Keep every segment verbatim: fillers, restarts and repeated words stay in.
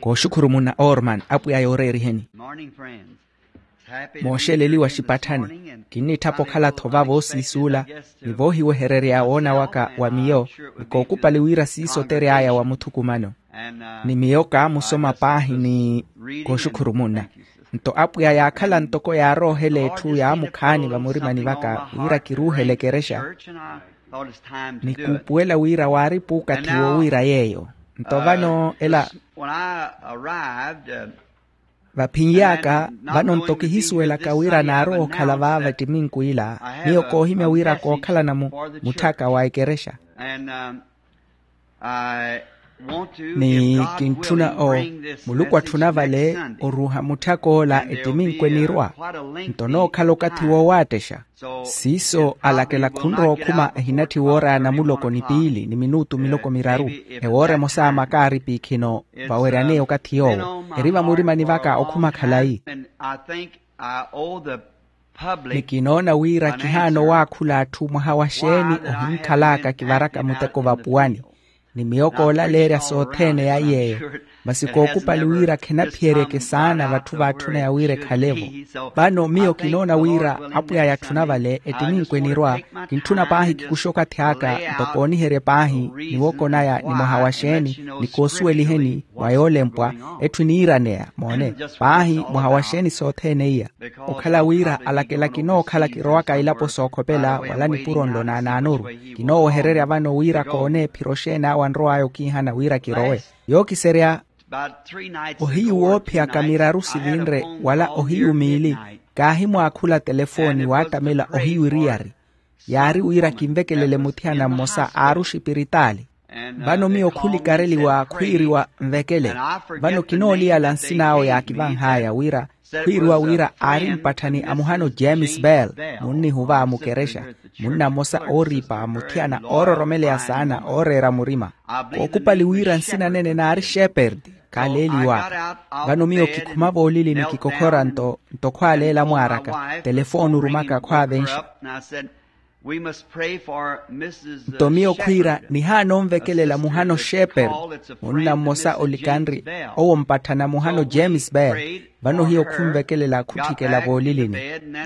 Kooxukhurumuna orman apwiya yooreeriheni. Mooxeleliwa xipatthani. Kinnitthapa okhala-tho vavo osiisuula ni voohiwehererya woona waka wa miyo. Ni kookupali wira siiso otery'aya wa muthukumano. Ni miyo kaamusoma paahi ni kooxukhurumuna. Nto apwiya yaakhala ntoko yaaroohela etthu yaamukhaani vamurimani vaka wira kiruuhele ekerexa. Ni kuupuwela wira waari puukathi wo wira yeeyo. Nto vano ela vaphin'yaka vano nto kihisuwelaka wira naarowa okhala vaava ettiminku ila. Miyo koohimya wira kookhalana mutthaka wa ekerexa. Ni kintthuna o muluku atthuna vale oruuha mutthaka ola ettiminku enirwa. Nto nookhala okathi woowattexa. Siiso alakela khunrowa okhuma ehinatthi woora ya namuloko ni piili ni minutu miloko miraru. Ewoora emosa makaari piikhino vaweryaneya okathi yoowo eri vamurimani vaka okhuma khalayi. Ni kinoona wira kihaana owaakhula atthu mwaha wa xeeni ohinkhalaka kivaraka muteko vapuwani. Ni miyo koolaleerya sothene ya yeeyo. Masi kookupali wira khenaphiyeryeke saana vatthu vaatthuneya wira ekhale-vo. Vano miyo kinoona wira apwiya yatthuna vale ettiminku enirwa. Kintthuna paahi kikuxe okathi aka nto kooniherye paahi ni wookonaya ni mwaha wa xeeni ni koosuweliheni mwa yoolempwa. Etthu eniiraneya moone paahi mwaha wa xeeni sothene iya. Okhala wira alakela kinookhala kirowaka ilapo sookhopela wala nipuro nlo naanaanoru. Kinoowehererya vano wira koone ephiro xeen'awe anrow'aya okiihana wira kirowe. Yookiserya ohiyu woophiyaka miraru sivinre wala ohiyu miili. Kaahimwaakhula telefooni waattamela ohiyu eriyari. Yaari wira kinvekelele muthiyana mmosa aari oxipiritaali. Vano miyo khulikareliwa khwiiriwa nvekele. Vano kinooliyala nsin'awe yaakivanh'aya wira khwiiriwa wira aari mpatthani a muhano james bell. Munnihuva a mukerexa munna mmosa ooriipa muthiyana oororomeleya saana ooreera murima. Kookupali wira nsina nene naari sheperdi. Kaaleeliw'aka. Vano miyo kikhuma voolilini kikokhora nto nto khwaaleela mwaaraka telefooni orumaka khwaavenxa. Nto miyo khwiira nihaana onvekelela muhano sheperdi. Munna mmosa olikanri owo mpatthana muhano james bell. Vano hiyo khunvekelela khutthikela voolilini.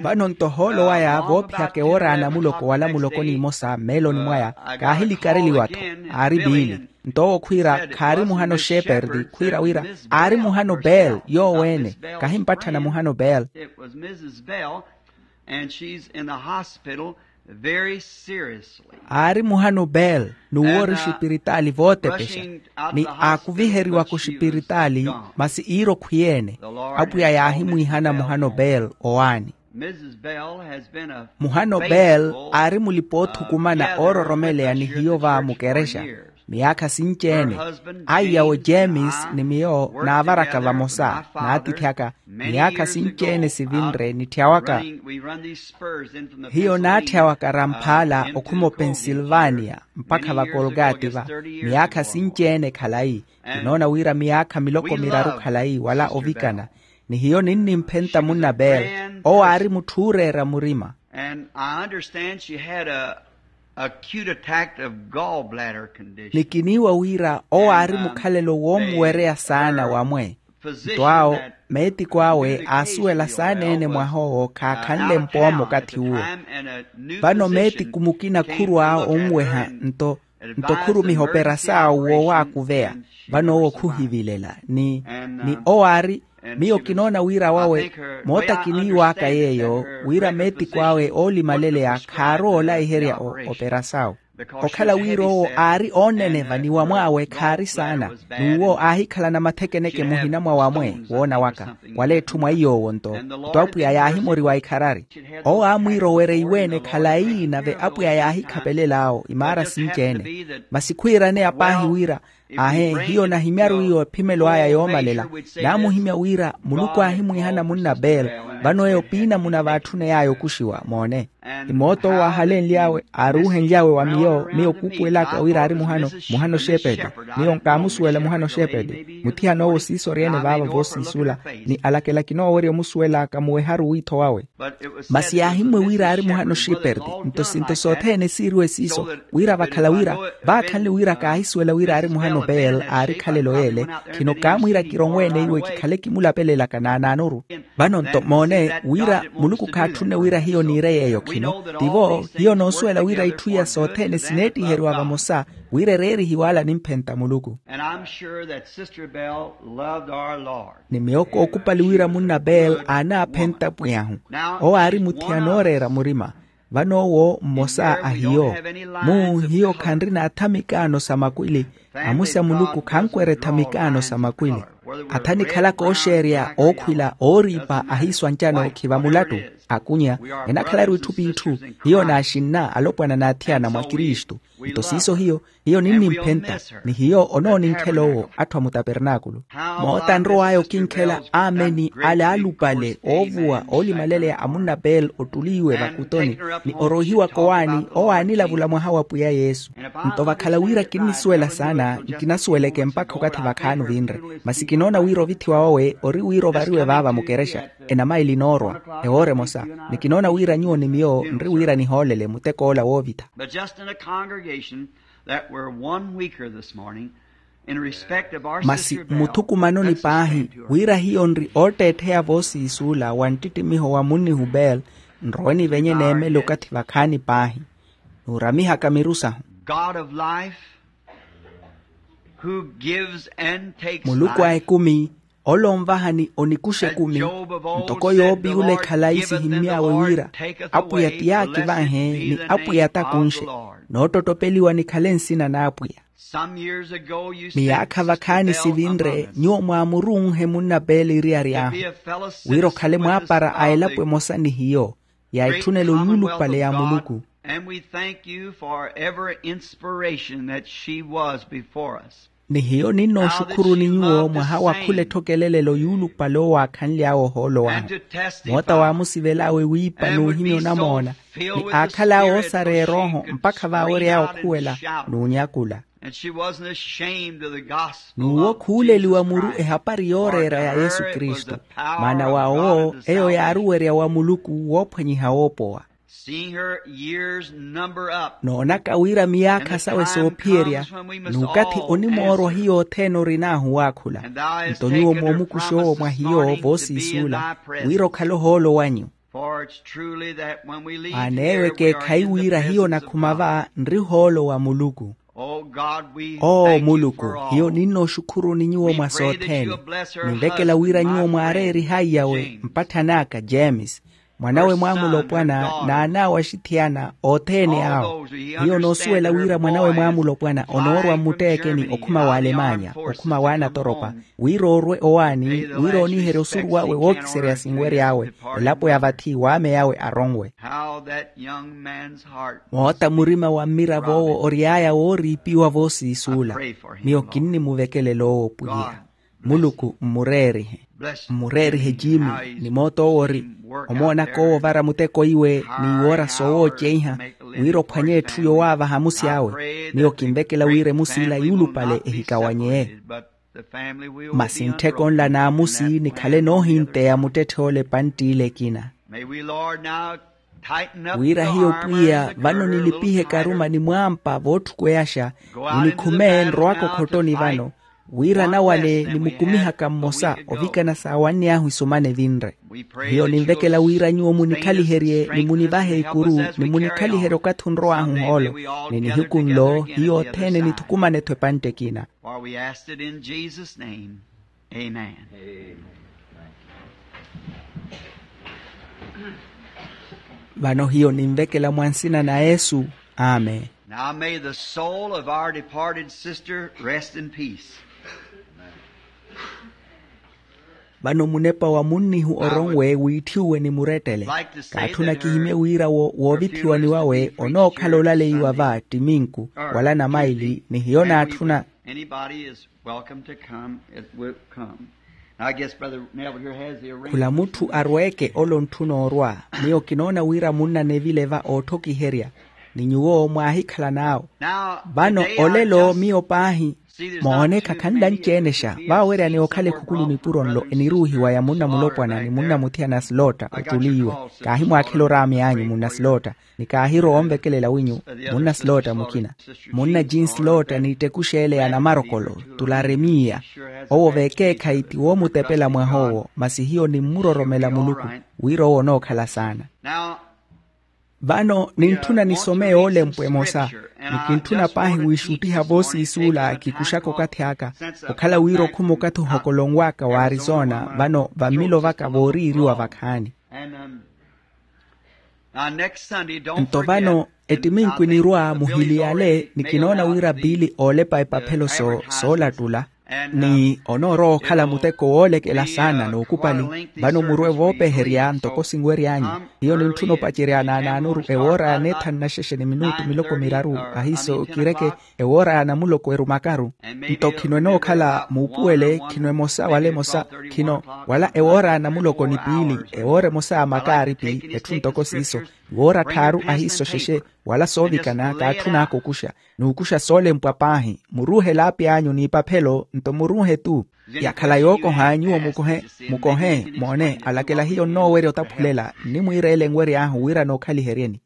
Vano nto ohoolo waya voophiyaka ewoora ya namuloko wala muloko n'imosa mmeeloni mwaya kaahilikareliwa-tho. Aari piili. Nto owo khwiira khaari muhano sheperdi khwiira wira aari muhano bell yoowo-ene. Kahimpatthana muhano bell. Aari muhano bell n'uwo ori oxipiritaali vootepexa. Ni aakuviheriwaka oxipiritaali masi iiro khwiyeene. Apwiya yaahimwiihana muhano bell owaani. Muhano bell aari mulipa oothukumana oororomeleya ni hiyo va mukerexa miyaakha sinci-ene. Aiyawe james ni miyo naavaraka vamosa naatithi aka miyaakha sinci-ene sivinre nitthiyawaka. Hiyo naatthiyawaka ramphaala okhuma opensilvania mpakha vakolgati va miyaakha sinci-ene khalayi. Kinoona wira miyaakha miloko miraru khalayi wala ovikana. Ni hiyo ninnimphenta munna bell. Owo aari mutthu ooreera murima. Ni kiniiwa wira owo aari mukhalelo woomuwereya saana wamwe. Nto awo meetiko awe aasuwela saana-ene mwah'owo khaakhanle mpoomo okathi uwo. Vano meetiku mukina khurwa onweha nto nto khurumiha operasaawu woowaakuveya. Vano owo khuhivilela ni ni owo aari miyo kinoona wira wawe moota kiniiw'aka yeeyo wira meetiku awe oolimaleleya khaarowa olaiherya operasaawu. Okhala wira owo aari ooneneva ni wamw'awe khaari saana n'uwo aahikhalana mathekeneke muhina mwa wamwe woona waka wala etthu mwa iy'owo nto nto apwiya yaahimoriwa ikharari. Owo aamwiira owereiwe-ene khalayi nave apwiya yaahikhapelel'awo imaara sinci-ene. Masi khwiiraneya paahi wira aahe hiyo nahimyaru iyo ephimelo aya yoomalela. Naamuhimya wira muluku aahimwiihana munna bell. Vano eyo piinamuna vaatthuney'aya okuxiwa moone. Ni moota owo aahalenly'awe aaruuhenly'awe wa miyo miyo kuupuwel'aka wira aari muhano muhano xeepete. Miyo nkaamusuwela muhano xeepete. Muthiyana owo siisoryene vaava voosiisuula ni alakela kinoowerya omusuwel'aka muweharu wiitho wawe. Masi yaahimmwe wira aari muhano xeepete. Nto sinto sothene siiriwe siiso wira vakhala wira vaakhanle wira kaahisuwela wira aari muhano Nobel aari khalelo yeele. Khino kaamwiira kironwe-ene iwe kikhale kimulapelelaka naanaanoru. Vano nto moone wira muluku khaatthunne wira hiyo niire yeeyo khino. Tivo hiyo noosuwela wira itthu iya sothene sineettiheriwa vamosa wira ereerihiwe ala nimphenta muluku. And I'm sure that Sister Bell loved our Lord. Ni miyo kookupali wira munna bel aanaaphenta pwiy'ahu. Owo aari muthiyana ooreera murima. Vano owo mmosa a hiyo. Mu hiyo khanrina athamikaano sa makwili. Amusi a muluku khankwerya ethamikaano sa makwili. Atha nikhalaka ooxeerya ookhwila ooriipa ahiiswantyano khiva mulattu. Akunya enakhalaru itthu p'itthu. Hiyo naaxinna alopwana n'athiyana mwa kristu. Nto siiso hiyo hiyo ninnimphenta. Ni hiyo onooninkhela owo atthu a mutapernaakulu. Moota anrow'aya okinkhela ameni ale alupale oovuwa oolimaleya a munna bel ottuliiwe vakutoni. Ni oroihiwaka owaani owo aanilavula mwaha wa pwiya yesu. Nto vakhala wira kinnisuwela saana nkinasuweleke mpakha okathi vakhaani ovinre. Masi kinoona wira ovithiwa wawe ori wira ovariwe vaava mukerexa enamaili noorwa ewoora emosa. Ni kinoona wira nyuwo ni miyo nri wira nihoolele muteko ola woovitha. But just in a congregation that were one weaker this morning in respect of our masi sister bell, mmuthukumanoni paahi wira hiyo nri ootteettheya voosiisuula wa nttittimiho wa munnihu bel. Nrowe nivenye neemele okathi vakhaani paahi. Nuuramihaka miru sahu. God of life, who gives and takes muluku a ekumi, ole onvaha ni onikuxa ekumi. Ntoko yoopi yula ekhala aisihimmy'awe wira apwiya ti yaakivanhe ni apwiya t'akunxe. Noottottopeliwa nikhale nsina n'apwiya. Miyaakha vakhaani sivinre nyuwo mwaamurunhe munna pele eriyari ahu wira okhale mwaapara a elapo emosa ni hiyo. Ya etthunelo yuulupale ya muluku. And we thank you for every inspiration that she was before us. Ni hiyo ninnooxukhuruuni nyuwo mwaha wa khula etthokelelelo yuulupale owaakhanly'awe ohoolo wahu. Moota waamusivel'awe wiipa n'uhimya onamoona ni aakhal'awe oosareya erooho mpakha vaawery'awe okhuwela n'unyakula. N'uwo khuuleliwa muru ehapari yooreera ya yesu kristu. Maana wa owo eyo yaaruwerya wa muluku woophwanyiha woopowa. Noonaka wira miyaakha sawe soophiyerya n'ukathi onimoorwa hiyo othene orin'ahu waakhula. Nto nyuwo moomukuxa owo mwa hiyo voosiisuula wira okhale ohoolo wanyu. Maana eyo ekeekhayi wira hiyo nakhuma va nri ohoolo wa muluku. Oo muluku, hiyo ninnooxukhuruni nyuwo mwa sothene. Ninvekela wira nyuwo mwaareerihayi yawe mpatthani aka james, mwanawe mwaamulopwana n'an'awe axithiyana othene awo. Hiyo noosuwela wira mwanawe mwaamulopwana onoorwa mmutteekeni okhuma w'alemanya okhuma w'anatoropa, wira oorwe owaani wira ooniherya osuru wawe wookiserya sinwery'awe. Elapo ya vathi waame yawe aronwe. Moota murima wa mmirav'owo ory'aya wooriipiwa voosiisuula. Miyo kinnimuvekelela owo pwiya. Muluku mmureerihe. Mmureerihe jiimi. Ni moota owo ori omoonaka owo ovara muteko iwe n'iwoora soowooceiha wira ophwanye etthu yowaavaha amusi awe. Miyo kinvekela wira emusi ila yuulupale ehikawanyeye. Masi nttheko nla n'amusi nikhale noohinteya muttetthe ole epantt'ile ekina. Wira hiyo pwiya vano nilipihe karuma ni mwaampa vootthukweyasha. Ninikhume nrowaka okhottoni vano wira nawale nimukumihaka mmosa ovikana saawanny'ahu isumana evinre. Hiyo ninvekela wira nyuwo munikhaliherye ni munivahe ikuru ni munikhaliherye okathi onrow'ahu ohoolo. Ni nihiku nlo hiyo othene nithukumane-tho epantte ekina. Vano hiyo ninvekela mwa nsina na yesu. Amen. Now may the soul of our departed sister rest in peace. Vano munepa wa munnihu oronwe wiitthiwe ni murettele. Kaatthuna kihimye wira woovithiwani wawe onookhala olaleiwa va ttiminku wala namaili ni hiyo naatthuna. Khula mutthu arweeke ole ontthuna orwa. Miyo kinoona wira munna neville va ootthokiherya ni nyuwo mwaahikhala n'awo. Vano olelo miyo paahi Moone khakhanle anci-enexa vaaweryani okhala ekhukulu nipuro nlo eniruuhiwa ya munna mulopwana ni munna muthiyana slotta ottuli iwe. Kaahimwaakhela oraamy'anyu munna slotta, ni kaahirowa onvekelela winyu munna slotta mukina, munna jean slotta n'ittekuxa ele ya namarokolo, tularemiya. Owo veekeekhayi ti woomutepela mwah'owo masi hiyo nimmuroromela muluku wira owo onookhala saana. Vano nintthuna nisome yoolempwa emosa, ni kintthuna paahi wiixuttiha voosiisuula kikuxaka okathi aka, okhala wira okhuma okathi ohokolonw'aka wa arizona vano vammilo vaka vooriiriwa vakhaani. Nto vano ettiminku enirwa muhiliyale ni kinoona wira piili oolepa epaphelo soolattula, ni onoorowa okhala muteko woolekela saana n'ukupali. Vano murwe voopeherya ntoko sinwery'anyu. Hiyo nintthuna opacerya naanaanuru ewoora ya neethanu naxexe ni minutu miloko miraru, ahiiso kireke ewoora ya namuloko erumakaru. Nto khino enookhala muupuwele khino emosa wala emosa, khino wala ewoora ya namuloko ni piili ewoora emosa ya makaaripi, etthu ntoko siiso, iwoora tthaaru ahiiso xexe, wala soovikana kaatthun'aka okuxa n'ukuxa soolempwa paahi. Muruuhe elaapi anyu n'ipaphelo nto muruuhe-tu. Yakhala yookoha nyuwo mukohe, mukohe moone alakela hiyo nnoowerya otaphulela nnimwiireele enwery'ahu wira nookhaliheryeni.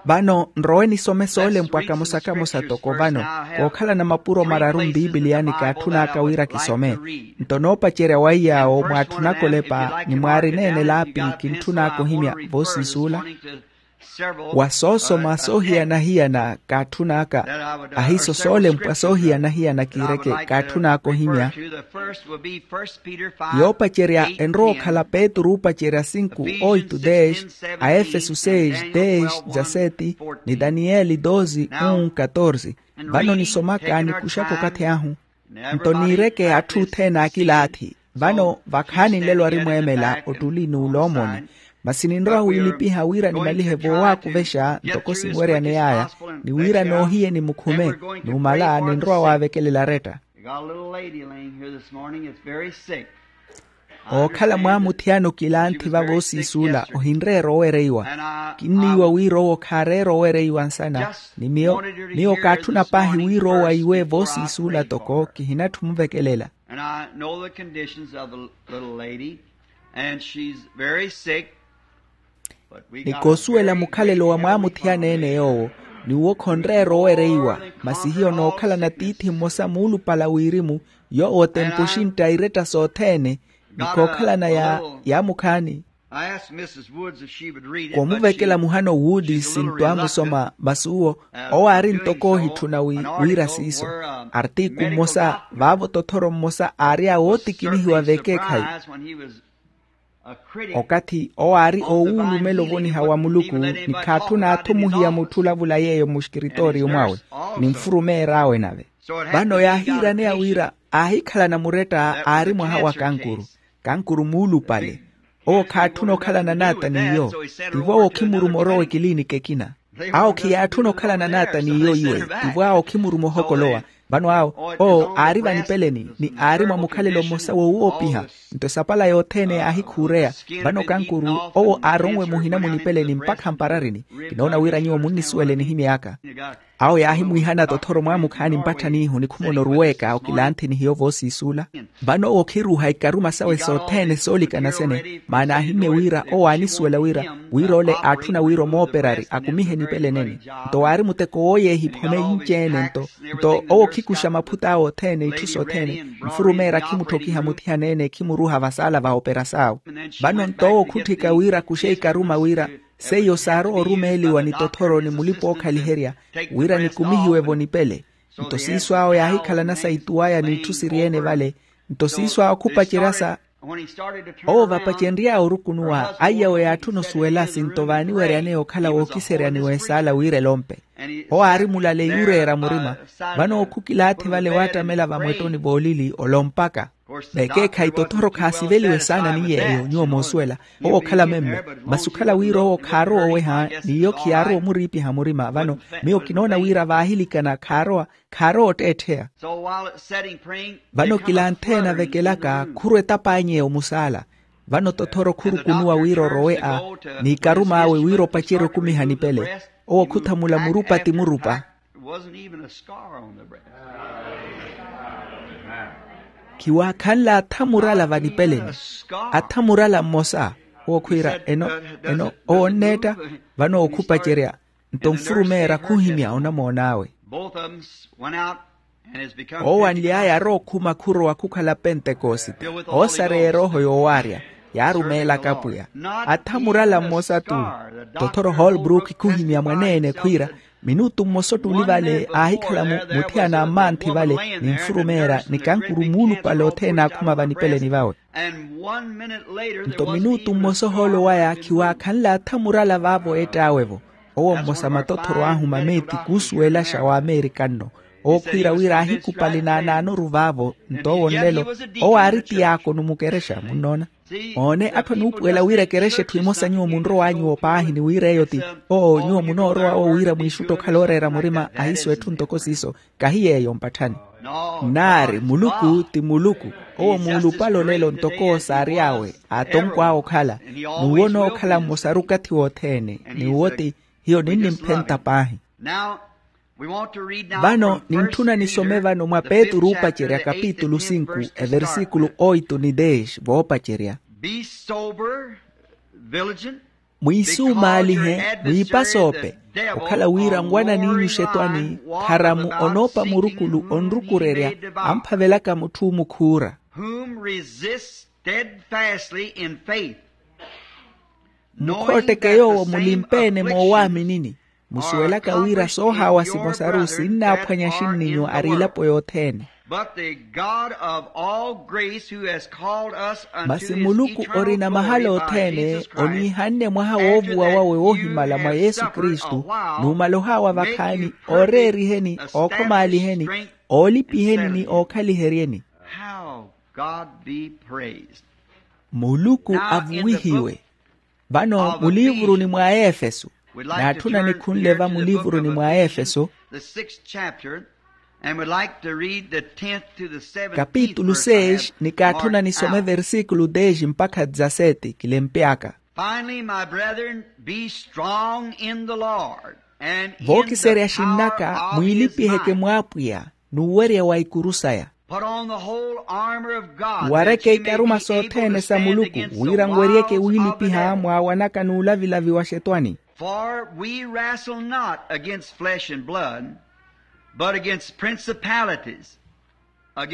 Vano nrowe nisome soolempwa kamosa kamosa toko vano, kookhalana mapuro mararu mpiipiliyani kaatthun'aka wira kisome. Nto noopacerya waiy'awo mwaatthun'aka olepa ni mwaarineene elaapi kintthun'aka ohimya voosiisuula wa soosoma soohiyana-hiyana kaatthun'aka, ahiiso soolempwa soohiyana-hiyana kiireke kaatthun'aka ohimya. Yoopacerya enrowa okhala petru oopacerya sinku oitu deex, aefesu seis deex dizaseti, ni daniyeli dozi un katorsi. Vano nisomaka nikuxaka okathi ahu. Nto niireke atthu othene aakilaathi. Vano vakhaani nlelo arimweemela ottuli n'uloomoni. Masi ninrowa wiilipiha wira nimalihe voowaakuvexa ntoko sinweryane yaaya, ni wira noohiyeni mukhume, numala ninrowa waavekelela aretta. Ookhala mwaamuthiyana okilanthi vavoosiisuula ohinreera owereiwa. Kinniiwa wira owo khaareera owereiwa nsana. Ni miyo miyo kaatthuna paahi wira owo aiwe voosiisuula toko kihinatthu omuvekelela. And I know the conditions of the little lady, and she's very sick. Ni koosuwela mukhalelo wa mwaamuthiyana-ene yoowo, ni uwo khonreera owereiwa. Masi hiyo nookhalana tiithi mmosa muulupala wirimu, yoowo tempuxintta iretta sothene, ni kookhalana ya yaamukhaani. Koomuvekela muhano woodi sinto amusoma masi uwo, owo aari ntoko oohitthuna wira siiso. Artiku mmosa vaavo tothoro mmosa aari a wootikinihiwa veekeekhayi. Okathi owo aari oowuulumela ovoniha wa muluku, ni khaatthuna athumuhiya mutthu olavula yeeyo mmuxikiritooriyo mwawe, ni nfurumeer'awe nave. Vano yaahiiraneya wira aahikhalana muretta aari mwaha wa kankuru. Kankuru muulupale. Owo khaatthuna okhalana n'ata n'iyo. Tivo awo okhimuruma orowa ekiliiniki ekina. Awo khiyaatthuna okhalana n'ata n'iyo iwe. Tivo awo okhimuruma ohokolowa. Vano awo owo aari vanipeleni ni aari mwa mukhalelo mmosa wowoopiha. Nto esapala yothene yaahikhuureya. Vano kankuru owo aaronwe muhina munipeleni mpakha mpararini. Kinoona wira nyuwo munnisuwele nihimy'aka. Awo yaahimwiihana tothoro mwaamukhaani mpatthaniihu nikhumona oruweeka okilanthi ni hiyo voosiisuula. Vano owo okhiruuha ikaruma sawe sothene soolikana sene maana aahimmye wira owo aanisuwela wira wira ole aatthuna wira omooperari akumihe nipele nene. Nto waari muteko wooyeehiphome inci-ene nto nto owo okhikuxa maphut'awe othene itthu sothene. Nfurumeera khimuttokiha muthiyana-ene khimuruuha vasaala va opera saawe. Vano nto owo okhutthika wira akuxe ikaruma wira seiyo saarowa orumeeliwa ni tothoro ni mulipa-ookhaliherya wira nikumihiwe-vo nipele. Nto siiso awo yaahikhalana sa ituwaya n'itthu siri-ene vale. Nto siiso awo khupacerya sa owo vapacenry'awe orukunuwa aiyawe yaatthuna osuwela sinto vaaniweryaneya okhala wookiseryaniwa esaala wira elompe. Owo aari mulale yuureera murima. Vano owo khukilaathi vale waattamela vamwettoni voolili olompaka. Veekeekhayi tothoro khaasiveliwe saana ni yeeyo nyuwo moosuwela. Owo okhala memme. Masi okhala wira owo khaarowa oweha n'iyo khiyaarowa omuriipiha murima vano miyo kinoona wira vaahilikana khaarowa khaarowa otteettheya. Vano kilantheene avekelaka khurwa etap'anyu eyo musaala. Vano tothoro khurukunuwa wira orowe a n'ikarum'awe wira opacerye okumiha nipele. Owo khuthamula murupa ti murupa. Wasn't even a scar on the breast. Khiwaakhanle athamurala vanipeleni. Athamurala mmosa owo khwiira eno eno owo onneetta. Vano okhupacerya nto nfurumeera khuhimya onamoon'awe. Owanly'aya arookhuma khurowa khukhala pentekosite. Oosareya erooho yoowaarya yaarumeelaka apwiya. Athamurala mmosa-tu. Tothoro holbrook khuhimya mwaneene khwiira minutu mmosa ottuli vale aahikhala muthiyana a mmanthi vale ni nfurumeera ni kankuru muulupale othene aakhuma vanipeleni vawe. Nto minutu mmosa ohoolo waya khiwaakhanle athamurala vaavo ett'awe-vo. Owo mmosa matothoro aahuma meeti khuusuwelaxa w'amerika nno. Owo khwiira wira aahikupali naanaanoru vaavo nto owo nlelo owo aari tiyaakono mukerexa munnoona. Oone atthu anuupuwela wira ekerexa etthu emosa nyuwo munrow'anyu paahi ni wira eyo ti oo nyuwo munoorowa owo wira mwiixutte okhala ooreera murima ahiiso etthu ntoko siiso. Kahi yeeyo mpatthani nnaari muluku ti muluku. Owo muulupale olelo ntoko owo saary'awe atonkw'awe okhala n'uwo onookhala mmosaru okathi wothene. N'uwo ti hiyo ninnimphenta paahi. Vano nintthuna nisome vano mwa petru oopacerya kapitulu sinku eversikulu oitu ni deex voopacerya. Mwiisumaalihe mwiipasoope okhala wira nwananiinyu xetwani kharamu onoopa murukulu onrukurerya amphavelaka mutthu omukhuura. Whom resist steadfastly in faith. Mukhootteke yoowo mulimpeene moowaaminini musuwelaka wira soohaawa simosaru sinnaaphwanya axinninyu ari elapo yothene. But the God of all grace who has called us unto his eternal glory by Jesus Christ, masi muluku orina mahala othene oniihanne mwaha woovuwa wawe woohimala mwa yesu kristu numala ohaawa vakhaani ooreeriheni ookhomaaliheni oolipiheni ni ookhaliheryeni. How God be praised. Muluku avuwihiwe. Vano muliivuruni mwa aefeso naatthuna nikhunle va muliivuruni mwa aefeso kapitulu seis ni kaatthuna nisome versikulu deis mpakha dizaseti kilempy'aka. Finally, my brethren, be strong in the Lord. Vookiserya xinn'aka mwiilipiheke mw'apwiya n'uwerya wa ikuru saya. Wareke ikaruma sothene sa muluku wira nweryeke wiilipiha mwaawanaka n'ulavilavi wa xetwani. For we wrestle not against flesh and blood, but against principalities.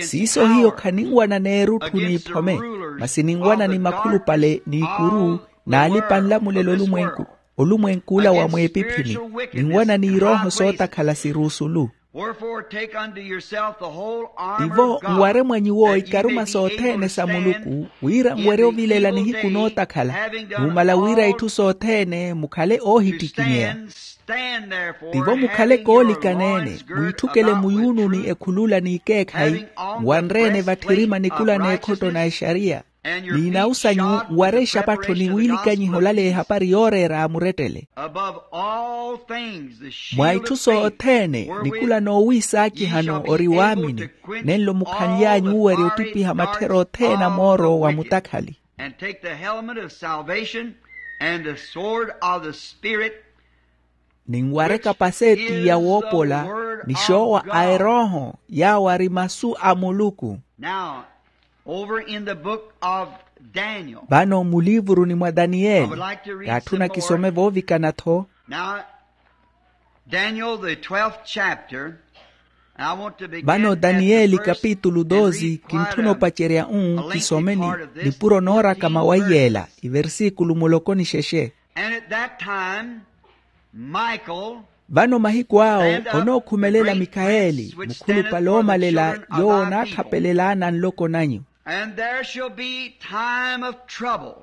Siiso hiyo khaninwana n'erutthu n'iphome masi ninwana ni makhulupale n'ikuru n'alipa nlamulelo olumwenk'ula wa mweepiphini. Ninwana n'irooho sootakhala siruusulu. Tivo nware mwa nyuwo ikaruma sothene sa muluku wira nwerye ovilela nihiku nootakhala numala wira itthu sothene mukhale oohittikinyeya. Tivo mukhale koolikaneene mwiitthukele muyuununi ekhulula n'ikeekhayi nwanre-ene vatthirima nikula n'ekhotto na exariya n'inau sanyu wara exapattho ni wiilikanyiha olaleya ehapari yooreera amurettele. Mwa itthu sothene nikula noowiisaakihano ori waamini nenlo mukhanly'anyu owerya ottipiha matthera othene a mooro wa mutakhali. And take the helmet of salvation and the sword of the Spirit. Ninware kapaseti ya woopola ni xoowa a erooho yaawo ari masu a muluku. Now, over in the book of Daniel. Vano muliivuruni mwa daniyeli kaatthuna kisome voovikana-tho. Now, Daniel, the twelfth chapter. Vano daniyeli kapitulu dosi kintthuna opacerya-u kisomeni nipuro noorakama wa iyeela iversikulu muloko ni xexe. And at that time Michael. Vano mahiku awo onookhumelela mikaeli mukhulupale oomalela yoowo onaatthapelelaana nloko nanyu. And there shall be time of trouble.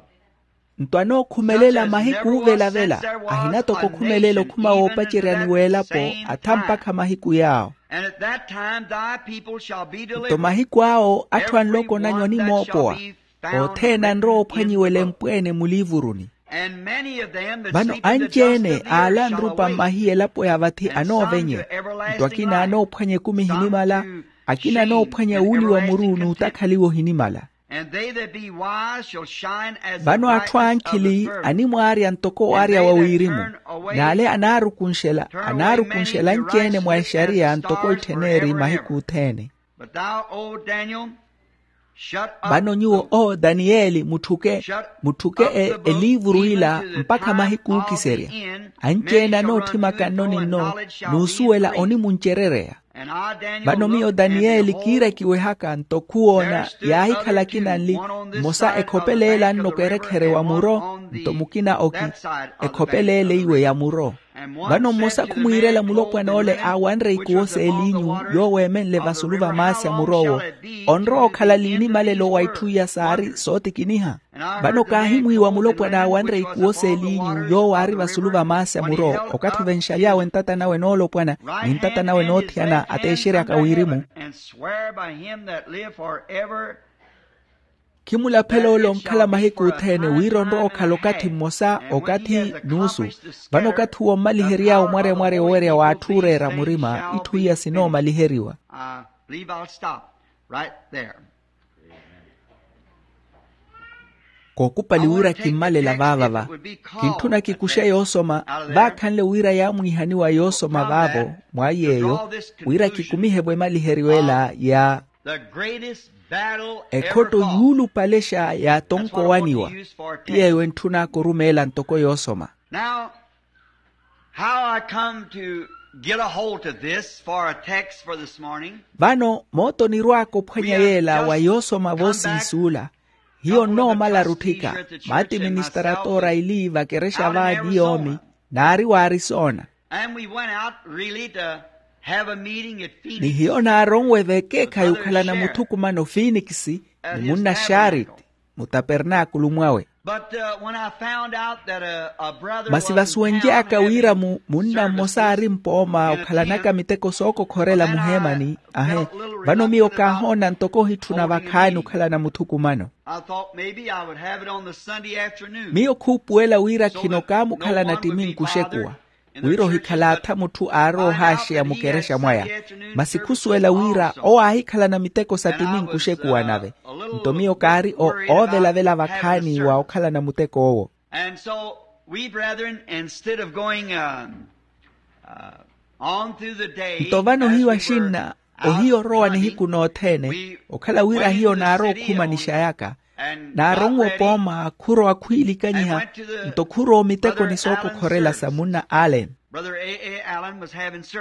Nto anookhumelela mahiku uuvelavela ahina toko okhumelela okhuma woopaceryani w'elapo atha mpakha mahiku yaawo. And at that time thy people shall be delivered. Nto mahiku awo atthu a nloko nanyu animoopowa othene anrowa ophwanyiwela empweene muliivuruni. And many of them that vano anci-ene aala anrupa mmahiya elapo ya vathi anoovenye. Nto akina anoophwanya ekumi ohinimala akina anoophwanya wuuliwa muru n'utakhaliwa ohinimala. And they that be wise shall shine as the brightness of the firmament. Vano atthu ankhili animwaarya ntoko waarya wa wirimu, n'ale anaarukunxela anaarukunxela anci-ene mwa exariya ntoko ittheneri mahiku othene. But thou, O Daniel, shut up. Vano nyuwo o daniyeli mutthuke mutthuke eliivuru ila mpakha mahiku ookiserya. Anci-ene anootthimaka nno ni nno n'usuwela onimuncerereya. Vano miyo daniyeli kiirakiwehaka nto khuwoona yaahikhala akina nli mmosa ekhopeleela nnoko erekhere wa muro nto mukina oki ekhopeleela iwe ya muro. Vano mmosa khumwiirela mulopwana ole aawanre ikuwo s'eliinyu yoowo eemenle vasulu va maasi a mur'owo onrowa okhala liinimalelo wa itthu iya saari sootikiniha. Vano kaahimwiiwa mulopwana aawanre ikuwo s'eliinyu yoowo aari vasulu va maasi a muro okathi ovenxaly'awe ntata nawe noolopwana ni ntata nawe noothiyana ateexeryaka wirimu. Khimulaphela ole onkhala mahiku othene wira onrowa okhala okathi mmosa okathi nuusu. Vano okathi uwo mmalihery'awe omwarya mwarya owerya w'atthu ooreera murima itthu iya sinoomaliheriwa. Kookupali wira kimmalela vaavava. Kintthuna kikuxe yoosoma vaakhanle wira yaamwiihaniwa yoosoma vaavo mwa yeeyo wira kikumihe-vo emaliheriw'ela ya ekhotto yuulupalexa yaatonkoowaniwa. Ti yeeyo entthun'aka orumeela ntoko yoosoma. How I come to get a hold of this for a text for this morning. Vano moota onirwaaka ophwanya yeela wa yoosoma voosiisuula. Hiyo nnoomala rutthika maati ministara toora ili vakerexa vaani yoomi naari w'arisona. And we went out really to have a meeting at Phoenix. Ni hiyo naaronwe vekeekhayi okhalana muthukumano finikisi ni munna xaariti mutapernaakulu mwawe. Masi vasuwenly'aka wira munna mmosa aari mpooma okhalanaka miteko sookokhorela muheemani ahe. Vano miyo kaahoona ntoko ohitthuna vakhaani okhalana muthukumano. Miyo khuupuwela wira khino kaamukhalana ttiminku oxekuwa wira ohikhala atha mutthu aarowa ohaaxeya mukerexa mwaya. Masi khusuwela wira owo aahikhalana miteko sa ttiminku oxekuwa nave. Nto miyo kaari oovelavela vakhaani wa okhalana muteko owo. And so we brethren, instead of going on through the day nto vano hiyo axinna ohiyo orowa nihiku nothene okhala wira hiyo naarowa okhumanixayaka. Naaronwe opooma khurowa khwiilikanyiha nto khurowa omitekoni sookokhorela sa munna allen.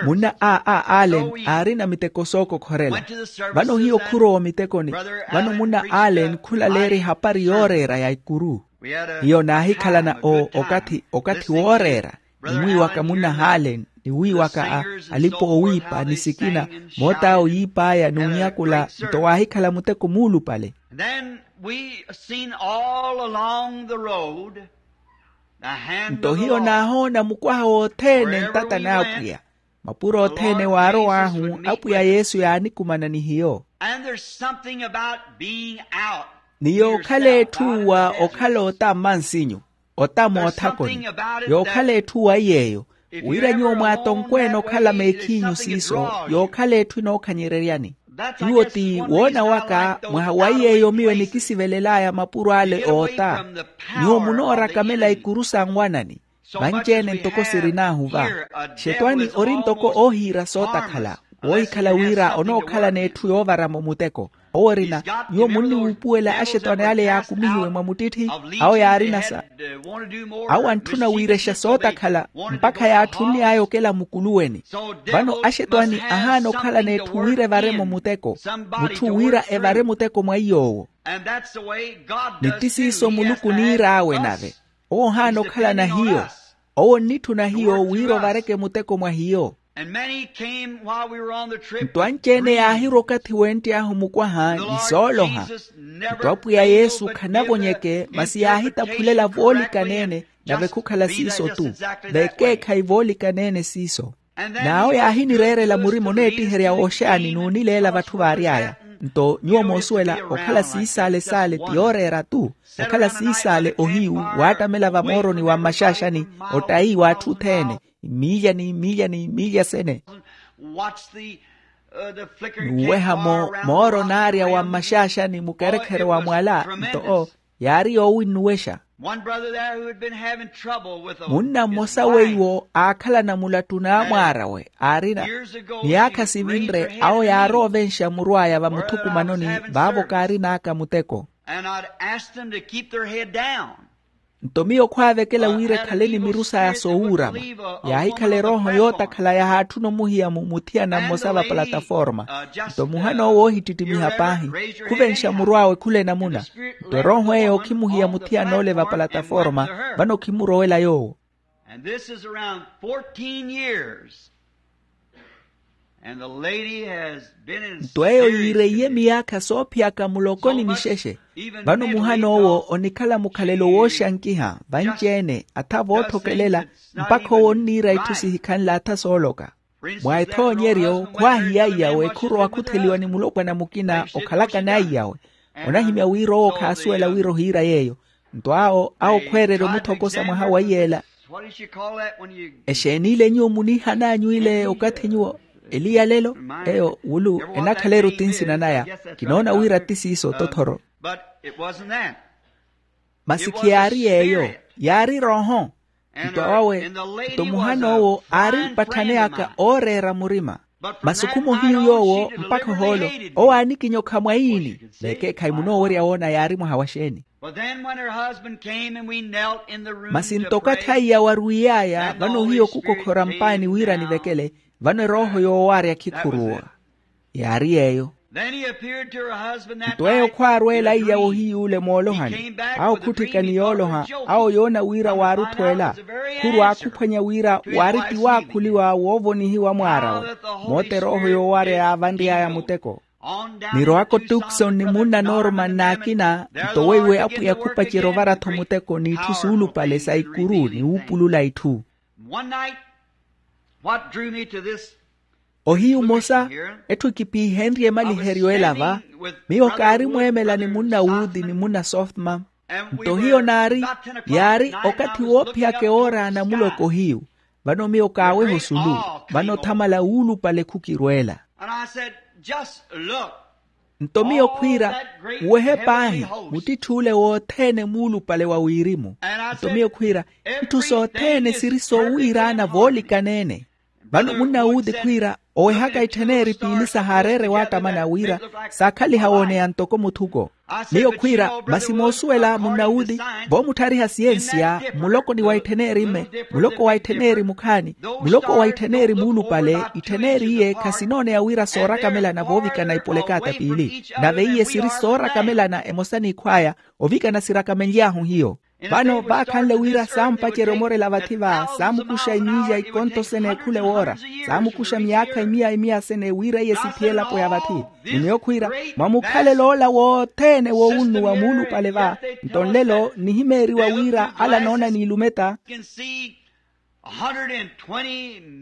Munna a a allen aarina miteko sookokhorela. Vano hiyo khurowa omitekoni vano munna allen khulaleerya ehapari yooreera ya ikuru. Hiyo naahikhalana okathi okathi wooreera nimwiiwaka munna allen niwiiwaka alipa-oowiipa ni sikina moot'awe oyiip'aya n'unyakula nto waahikhala muteko muulupale. Then we seen all along the road the hand nto of the hiyo Lord. Naahoona mukwaha wothene ntata n'apwiya mapuro othene waarow'ahu apwiya yesu yaanikumana ni hiyo. And there's something about being out. Ni yookhala etthu wa okhala ota mmansinyu ota moothakoni yookhala etthu wa iy'eyo wira nyuwo mwaatonkweene okhala meekhiinyu siiso yookhala etthu enookhanyeryeryani. Iwo ti woona waka mwaha wa iy'eyo miyo enikisivelel'aya mapuro ale oota. Nyuwo munooraka mela ikuru sa nwanani vanci-ene ntoko sirin'ahu va. Xetwani ori ntoko oohiira sootakhala woohikhala wira onookhalana etthu yoovaramo muteko. Owo orina nyuwo munniwuupuwela axetwani ale yaakumihiwe mwa muttitthi awo yaarina sa awo antthuna wiirexa sootakhala mpakha yaatthunly'aya okela mukuluweni. Vano axetwani ahaana okhalana etthu wira evaremo muteko mutthu wira evare muteko mwa iy'owo. Ni ti siiso muluku oniir'awe nave owo ohaana okhalana hiyo. Owo onnitthuna hiyo wira ovareke muteko mwa hiyo. Nto anci-ene yaahirwa okathi wentty'ahu mukwaha ni sooloha. Nto apwiya yesu khanavonyeke masi yaahitaphulela voolikana-ene nave khukhala siiso-tu. Vekeekhayi voolikana-ene siiso. N'awo yaahinireerela murima oneettiherya wooxaani n'unileela vatthu vaary'aya. Nto nyuwo moosuwela okhala siisaale saale ti yooreera-tu okhala siisaale ohiyu waattamela vamooroni wa mmaxaaxani ottayi w'atthu othene. Miilya ni miilya ni miilya sene. Watch the Nuuweha-mo mooro naarya wa mmaxaaxani mukerekhere wa mwala. Nto oo yaari yoowinnuwexa. Munna mmosa weiwo aakhalana mulattu n'amwaar'awe aarina miyaakha sivinre awo yaaroovenxa muru aya vamuthukumanoni. Vaavo kaarin'aka muteko. Nto miyo khwaavekela wira ekhale ni miru saya soowuurama. Yaahikhala erooho yootakhala yahaatthuna omuhiya mu muthiyana mmosa va palataforma. Nto muhan'owo oohittittimiha paahi khuvenxa muru awe khula enamuna. Nto erooho eyo khimuhiya muthiyan'ole va palataforma. Vano khimurowela yoowo. Nto eyo yiireiye miyaakha soophiyaka muloko ni mixexe. Vano muhan'owo onikhala mukhalelo wooxankiha vanci-ene atha vootthokelela mpakha owo onniira itthu sihikhanle atha sooloka. Mwa ethoonyeryo khwaahiya aiyawe khurowa khutheliwa ni mulopwana mukina okhalaka n'aiyawe. Onahimya wira owo khaasuwela wira ohiira yeeyo. Nto awo awo khweererya omuthokosa mwaha wa iyeela. Exeen'ile nyuwo muniihan'anyu ile okathi nyuwo eliya lelo? Eyo wulu enakhala-eri oti nsina naya. Kinoona wira ti siiso tothoro. Masi khiyaari yeeyo, yaari rooho. Nto awawe nto muhan'owo aari mpatthane aka ooreera murima. Masi okhumohiyu yoowo mpakha ohoolo owo aanikinyokha mwaini. Vekeekhayi munoowerya woona yaari mwaha wa xeeni? Masi nto okathi aiya warwiiy'aya vano hiyo khukokhora mpaani wira anivekele. Vano erooho yoowaarya khikhuruwa. Yaari yeeyo. Nto eyo khwaarweela aiya wohiy'ule moolohani. Awo khutthika ni yooloha awo yoona wira waaruthweela. Khurwa akhuphwanya wira waari tiwaakhuliwa woovonihiwa mwaar'awe. Moota erooho yoowaarya yaavanry'aya muteko. Nirowaka otukson ni munna norman n'akina. Nto weiwe apwiya khupacerya ovara-tho muteko n'itthu suulupale sa ikuru ni wuupulula itthu. Ohiyu mmosa etthu ekipiihenrye emaliheryo ela va. Miyo kaari mweemela ni munna wuuthi ni munna softmam. Nto hiyo naari yaari okathi woophiyaka ewoora a namuloko hiyu. Vano miyo kaaweha osulu. Vano othamala wuulupale khukirweela. Nto miyo khwiira, muwehe paahi muttitthuule wothene muulupale wa wirimu. Nto miyo khwiira, itthu sothene siri soowiiraana voolikaneene. Vano munna wuuthi khwiira owehaka itthen'eri piili sahaareere waatamana wira saakhaliha wooneya ntoko muthuko. Miyo khwiira masi moosuwela munna wuuthi voomutthariha siyensiya muloko ni wa itthen'eri mme, muloko wa itthen'eri mukhaani, muloko wa itthen'eri muulupale. Itthen'eri iye khasinooneya wira soorakamelana voovikana ipolekata piili. Nave iye siri soorakamelana emosa n'ikhw'aya ovikana sirakamenly'ahu hiyo. Vano vaakhanle wira saampacerya omorela vathi va saamukuxa imiya ikonto sene ekhule woora. Saamukuxa miyaakha imiya imiya sene wira iye siphiye elapo ya vathi. Ni miyo khwiira mwa mukhalelo ola wothene woowunnuwa muulupale va. Nto nlelo nnihimeeriwa wira ala anoona n'ilumeta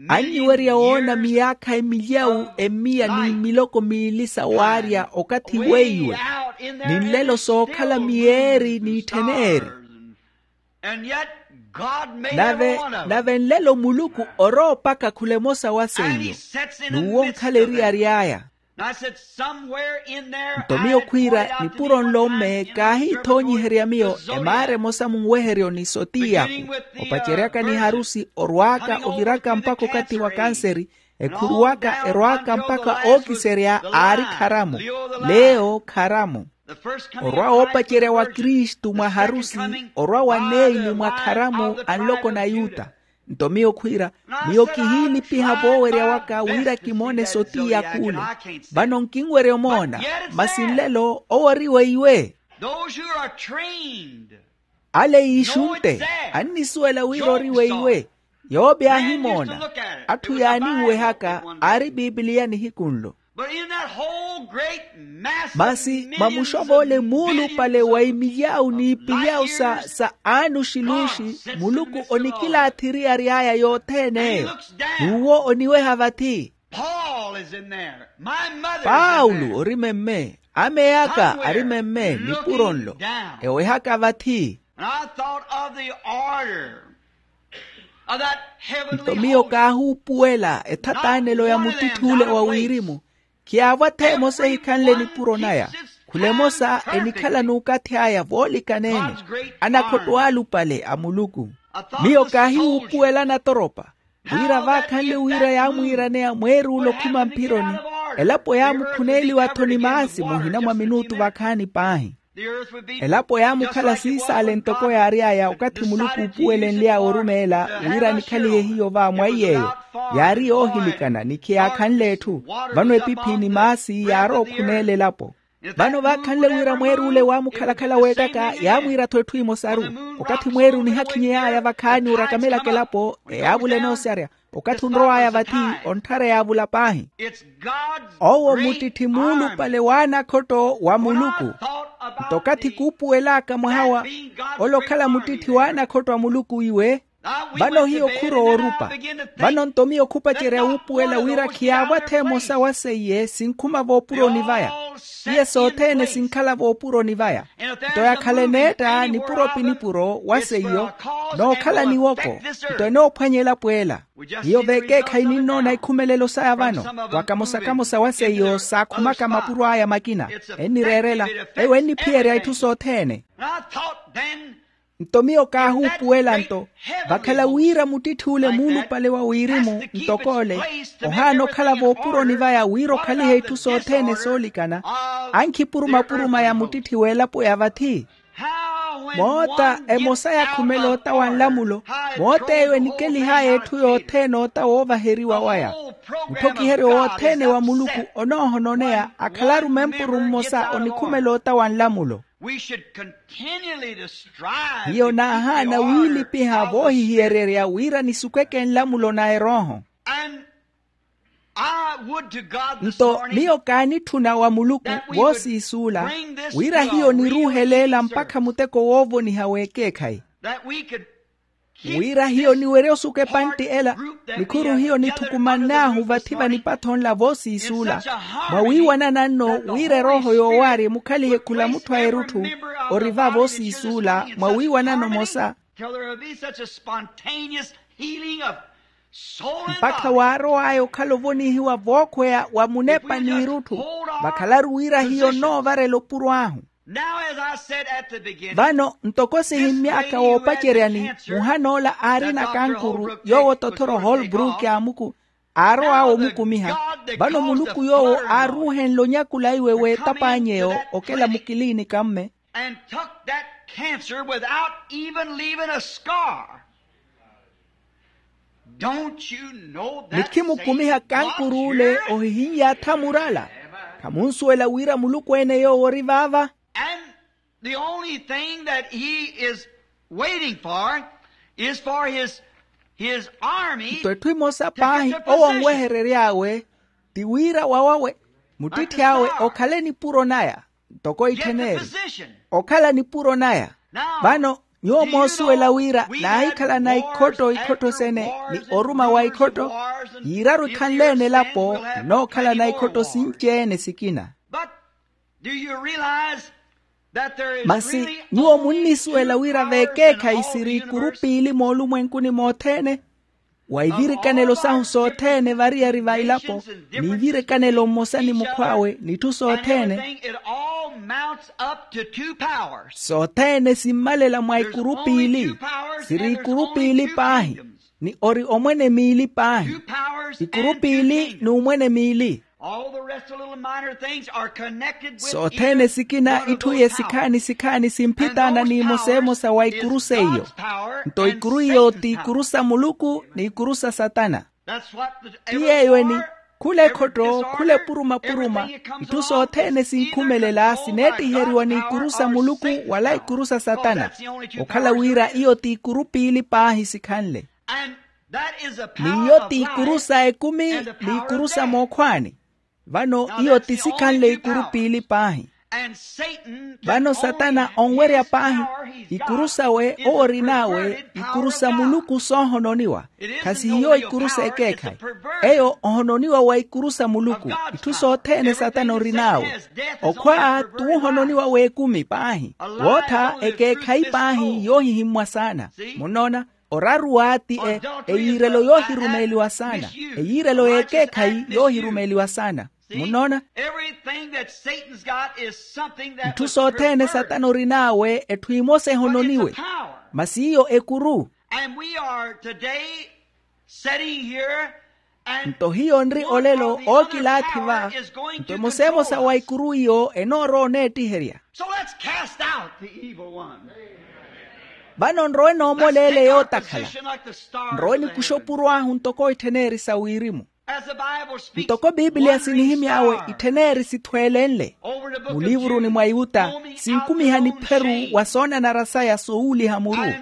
annyiwerya woona miyaakha emilyawu emiya ni miloko miili sa waarya okathi weiwe. Ni nlelo sookhala miyeeri n'itthen'eri. Nave nave nlelo muluku orowa opaka khula emosa wa seiyo n'uwo onkhala eriyari aya. Nto miyo khwiira nipuro nlo mme kaahiithoonyiherya miyo emaara emosa munweheryo ni sotiyaku opaceryaka ni harusi orwaaka oviraka mpakha okathi wa kanseri. Ekhuruwaka erwaaka mpakha ookiserya aari kharamu. Leo kharamu orwa woopacerya wa kristu mwa harusi orwa wa neili mwa kharamu a nloko n'ayuta. Nto miyo khwiira miyo kihiilipiha voowerya waka wira kimoone sotiya k'ule. Vano nkinwerya omoona masi nlelo owo ori weiwe. Ale iixunte annisuwela wira ori weiwe. Yoope aahimoona atthu yaaninwehaka aari pipiliya nihiku nlo. Masi mwa muxov'ole muulupale wa imilyawu n'ipilyawu sa sa anuxiluxi muluku onikilaathi eriyari aya yothene eyo. N'uwo oniweha vathi. Paulo ori memme. Ameya aka ari memme nipuro nlo ewehaka vathi. Nto miyo kaahuupuwela ethataanelo ya muttitthuule wa wirimu. Khiyaavwa-tho emosa ehikhanle nipuro naya. Khula emosa enikhala n'ukathi aya voolikanene. Anakhotto alupale a muluku. Miyo kaahiwuupuwela natoropa wira vaakhanle wira yaamwiiraneya mweeruula okhuma mphironi. Elapo yaamukhuneeliwa-tho ni maasi muhina mwa minuutu vakhaani paahi. Elapo yaamukhala siisaale ntoko yaary'aya okathi muluku uupuwelenly'awe orumeela wira anikhalihe hiyo va mwaiy'eyo. Yaari yoohilikana ni khiyaakhanle etthu. Vano epiphi ni maasi yaarowa okhuneela elapo. Vano vaakhanle wira mweeruule waamukhalakhala weettaka yaamwiira-tho etthu emosaru. Okathi mweeru onihakhinyey'aya vakhaani orakamelaka elapo eyaavula enoosyarya. Okathi onrow'aya vathi, ontthareya avula paahi. Owo muttitthimuulupale w'anakhotto wa muluku. Nto okathi kuupuwel'aka mwaha wa ole okhala muttitthi w'anakhotto a muluku iwe. Vano hiyo khurowa orupa. Vano nto miyo khupacerya wuupuwela wira khiyaavwa-tho emosa wa seiye sinkhuma voopuroni vaya. Iye sothene sinkhala voopuroni vaya. Nto yakhala eneetta nipuro pi nipuro wa seiyo, nookhala niwoko, nto enoophwanya elapo ela. Hiyo veekeekhayi ninnoona ikhumelelo saya vano, wa kamosa-kamosa wa seiyo saakhumaka mapuro aya makina. Ennireerela, eyo enniphiyerya itthu sothene. Nto miyo kaahuupuwela nto, vakhala wira muttitthiule muulupale wa wirimu ntoko ole, ohaana okhala voopuroni vaya wira okhalihe itthu sothene soolikana. Ankhipuruma-puruma ya muttitthiwe elapo ya vathi. Moota emosa yakhumela ota wa nlamulo. Moota eyo enikelih'aya etthu yothene ota woovaheriwa waya. Mutthokiheryo wothene wa muluku onoohononeya akhalaru mempuru mmosa onikhumela ota wa nlamulo. Hiyo naahaana wiilipiha voohihiyererya wira nisukeke nlamulo na erooho. Nto miyo kaanitthuna wa muluku voosiisuula wira hiyo niruuheleela mpakha muteko woovoniha w'ekeekhayi, wira hiyo niwerye osuka epantti ela. Nikhuru hiyo nitthukumann'ahu vathi vanipathonla voosiisuula mwawiiwanana nno wira erooho yoowaari emukhalihe khula mutthu a erutthu ori va voosiisuula mwawiiwanana omosa. Mpakha waarow'aya okhala ovonihiwa vookhweya wa munepa n'irutthu. Vakhalaru wira hiyo nnoovarela opuro ahu. Vano ntoko sihimmy'aka woopaceryani, muhan'ola aarina kankuru yoowo tothoro holbrook aamuku aarow'awe omukumiha. Vano muluku yoowo aaruuhenle onyakula iwe w'etap'anyu eyo okela mukiliinikamme. Nikhimukumiha kankuruule ohihiny'atha murala. Khamunsuwela wira muluku ene yoowo ori vaava. The only thing that he is waiting for is for his his army. Nto etthu emosa paahi owo onweherery'awe ti wira wawawe muttitthi awe okhale nipuro naya. Ntoko itthen'eyo okhala nipuro naya. Vano nyuwo moosuwela wira naahikhalana ikhotto ikhotto sene ni oruma wa ikhotto yiiraru ekhanle-ene elapo nnookhalana ikhotto sinci-ene sikina. Masi nyuwo munnisuwela wira veekeekhayi siri ikuru piili moolumwenkuni mothene. Wa ivirikanelo sahu sothene variyari va ilapo ni ivirikanelo mmosa ni mukhw'awe n'itthu sothene. Sothene simmalela mwa ikuru piili. Siri ikuru piili paahi ni ori omwene miili paahi. Ikuru piili n'umwene miili. Sothene sikina itthu iye sikhaani sikhaani simphitaana n'imosa emosa wa ikuru seiyo. Nto ikuru iyo ti ikuru sa muluku n'ikuru sa satana. Ti yeeyo eni khula ekhotto khula epuruma-puruma. Itthu sothene sinkhumelela sineettiheriwa n'ikuru sa muluku wala ikuru sa satana. Okhala wira iyo ti ikuru piili paahi sikhanle. N'iyo t'ikuru sa ekumi n'ikuru sa mookhwaani. Vano iyo ti sikhanle ikuru piili paahi. Vano satana onwerya paahi ikuru sawe owo orin'awe ikuru sa muluku soohononiwa. Khasihiyo ikuru s'ekeekhayi. Eyo ohononiwa wa ikuru sa muluku. Itthu sothene satana orin'awe okhwa t'uhononiwa w'ekumi paahi. Wootha ekeekhayi paahi yoohihimmwa saana. Munnoona? Oraruwa ti eyiirelo yoohirumeeliwa saana. Eyiirelo y'ekeekhayi yoohirumeeliwa saana. Munnoona? Itthu sothene satana orin'awe etthu emosa ehononiwe. Masi iyo ekuru. Nto hiyo nri olelo ookilaathi va. Nto emosa emosa wa ikuru iyo enoorowa oneettiherya. Vano nrowe noomoleele yootakhala. Nrowe nikuxa opuro ahu ntoko ittheneri sa wirimu. Ntoko bibiliya sinihimy'awe ittheneri sithwelenle. Muliivuruni mwa yuta, sinkumiha nipheru wa soonanara saya soowuliha muru.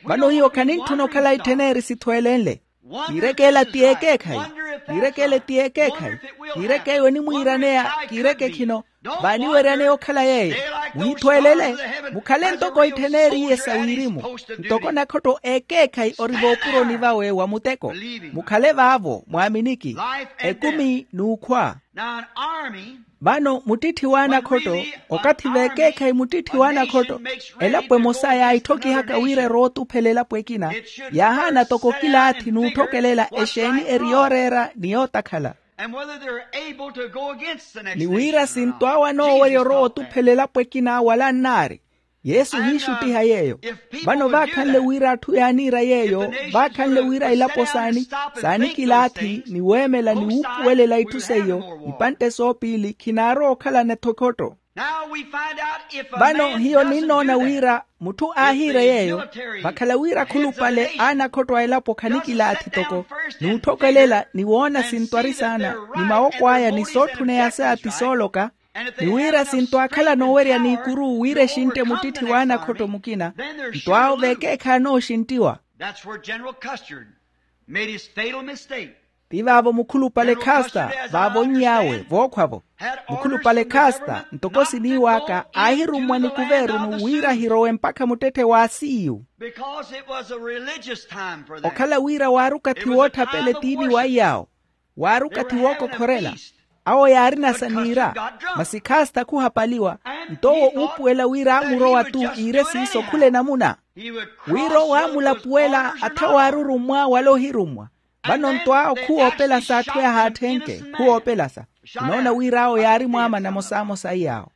Vano hiyo khanintthuna okhala ittheneri sithwelenle. Kiirekeela ti ekeekhayi. Kiirekeela ti ekeekhayi. Kiirekeeyo enimwiiraneya. Kiireke khino. Vaaniweryaneya okhala yeeyo. Muhithweelele. Mukhale ntoko ittheneriye sa wirimu. Ntoko nakhotto ekeekhayi ori voopuroni vawe wa muteko. Mukhale vaavo mwaaminiki. Ekumi n'ukhwa. Vano muttitthi w'anakhotto, okathi veekeekhayi muttitthi w'anakhotto, elapo emosa yaaitthokihaka wira erowa otuphela elapo ekina. Yaahaana toko okilaathi n'utthokelela exeeni eri yooreera ni yootakhala. Ni wira sinto awe anoowerya orowa otuphela elapo ekina wala annaari. Yesu ohiixuttiha yeeyo. Vano vaakhanle wira atthu yaaniira yeeyo, vaakhanle wira ilapo saani, saanikilaathi ni weemela ni wuupuwelela itthu seiyo, ipantte soopiili khinaarowa okhalana ethokhotto. Vano hiyo ninnoona wira mutthu aahiire yeeyo, vakhala wira akhulupale a anakhotto a elapo khanikilaathi toko, n'utthokelela ni woona sinto ari saana, ni mawoko aya ni sootthuneya saya ti sooloka. Ni wira sinto aakhala noowerya n'ikuru wira exintte muttitthi w'anakhotto mukina. Nto awo veekeekhayi anooxinttiwa. Ti vaavo mukhulupale khasta vaavo onn'awe vookhwavo. Mukhulupale khasta ntoko siniiw'aka aahirummwa nikuveerunu wira ahirowe mpakha muttetthe w'asiiyu. Okhala wira waari okathi wootthapeela etiini wa iyaawo. Waari okathi wookokhorela. Awo yaarina sa niira. Masi khasta khuhapaliwa. Nto owo uupuwela wira aamurowa-tu iire siiso khula enamuna. Wira owo aamulapuwela atha waarurummwa wala ohirummwa. Vano nto awo khuwoopelasa atthu yahaatthenke khuwoopelasa. Khunoona wira awo yaari mwaamana mosamosa iyaawo.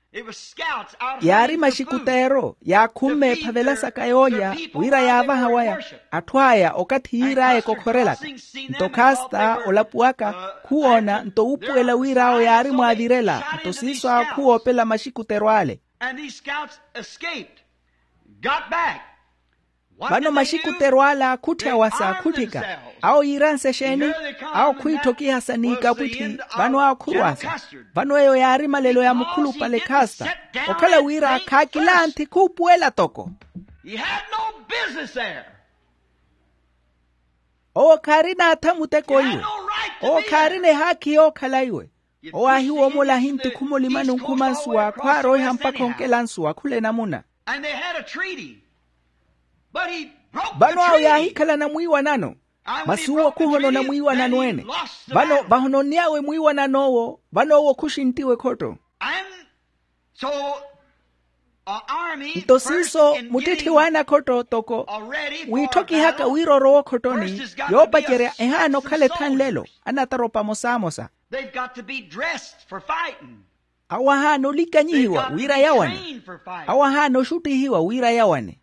Yaari maxikuteero yaakhumme ephavelasaka yoolya wira yaavaha waya. Atthu aya okathi yiir'aya ekokhorelaka. Nto khasta olapuwaka khuwoona nto wuupuwela wira awo yaari mwaavirela nto siiso awo khuwoopela maxikuteero ale. Vano maxikuteru ala khutthya wasa khutthika. Awo yiiransa exeeni? Awo khwiitthokiha sa n'ikapwitthi. Vano awo khurwasa. Vano eyo yaari malelo ya mukhulupale khasta. Okhala wira khaakilanthi khuupuwela toko. Owo khaarina atha muteko iwe. Owo khaarina ehaakhi yookhala iwe. Owo aahiwoomola ahintti khumulima nunkhuma nsuwa khwaaroiha mpakha onkela nsuwa khula enamuna. Vano awo yaahikhalana mwiiwanano. Masi uwo khuhonona mwiiwanano ene. Vano vahononn'awe mwiiwanan'owo vano owo khuxinttiwe ekhotto. Nto siiso muttitthi w'anakhotto toko wiitthokihaka wira orowa okhottoni. Yoopacerya ehaana okhala ethanlelo. Anataropa amosamosa. Awo ahaana olikanyihiwa wira yawane. Awo ahaana oxuttihiwa wira yawane.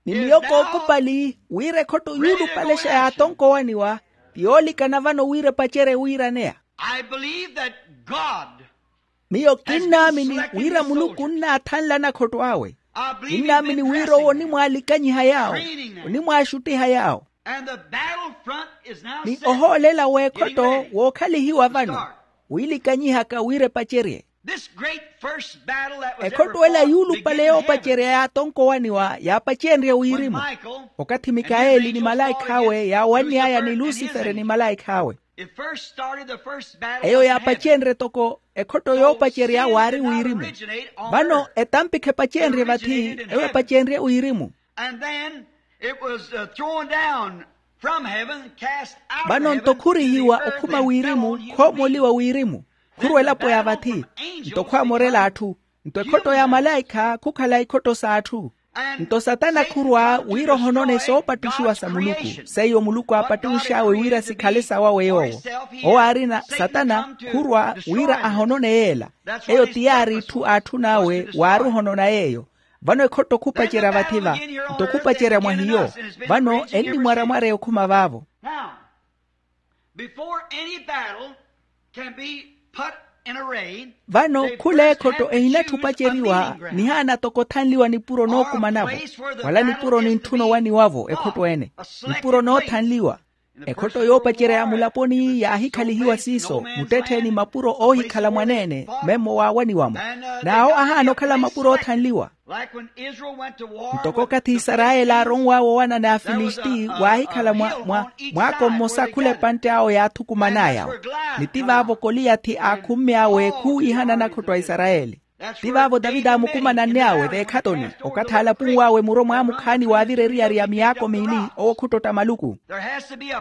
Ni miyo kookupali wira ekhotto yuulupalexa yaatonkowaniwa ti yoolikana vano wira epacerye wiiraneya. Miyo kinnaamini wira muluku onnaathanla anakhotto awe. Kinnaamini wira owo onimwaalikanyiha yaawo, onimwaaxuttiha yaawo. Ni ohoolela w'ekhotto wookhalihiwa vano wiilikanyihaka wira epacerye. Ekhotto ela yuulupale yoopacerya yaatonkowaniwa yaapacenrye wirimu. Okathi mikaeli ni malaikh'awe yaawanny'aya ni lusifere ni malaikh'awe. Eyo yaapacenrye toko ekhotto yoopacerya waari wirimu. Vano etampikha epacenrye vathi eyo epacenrye wirimu. Vano nto khurihiwa okhuma wirimu khoomoliwa wirimu. Khurwa elapo ya vathi nto khwaamorela atthu. Nto ekhotto ya malaikha khukhala ikhotto s'atthu. Nto satana khurwa wira ohonone soopattuxiwa sa muluku, seiyo muluku aapattux'awe wira sikhale sawawe yoowo. Owo aarina satana khurwa wira ahonone yeela. Eyo ti yaari itthu aatthun'awe waaruhonona yeeyo. Vano ekhotto khupacerya vathi-va, nto khupacerya mwa hiyo. Vano ennimwaramwareya okhuma vaavo. Now, before any battle can be put in array, vano khula ekhotto ehinatthi opaceriwa, nihaana toko othanliwa nipuro nookumanavo. Wala nipuro nintthuna owaniwavo ekhotto ene. Nipuro noothanliwa. Ekhotto yoopacerya ya mulaponi yaahikhalihiwa siiso, muttettheeni mapuro oohikhala mwaneene memmo waawaniwa-mo. N'awo ahaana okhala mapuro oothanliwa. Ntoko okathi isarayeli aaronw'awe owana n'afilisti, waahikhala mwa mwaako mmosa khula epantte awo yaathukuman'aya-wo. Ni ti vaavo koliyathi aakhummy'awe khuwiihana nakhotto a isarayeli. Ti vaavo taviti aamukumananny'awe veekhatoni, okathi aalapunw'awe muro mwaamukhaani waavira eriyari ya miyaako miili owo khuttotta maluku.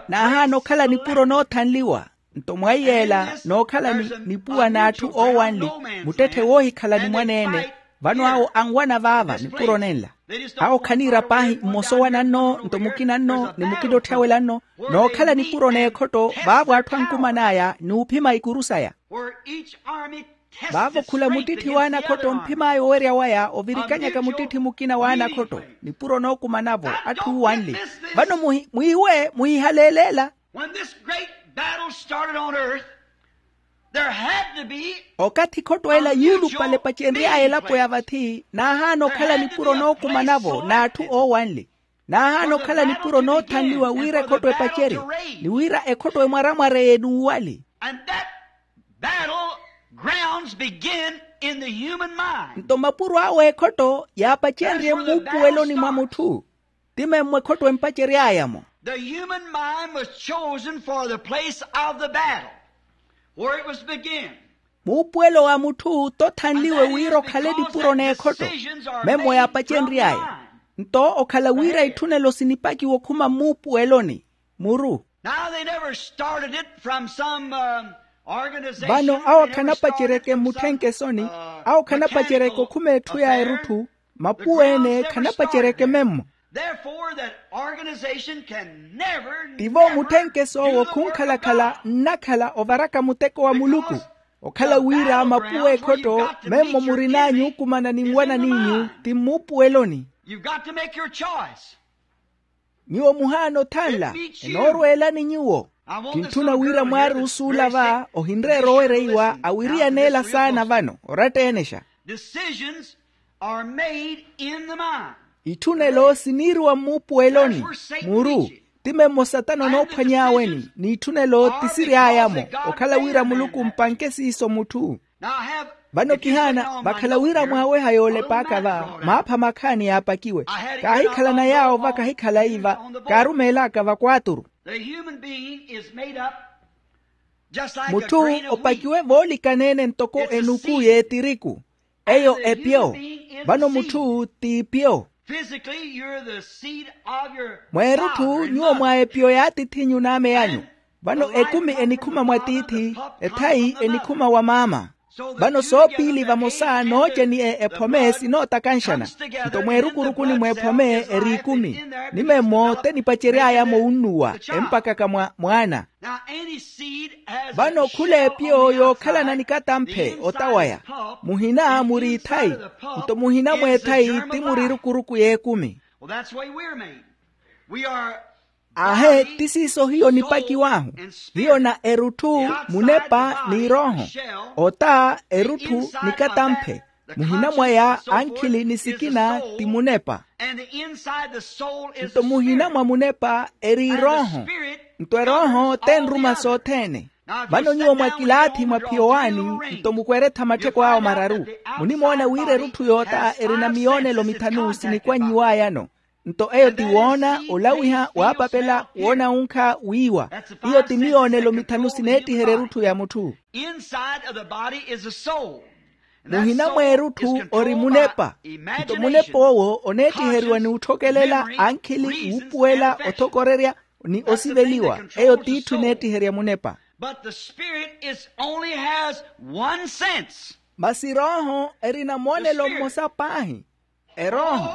N'ahaana okhala nipuro noothanliwa. Nto mwa iyeela nookhala nipuwa n'atthu oowanli, muttetthe woohikhala ni mwaneene. Vano awo anwana vaava nipuro nenla. Awo khaniira paahi mmosa owana nno nto mukina nno ni mukina otthawela nno. Nookhala nipuro n'ekhotto vaavo atthu ankuman'aya n'uphima ikuru saya. Vaavo khula muttitthi w'anakhotto omphim'aya owerya waya ovirikanyaka muttitthi mukina w'anakhotto. Nipuro nookumanavo atthu uuwanli. Vano mwiiwe muhihaleeleela. When this great battle started on earth, there had to be okathi ekhotto ela yuulupale epacenry'aya elapo ya vathi n'ahaana okhala nipuro nookumanavo n'atthu oowanle. N'ahaana okhala nipuro noothanliwa wira ekhotto epacerye ni wira ekhotto emwaramwareye n'uwali. And that battle grounds begin in the human mind. Nto mapuro awe ekhotto yaapacenrye mmuupuweloni mwa mutthu. Ti memmo ekhotto empacery'aya-mo. The human mind was chosen for the place of the battle, where it was to begin. Muupuwelo wa mutthu t'othanliwe wira okhale nipuro n'ekhotto. Memmo yaapacenry'aya. Nto okhala wira itthunelo sinipakiwa okhuma mmuupuweloni. Muru. Now they never started it from some organization. Vano awo khanapaceryeke mmutthenke esoni. Awo khanapaceryeke okhuma etthu ya erutthu. Mapuweene khanapaceryeke memmo. Tivo mutthenkesi owo khunkhalakhala nnakhala ovaraka muteko wa muluku. Okhala wira mapuwe ekhotto memmo murin'anyu okumana ni nwana n'inyu ti mmuupuweloni. Nyuwo muhaana othanla. Enoorweelani nyuwo. Kintthuna wira mwaari osuula va ohinreera owereiwa awiriyaneela saana vano oratta-enexa. Itthunelo siniiriwa mmuupuweloni. Muru ti memmo satana onoophwany'aweni n'itthunelo ti siry'aya-mo. Okhala wira muluku ompanke siiso mutthu. Vano kihaana vakhala wira mwaaweha yoolep'aka va maapha makhaani yaapakiwe. Kaahikhala na yaawo va kahikhala iva. Kaarumeel'aka va kwaaturu. Mutthu opakiwe voolikaneene ntoko enuku y'etiriku. Eyo epyo. Vano mutthu t'ipyo. Mweerutthu nyuwo mwa epyo y'atiith'inyu n'ame anyu. Vano ekumi enikhuma mwa tiithi. Ethayi enikhuma wa maama. Vano soopiili vamosa nooce ni ephome sinootakanxana. Nto mweerukurukuni mw'ephome eri ikumi. Ni memmo te nipacery'aya-mo wunnuwa empakaka mwa mwaana. Vano khula epyo yookhalana nikatamphe ota waya. Muhina muri ithayi. Nto muhina mw'ethayi ti muri erukuruku y'ekumi. Aahe ti siiso hiyo nipakiw'ahu. Hiyo na erutthu, munepa n'irooho. Ota erutthu nikatamphe. Muhina mwaya ankhili ni sikina ti munepa. Nto muhina mwa munepa eri irooho. Nto erooho t'enruma sothene. Vano nyuwo mwakilaathi mwa phiyo waani. Nto mukweretha mattheko awo mararu. Munimoona wira erutthu y'ota erina miyoonelo mithanu sinikwannyiw'ayano. Nto eyo ti woona, olawiha, waapapela, woona wunkha, wiiwa. Iyo ti miyoonelo mithanu sineettiherya erutthu ya mutthu. Muhina mw'erutthu ori munepa. Nto munepa owo oneettiheriwa ni otthokelela ankhili, wuupuwela, othokorerya, ni osiveliwa. Eyo t'itthu eneettiherya munepa. Masi erooho erina moonelo mmosa paahi. Erooho.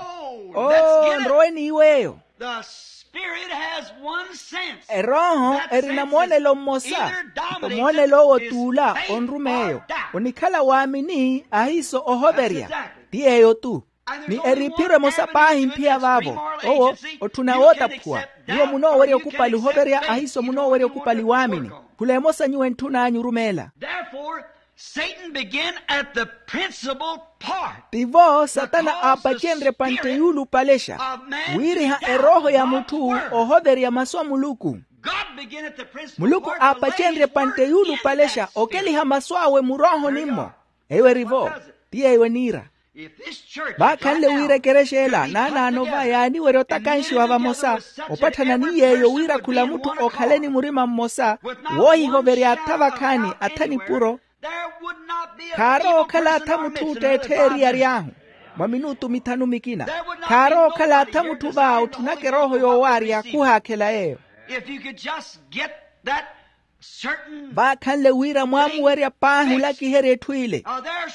Oo, nrowe n'iw'eyo. The spirit has one sense. Erooho erina moonelo mmosa. Nto moonelo owo t'ula onrum'eyo. Onikhala waamini ahiiso ohoverya. Ti yeeyo-tu. Ni eriiphiro emosa paahi mphiya vaavo. Owo otthuna wootaphuwa. Nyuwo munoowerya okupali ohoverya ahiiso munoowerya okupali waamini. Khula emosa nyuwo entthun'anyu orumeela. Therefore, Satan began at the principal part. Tivo satana aapacenrye epantte yuulupalexa. Wiiriha erooho ya mutthu ohoverya masu a muluku. Muluku aapacenrye epantte yuulupalexa okeliha masu awe muroohoni-mo. Eyo eri-vo. Ti yeeyo eniira. Vaakhanle wira ekerexa ela naanaano va yaaniwerya otakanxiwa vamosa, opatthana ni yeeyo wira khula mutthu okhale ni murima mmosa woohihoverya atha vakhaani atha nipuro. Khaarowa okhala atha mutthu ootteettheya eriyari ahu. Mwa minutu mithanu mikina khaarowa okhala atha mutthu va otthunaka erooho yoowaarya khuhaakhela yeeyo. If you could just get that certain vaakhanle wira mwaamuwerya paahi olakiherya etthu ile.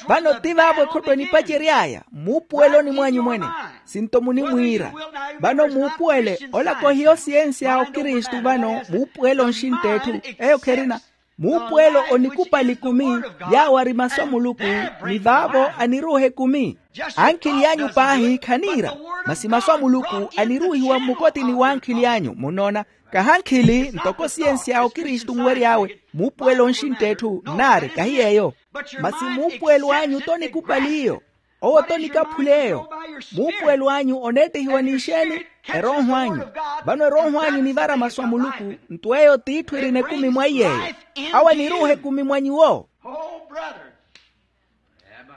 Vano ti vaavo ekhotto enipacery'aya muupuweloni mwanyu mwene. Sinto munimwiira vano muupuwele ola kohiyo siyensi ya okristu vano muupuwele onxintta etthu. Eyo kherina muupuwelo onikupali ekumi yaawo ari masu a muluku ni vaavo aniruuha ekumi. Ankhili anyu paahi khaniira masi masu a muluku aniruuhiwa mmukotini w'ankhili anyu munnoona. Kahankhili ntoko siyensi ya okristu nwery'awe muupuwelo onxintta etthu nnaari kahi yeeyo. Masi muupuwelo anyu tonikupali iyo. Owo tonikaphula eyo. Muupuwelo anyu oneettehiwa n'ixeeni? Erooho anyu. Vano erooho anyu enivara masu a muluku. Nto eyo t'itthu erina ekumi mwa iy'eyo. Awo aniruuha ekumi mwa nyuwo. Oh, brother.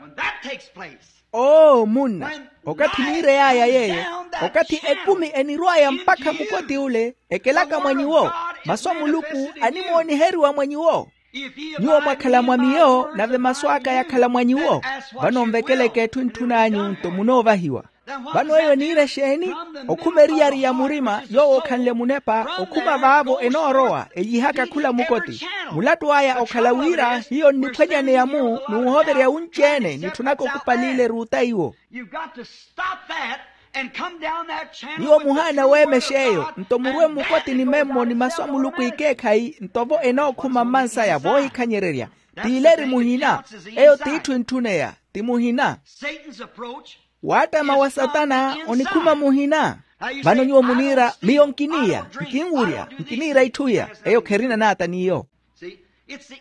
When that takes place, oo munna, okathi niirey'aya yeeyo, okathi ekumi enirw'aya mpakha mukoti ule ekelaka mwa nyuwo, masu a muluku animooniheriwa mwa nyuwo. Nyuwo mwakhala mwa miyo nave masu aka yakhala mwa nyuwo. Vano nvekeleke etthu entthun'anyu nto munoovahiwa. Vano eyo eniira exeeni? Okhuma eriyari ya murima yoowo okhanle munepa okhuma vaavo enoorowa eyihaka khula mukoti. Mulattu aya okhala wira hiyo nniphwanyaneya-mu n'uhoverya wunci-ene nitthunaka okupali ile eruuta iwo. Nyuwo muhaana weemexa eyo nto murwe mmukotini memmo ni masu a muluku ekeekhayi nto-vo enookhuma mmansaya voohikhanyererya. T'ile eri muhina. Eyo t'itthu entthuneya ti muhina. Waattama wa satana onikhuma muhina. Vano nyuwo muniira miyo nkiniya nkinwurya nkiniira itthu iya. Eyo kherina naata n'iyo.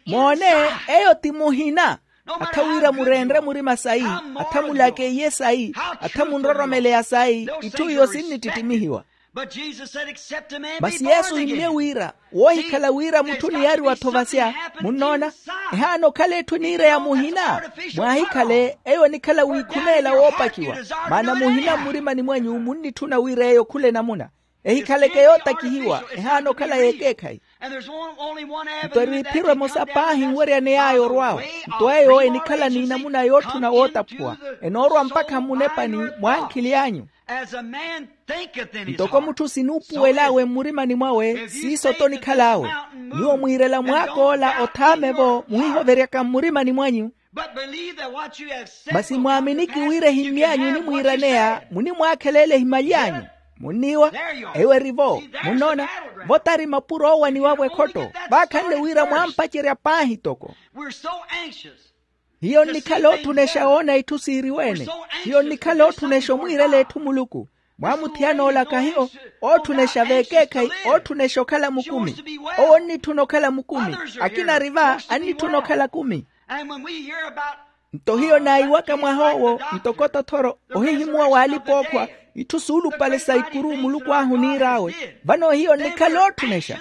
Moone, eyo ti muhina. Atha wira mureenre murima sayi, atha mulakeiye sayi, atha munroromeleya sayi itthu iyo sinnittittimihiwa. Masi yesu ohimmye wira woohikhala wira mutthu oniyariwa-tho vasya. Munnoona? Ehaana okhala etthu eniira ya muhina. Mwaahikhale eyo enikhala wiikhuneela woopakiwa. Maana muhina mmurimani mwanyu munnitthuna wira eyo khula enamuna. Ehikhaleke yootakihiwa ehaana okhala y'ekeekhayi. Nto eri iphiro emosa paahi nweryaney'aya orw'awe. Nto eyo enikhala n'inamuna yootthuna wootaphuwa enoorwa mpakha mmunepani mw'ankhili anyu. Ntoko mutthu sinuupuwel'awe mmurimani mwawe siiso tonikhal'awe. Nyuwo mwiirela mwaak'ola othaame-vo muhihoveryaka mmurimani mwanyu. Masi mwaaminiki wira ehimmy'anyu enimwiiraneya munimwaakhela ele ehimaly'anyu. Munniiwa? Eyo eri-vo. Munnoona? Vo tari mapuro oowaniwa-vo ekhotto. Vaakhanle wira mwaampacerya paahi toko. Hiyo nnikhala otthunexa woona itthu siiriwe-ene. Hiyo nnikhala otthunexa omwiirela etthu muluku. Mwaamuthiyana ola kahiyo ootthunexya v'ekeekhayi ootthunexya okhala mukumi. Owo onnitthuna okhala mukumi. Akina ari va annitthuna okhala kumi. Nto hiyo naahiwaka mwah'owo ntoko tothoro ohihimuwa w'alipa-ookhwa itthu suulupale sa ikuru muluku ahu oniir'awe. Vano hiyo nnikhala ootthunexya.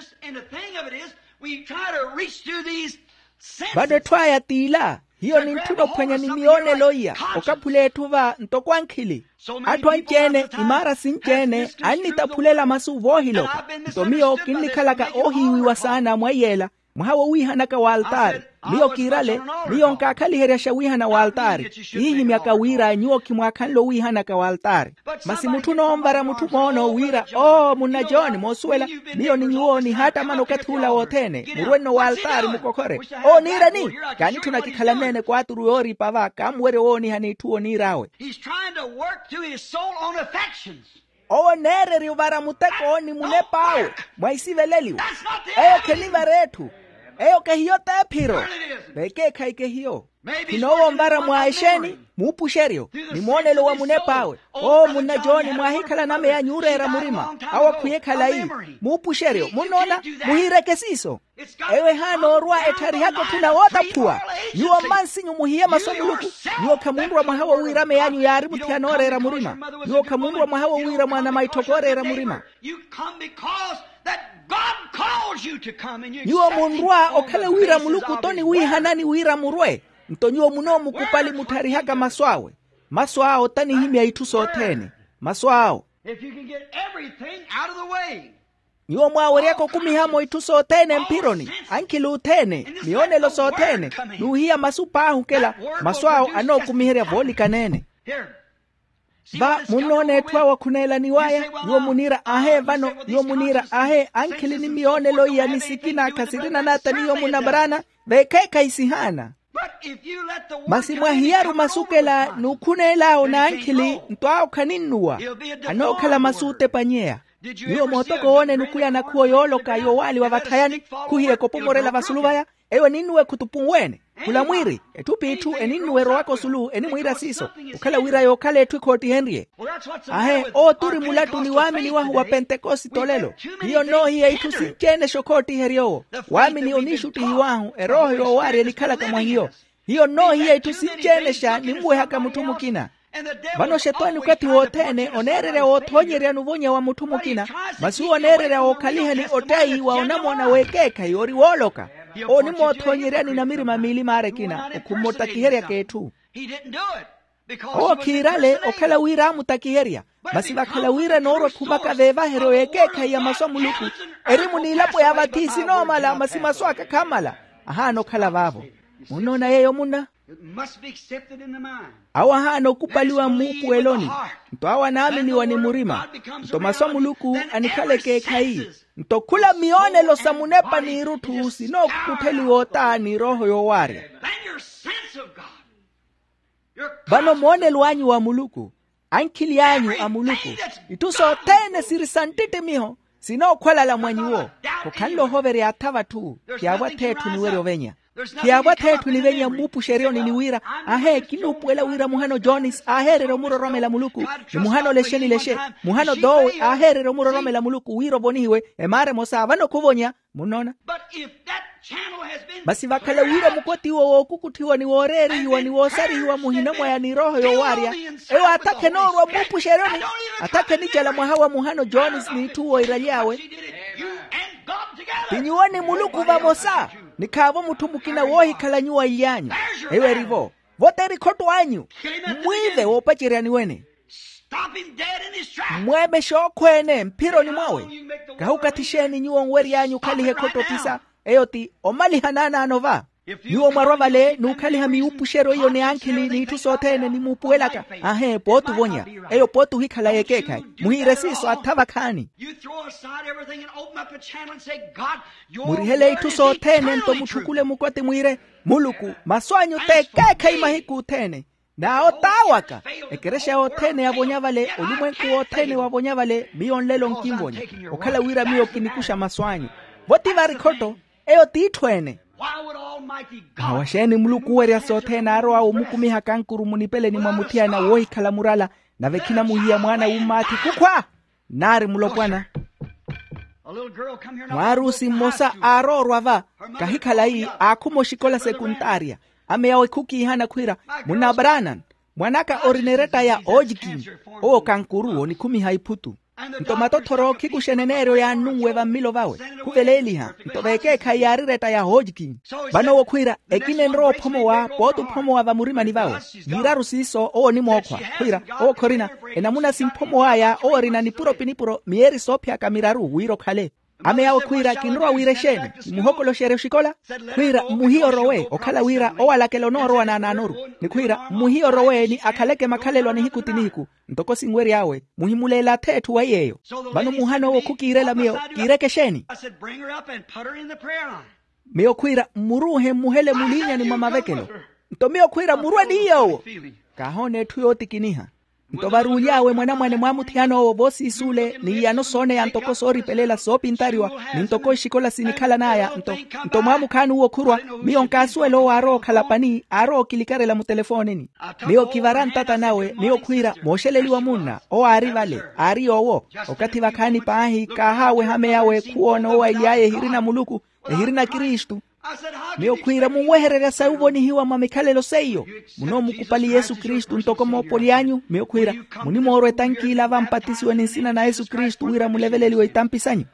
Vano etthu aya t'ila. Hiyo nintthuna ophwanya ni miyoonelo iya okaphula etthu va ntoko ankhili. Atthu anci-ene imaara sinci-ene annitaphulela masu voohiloka. Nto miyo kinnikhalaka oohiiwiwa saana mwa iy'ela. Mwaha wowiihanaka w'altaari. Miyo kiirale, miyo nkaakhaliheryaxa wiihana w'altaari. Kiihimyaka wira nyuwo khimwaakhanle owiihanaka w'altaari. Masi mutthu onoonvara mutthu moono wira oo munna john moosuwela, miyo ni nyuwo nihaattamana okathi ula wothene murwenno w'altaari mukokhore. Oo niirani? Kaanitthuna kikhala meene kwaaturu yooripa va kaamuwerya owoonihani itthu oniir'awe. He's trying to work through his soul on affections. Owo oneererya ovara muteko ni munep'awe mwa isiveleliwa. Eyo khenivara etthu. Eyo kehiyo t'ephiro. Vekeekhayi kehiyo. Khino owo onvara mwa exeeni muupuxeryo ni moonelo wa munep'awe. Oo munna john mwaahikhala name yanyu ooreera murima. Awo akhwiye khalayi. Muupuxeryo munnoona. Muhiireke siiso. Eyo ehaana orwa ettharihaka otthuna wootaphuwa. Nyuwo mmansinyu muhiye masu a muluku. Nyuwo khamunrwa mwaha wowiira meyanyu yaari muthiyana ooreera murima. Nyuwo khamunrwa mwaha wowiira mwaana maitthoko ooreera murima. Nyuwo munrwa okhala wira muluku t'oniwiihanani wira murwe. Nto nyuwo munoomukupali muttharihaka masu awe. Masu awo t'anihimya itthu sothene. Masu awo. Nyuwo mwaaweryaka okumiha-mo itthu sothene mphironi, ankhili othene, miyoonelo sothene, n'uhiya masu paahi okela. Masu awo anookumiherya voolikaneene. Va munnoona etthu awo akhuneelaniw'aya. Nyuwo muniira ahe vano nyuwo muniira ahe ankhili ni miyoonelo iya ni sikina khasirina nata ni yoomunamaraana. Veekheekhayi sihaana. Masi mwahiyaru masu okela n'ukhuneel'awo n'ankhili nto awo khaninnuwa. Anookhala masu ootepanyeya. Nyuwo mootoko woone nukwiya nakhuwo yooloka yoowaaliwa vathayani. Khuhiye kopomorela vasulu vaya. Eyo eninnuwa ekhutupu nweene. Khula mwiiri etthu p'itthu eninnuwa erowaka osulu enimwiira siiso. Okhala wira yookhala etthu ekhoottihenrye. Ahe owo turi mulattu ni waamini wahu wa pentekosite olelo. Hiyo noohiya itthu sinci-ene exokhoottiherya owo. Waamini oniixuttihiw'ahu erooho yoowaarya enikhalaka mwa hiyo. Hiyo nnoohiya itthu sinci-ene exa nimmuwehaka mutthu mukina. Vano xetwaani okathi wothene oneererya woothoonyeryani ovonya wa mutthu mukina. Masi owo oneererya wookhalihani ottayi wa onamoona w'ekeekhayi ori wooloka. Owo onimoothoonyeryani namirima miili maara ekina okhummottakiheryaka etthu. Owo khiirale okhala wira aamuttakiherya. Masi vakhala wira enoorwa ekhumaka veevaheryo y'ekeekhayi ya masu a muluku. Erimu n'ilapo ya vathi sinoomala masi masu aka khaamala. Ahaana okhala vaavo. Munnoona yeeyo munna. Awo ahaana okupaliwa mmuupuweloni. Nto awo anaaminiwa ni murima. Nto masu a muluku anikhala ekeekhayi. Nto khula miyoonelo sa munepa n'irutthu sinookukutheliwa ota ni erooho yoowaarya. Vano moonelo anyu wa muluku, ankhili anyu a muluku, itthu sothene siri sa nttittimiho sinookhwalala mwa nyuwo. Khokhanle ohoverya atha vatthu. Khiyaavwa atheetthu niwerya ovenya. Khiyaavwa atheetthu nivenya mmuupuxeryoni ni wira, ahe kinuupuwela wira muhano jones aaheererya omuroromela muluku, ni muhano lexe ni lexe, muhano doowe aaheererya omuroromela muluku wira ovonihiwe. Emaara emosa vano khuvonya. Munnoona? Masi vakhala wira mukoti uwo wookukutthiwa ni wooreerihiwa ni woosarihiwa muhina mwaya ni erooho yoowaarya, eyo atakha enoorwa mmuupuxeryoni. Atakha enicala mwaha wa muhano jones n'itthu owo iraly'awe. Ti nyuwo ni muluku vamosa. Ni khaavo mutthu mukina woohikhala nyuwo anly'anyu. Eyo eri-vo. Vote erikhotto anyu. Mmwiive woopaceryani wene. Mmweemexe okhweene mphironi mwawe. Kahi okathi xeeni nyuwo onwery'anyu okhaliha ekhotto ophisa? Eyo ti omaliha naanaano va. Nyuwo mwarwa vale n'ukhaliha miwuupuxeryo iyo ni ankhili n'itthu sothene nimuupuwelaka. Ahe pooti ovonya. Eyo pooti ohikhala y'ekeekhayi. Muhiire siiso atha vakhaani. Murihele itthu sothene nto mutthukule mukoti mwiire, muluku, masu anyu t'ekeekhayi mahiku othene. N'awo t'awaka. Ekerexa yothene yavonya vale, olumwenku wothene wavonya vale miyo nlelo nkinvonya. Okhala wira miyo kinikuxa masu anyu. Vo ti vari khotto. Eyo t'itthu ene. Mwawa xeeni muluku owerya sothene aarowa omukumiha kankuru munipeleni mwa muthiyana woohikhala murala, nave khinamuhiya mwaana w'ummaathi kukhwa. Naari mulopwana. Mwaarusi mmosa aaroorwa va, kahi khalayi, aakhuma oxikola sekuntaarya. Ame yawe khukiihana khwiira, munna branan, mwan'aka orina eretta ya ojikin. Owo kankuru onikhumiha iphutu. Nto matothoro khikuxa eneneeryo yaannunwe vammilo vawe, khuveleeliha. Nto veekeekhayi yaari eretta ya ojikin. Vano owo khwiira, ekina enrowa ophomowa pooti ophomowa vamurimani vawe. Yiiraru siiso owo onimookhwa khwiira, owo khorina. Enamuna simphomow'aya owo orina nipuro pi nipuro miyeeri soophiyaka miraru wira okhale. Ame yawo khwiira kinrowa wira exeeni? Kimuhokoloxerye oxikola. Khwiira mmuhiye orowe okhala wira owalakela onoorowa naanaanoru. Ni khwiira mmuhiye orowe ni akhaleke makhalelo a nihiku ti nihiku. Ntoko sinwery'awe muhimuleela atheetthu wa yeeyo. Vano muhan'owo khukiirela miyo kiireke exeeni? Miyo khwiira mmuruuhe mmuhele muliinyani mwa mavekelo. Nto miyo khwiira murwe ni iy'owo. Kaahoona etthu yootikiniha. Nto varuuly'awe mwanamwane mwaamuthiyan'owo voosiis'ule ni iyano sooneya ntoko sooripelela soopintariwa ni ntoko exikola sinikhalan'aya nto nto mwaamukhaani uwo khurwa. Miyo nkaasuwela owo aarowa okhala pani aarowa okilikarela mutelefoonini. Miyo kivara ntata nawe miyo khwiira mooxeleliwa munna owo aari vale aari yoowo. Okathi vakhaani paahi kaahaaweha meyawe khuwoona owo aily'aya ehirina muluku ehirina kristu. Miyo khwiira munwehererya sayi ovonihiwa mwa mikhalelo seiyo. Munoomukupali yesu kristu ntoko moopoli anyu miyo khwiira munimoorwa etankiila vampatisiwe ni nsina na yesu kristu wira muleveleliwe itampi sanyu.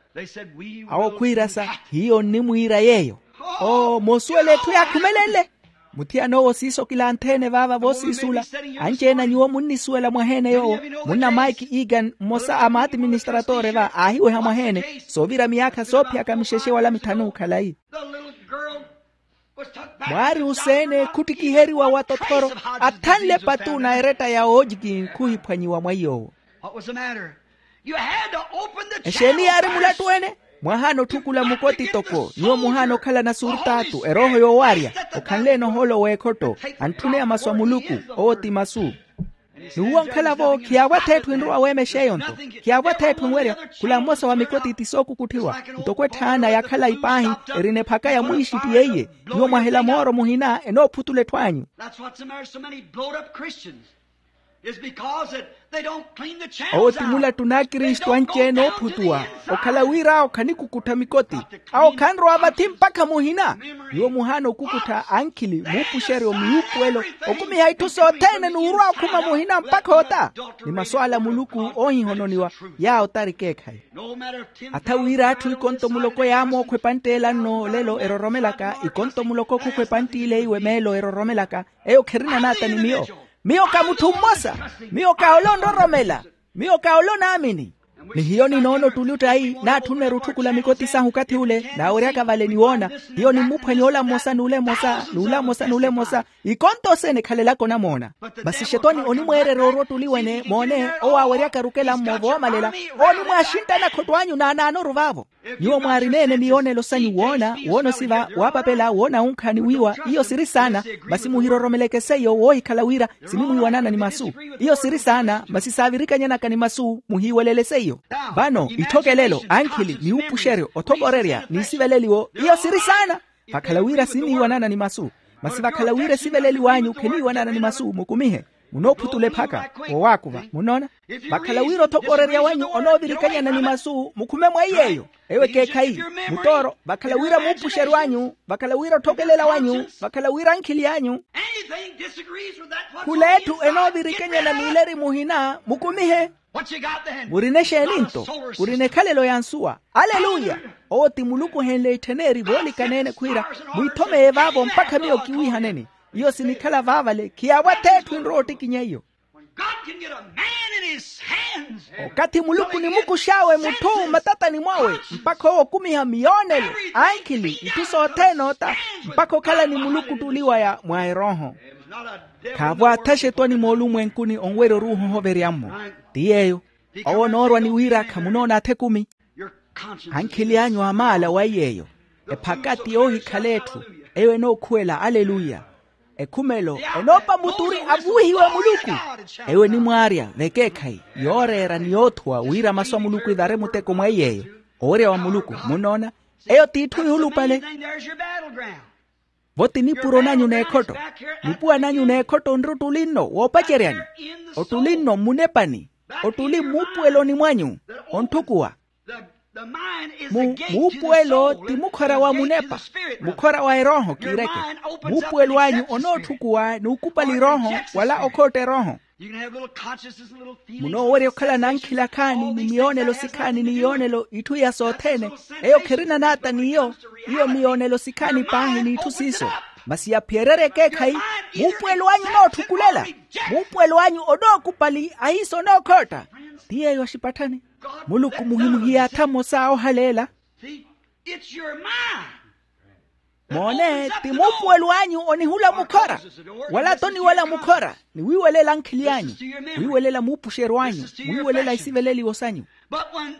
Awo khwiirasa hiyo nnimwiira yeeyo. Oo moosuwela etthu yaakhumelenle. Muthiyan'owo siiso kilantheene vaava voosiisuula. Anci-ene a nyuwo munnisuwela mwaheene yoowo. Munna mike egan mmosa a maatiministratore va aahiweha mwaheene soovira miyaakha soophiyaka mixexe wala mithanu khalayi. Mwaari useene khuttikiheriwa wa tothoro athanle patu na eretta ya oojiki khuhiphwanyiwa mwa iy'owo. Exeeni yaari mulattu ene? Mwahaana otthukula mukoti toko nyuwo muhaana okhalana surtaatu erooho yoowaarya. Okhanle-ene ohoolo w'ekhotto antthuneya masu a muluku. Owo ti masu. Ni uwo nkhala-vo khiyaavwa atheetthu enrowa weemexa eyo nto khiyaavwa atheetthu enwerya. Khula mmosa wa mikoti ti sookukutthiwa ntoko etthaana ya khalayi paahi erina ephaka ya mwiixi ti yeiye. Nyuwo mwahela mooro muhina enoophutula etthu anyu. That's what's the matter so many blowed up Christians is because that they don't clean the channels. Owo ti mulattu n'akristu anci-ene oophutuwa okhala wira awo khanikukuttha mikoti. Awo khanrowa vathi mpakha muhina. Nyuwo muhaana okukuttha ankhili muupuxeryo miupuwelo okumiha itthu sothene n'urwa okhuma muhina mpakha ota. Ni masu ala muluku oohihononiwa yaawo tari keekhayi. Atha wira atthu ikonto muloko yaamookhwa epantt'ela nno olelo eroromelaka ikonto muloko khukhwa epantt'ile iwe meelo eroromelaka. Eyo kherina naata ni miyo. Miyo ka mutthu mmosa. Miyo ka ole onroromela. Miyo ka ole onaamini. Ni hiyo ninoona ottuli ottayi naatthunneru otthukula mikoti sahu okathi ule naaweryaka vale ni woona. Hiyo nimmuphwanya ola mmosa n'ule mmosa n'ula mmosa n'ule mmosa. Ikonto oseene ekhalelaka onamoona. Masi xetwani onimweererya orwa ottuli wene moone owo aaweryaka rukela mmo voomalela. Onimwaaxinttana khotto anyu naanaanoru vaavo. Nyuwo mwaarina-ene miyoonelo sanyu woona woona osiva waapapela woona wunkha ni wiiwa iyo siri saana. Masi muhiroromeleke seiyo woohikhala wira sinimwiiwanana ni masu. Iyo siri saana masi saavirikanyana ni masu muhiiwelele seiyo. Vano itthokelo ankhili ni upuxeryo othokorerya ni isiveleliwo iyo siri saana. Vakhala wira siniiwanana ni masu. Masi vakhala wira esiveleliw'anyu kheniiwanana ni masu mukumihe. Munoophutula ephaka wowaakuva munnoona. Vakhala wira othokorerya wanyu onoovirikanyana ni masu mukhume mwa iy'eyo. Eyo ekeekhayi mutooro vakhala wira muupuxeryo anyu vakhala wira otthokelela wanyu vakhala wira ankhili anyu. Khula etthu enoovirikanyana n'ileri muhina mukumihe. Murina exeeni nto? Murina ekhalelo ya nsuwa. Aleluya. Owo ti muluku ohenle ittheneri voolikana-ene khwiira mwiithomeye vaavo mpakha miyo kiwiihaneni. Iyo sinikhala vaavale khiyaavwa atheetthu enrowa ottikinya iyo. Okathi muluku onimukux'awe mutthu mmatatani mwawe mpakha owo okumiha miyoonelo ankhili itthu sothene ota mpakha okhala ni muluku ottuli waya mwa erooho. Khaavwaatha xetwani moolumwenkuni onwerya oruuha ohoverya-mmo. Ti yeeyo. Owo onoorwa ni wira khamunoona atha ekumi. Ankhili anyu amaala wa iy'eyo. Ephaka ti yoohikhala etthu. Eyo enookhuwela aleluya. Ekhumelo enoopa muturi avuwihiwe muluku. Eyo enimwaarya vekeekhayi yooreera ni yoothuwa wira masu a muluku evare muteko mwa iy'eyo. Owerya wa muluku munnoona. Eyo t'itthu yuulupale. Vo ti nipuro nanyu n'ekhotto. Nipuwa nanyu n'ekhotto onri ottuli nno woopaceryani. Ottuli nno mmunepani. Ottuli mmuupuweloni mwanyu. Ontthukuwa. Mu muupuwelo ti mukhora wa munepa. Mukhora wa erooho kiireke. Muupuwelo anyu onootthukuwa n'ukupali erooho wala okhootta erooho. Munoowerya okhala n'ankhili akhaani ni miyoonelo sikhaani ni yoonelo itthu iya sothene. Eyo kherina naata n'iyo. Iyo miyoonelo sikhaani paahi n'itthu siiso. Masi yaphiyererya ekeekhayi. Muupuwelo anyu onootthukulela. Muupuwelo anyu onookupali ahiisa onookhootta. Ti yeeyo axipatthani. Muluku muhimuhiyaatha mmosa ohaleela. It's your mind. Moone, ti muupuwelo anyu onihula mukhora. Wala toniwela mukhora ni wiiwelela ankhili anyu, wiiwelela muupuxeryo anyu, mwiiwelela isiveleliwo sanyu. But when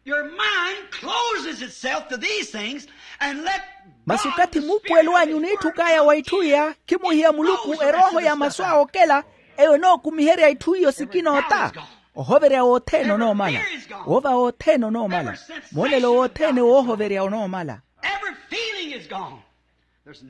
your mind closes itself to these things and let masi okathi muupuwelo anyu oniitthukaya wa itthu iya, khimuhiya muluku erooho ya masu awo okela, eyo enookumiherya itthu iyo sikina ota. Ohoverya wothene onoomala. Woova wothene onoomala. Moolelo wothene woohoverya onoomala. Every feeling is gone.